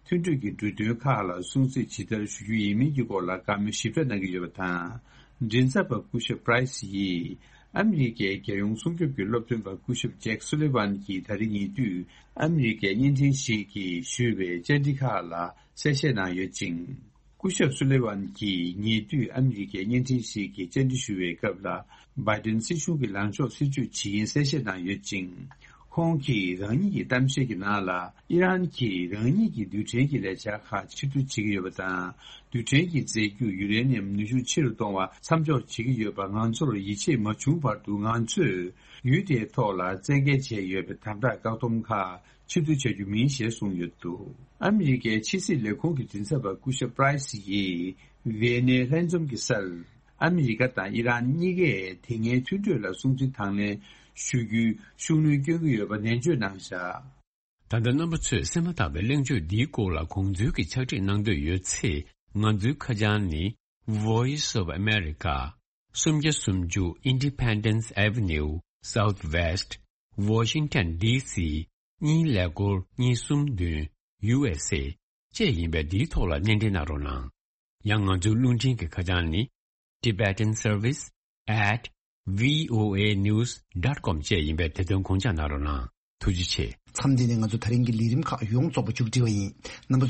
མཐུན་གྲོས་ཀྱི་འབྲུ་དོན་ཁག་ལ་སྲུང་བརྩི་ཇི་ལྟར་ཞུ་རྒྱུ་ཡིན་མིན་གྱི་སྐོར་ལ་བཀའ་མོལ་ཞིབ་ཕྲ་གནང་གི་ཡོད་པ་དང་། མགྲིན་ཚབ་པ་སྐུ་ཞབས་པ་རའི་སི་ཡིས་ ཨ་མི་རི་ཀའི་རྒྱལ་ཡོངས་སྲུང་སྐྱོབ་ཀྱི་སློབ་སྟོན་པ་སྐུ་ཞབས་ཇེག་སུ་ལི་ཝན་གྱིས་ད་རེས་ཉེ་དུས་ཨ་མི་རི་ཀའི་བརྙན་འཕྲིན་ཞིག་གིས་ཞུས་པའི་བཅར་འདྲི་ཁག་ལ་གསལ་བཤད་གནང་ཡོད་ཅིང་། སྐུ་ཞབས་སུ་ལི་ཝན་གྱིས་ཉེ་དུས་ཨ་མི་རི་ཀའི་བརྙན་འཕྲིན་ཞིག་གིས་བཅར་འདྲི་ཞུ་བའི་སྐབས་ལ། བྷའི་ཏིན་སྲིད་གཞུང་གི་ལངས་ཕྱོགས་སྲིད་བྱུས་ཇི་ཡིན་གསལ་བཤད་གནང་ཡོད་ཅིང་། ཁོང་གིས་རང་ཉིད་ཀྱི་གཏམ་བཤད་ཀྱི་ནང་ལ། ཨི་རན་གྱིས་རང་ཉིད་ཀྱི་རྡུལ་ཕྲན་གྱི་ལས་འཆར་ཁག་ཕྱིར་བསྡུ་བྱེད་ཀྱི་ཡོད་པ་དང་། རྡུལ་ཕྲན་གྱི་རྫས་འགྱུར་ཡུ་རེ་ནི་ཡམ་ནུས་ཤུགས་ཆེ་རུ་གཏོང་བར་མཚམས་འཇོག་བྱེད་ཀྱི་ཡོད་པ་ང་ཚོར་ཡིད་ཆེས་མ་བྱུང་བར་དུ། ང་ཚོས་ཡུལ་དེའི་ཐོག་ལ་བཙན་འགེལ་བྱས་ཡོད་པའི་དམ་དྲག་བཀག་སྡོམ་ཁག་ཕྱིར་བསྡུ་བྱ་རྒྱུ་མིན་ཞེས་གསུངས་ཡོད་འདུག་ཨ་མི་རི་ཀའི་ཕྱི་སྲིད་ལས་ཁུངས་ཀྱི་མགྲིན་ཚབ་པ་སྐུ་ཞབས་པ་རའི་སི་ཡིས་ཝི་ཡེ་ནའི་ལྷན་འཛོམས་ཀྱི་སར། ཨ་མི་རི་ཀ་དང་ཨི་རན་གཉིས་ཀས་དེ་སྔའི་མཐུན་གྲོས་ལ་སྲུང་བརྩི་དང་ལེན་ཞུ་རྒྱུའི་ཤུགས་སྣོན་བསྐྱོན་གྱི་ཡོད་པ་ནན་བརྗོད་གནང་བཞག་ད་ལྟ་རྣམ་པ་ཚོས་གསན་མ་ཐག་པའི་གླེང་བརྗོད་འདིའི་སྐོར་ལ་དགོངས་ཚུལ་གྱི་ཕྱག་བྲིས་གནང་འདོད་ཡོད་ཚེ། ང་ཚོའི་ཁ་བྱང་ནི། Voice of America། སུམ་བརྒྱ་སུམ་ཅུ། Independence Avenue Southwest, Washington D C གཉིས་ཀླད་ཀོར་གཉིས་གསུམ་བདུན། U S A བཅས་ཡིན་པས། འདིའི་ཐོག་ལ་སྣེ་འདྲེན་གནང་རོགས་གནང་། ཡང་ང་ཚོའི་རླུང་འཕྲིན་གྱི་ཁ་བྱང་ནི། Tibetan Service at V O A News dot com བཅས་ཡིན་པས། དེ་དོན་དགོངས་འཇགས་གནང་རོགས་གནང་། ཐུགས་རྗེ་ཆེ། མཚམས་འདི་ནས་ང་ཚོ་ད་རིང་གི་ལས་རིམ་ཁག་ཡོངས་རྫོགས་པ་མཇུག་སྒྲིལ་བ་ཡིན། རྣམ་པ་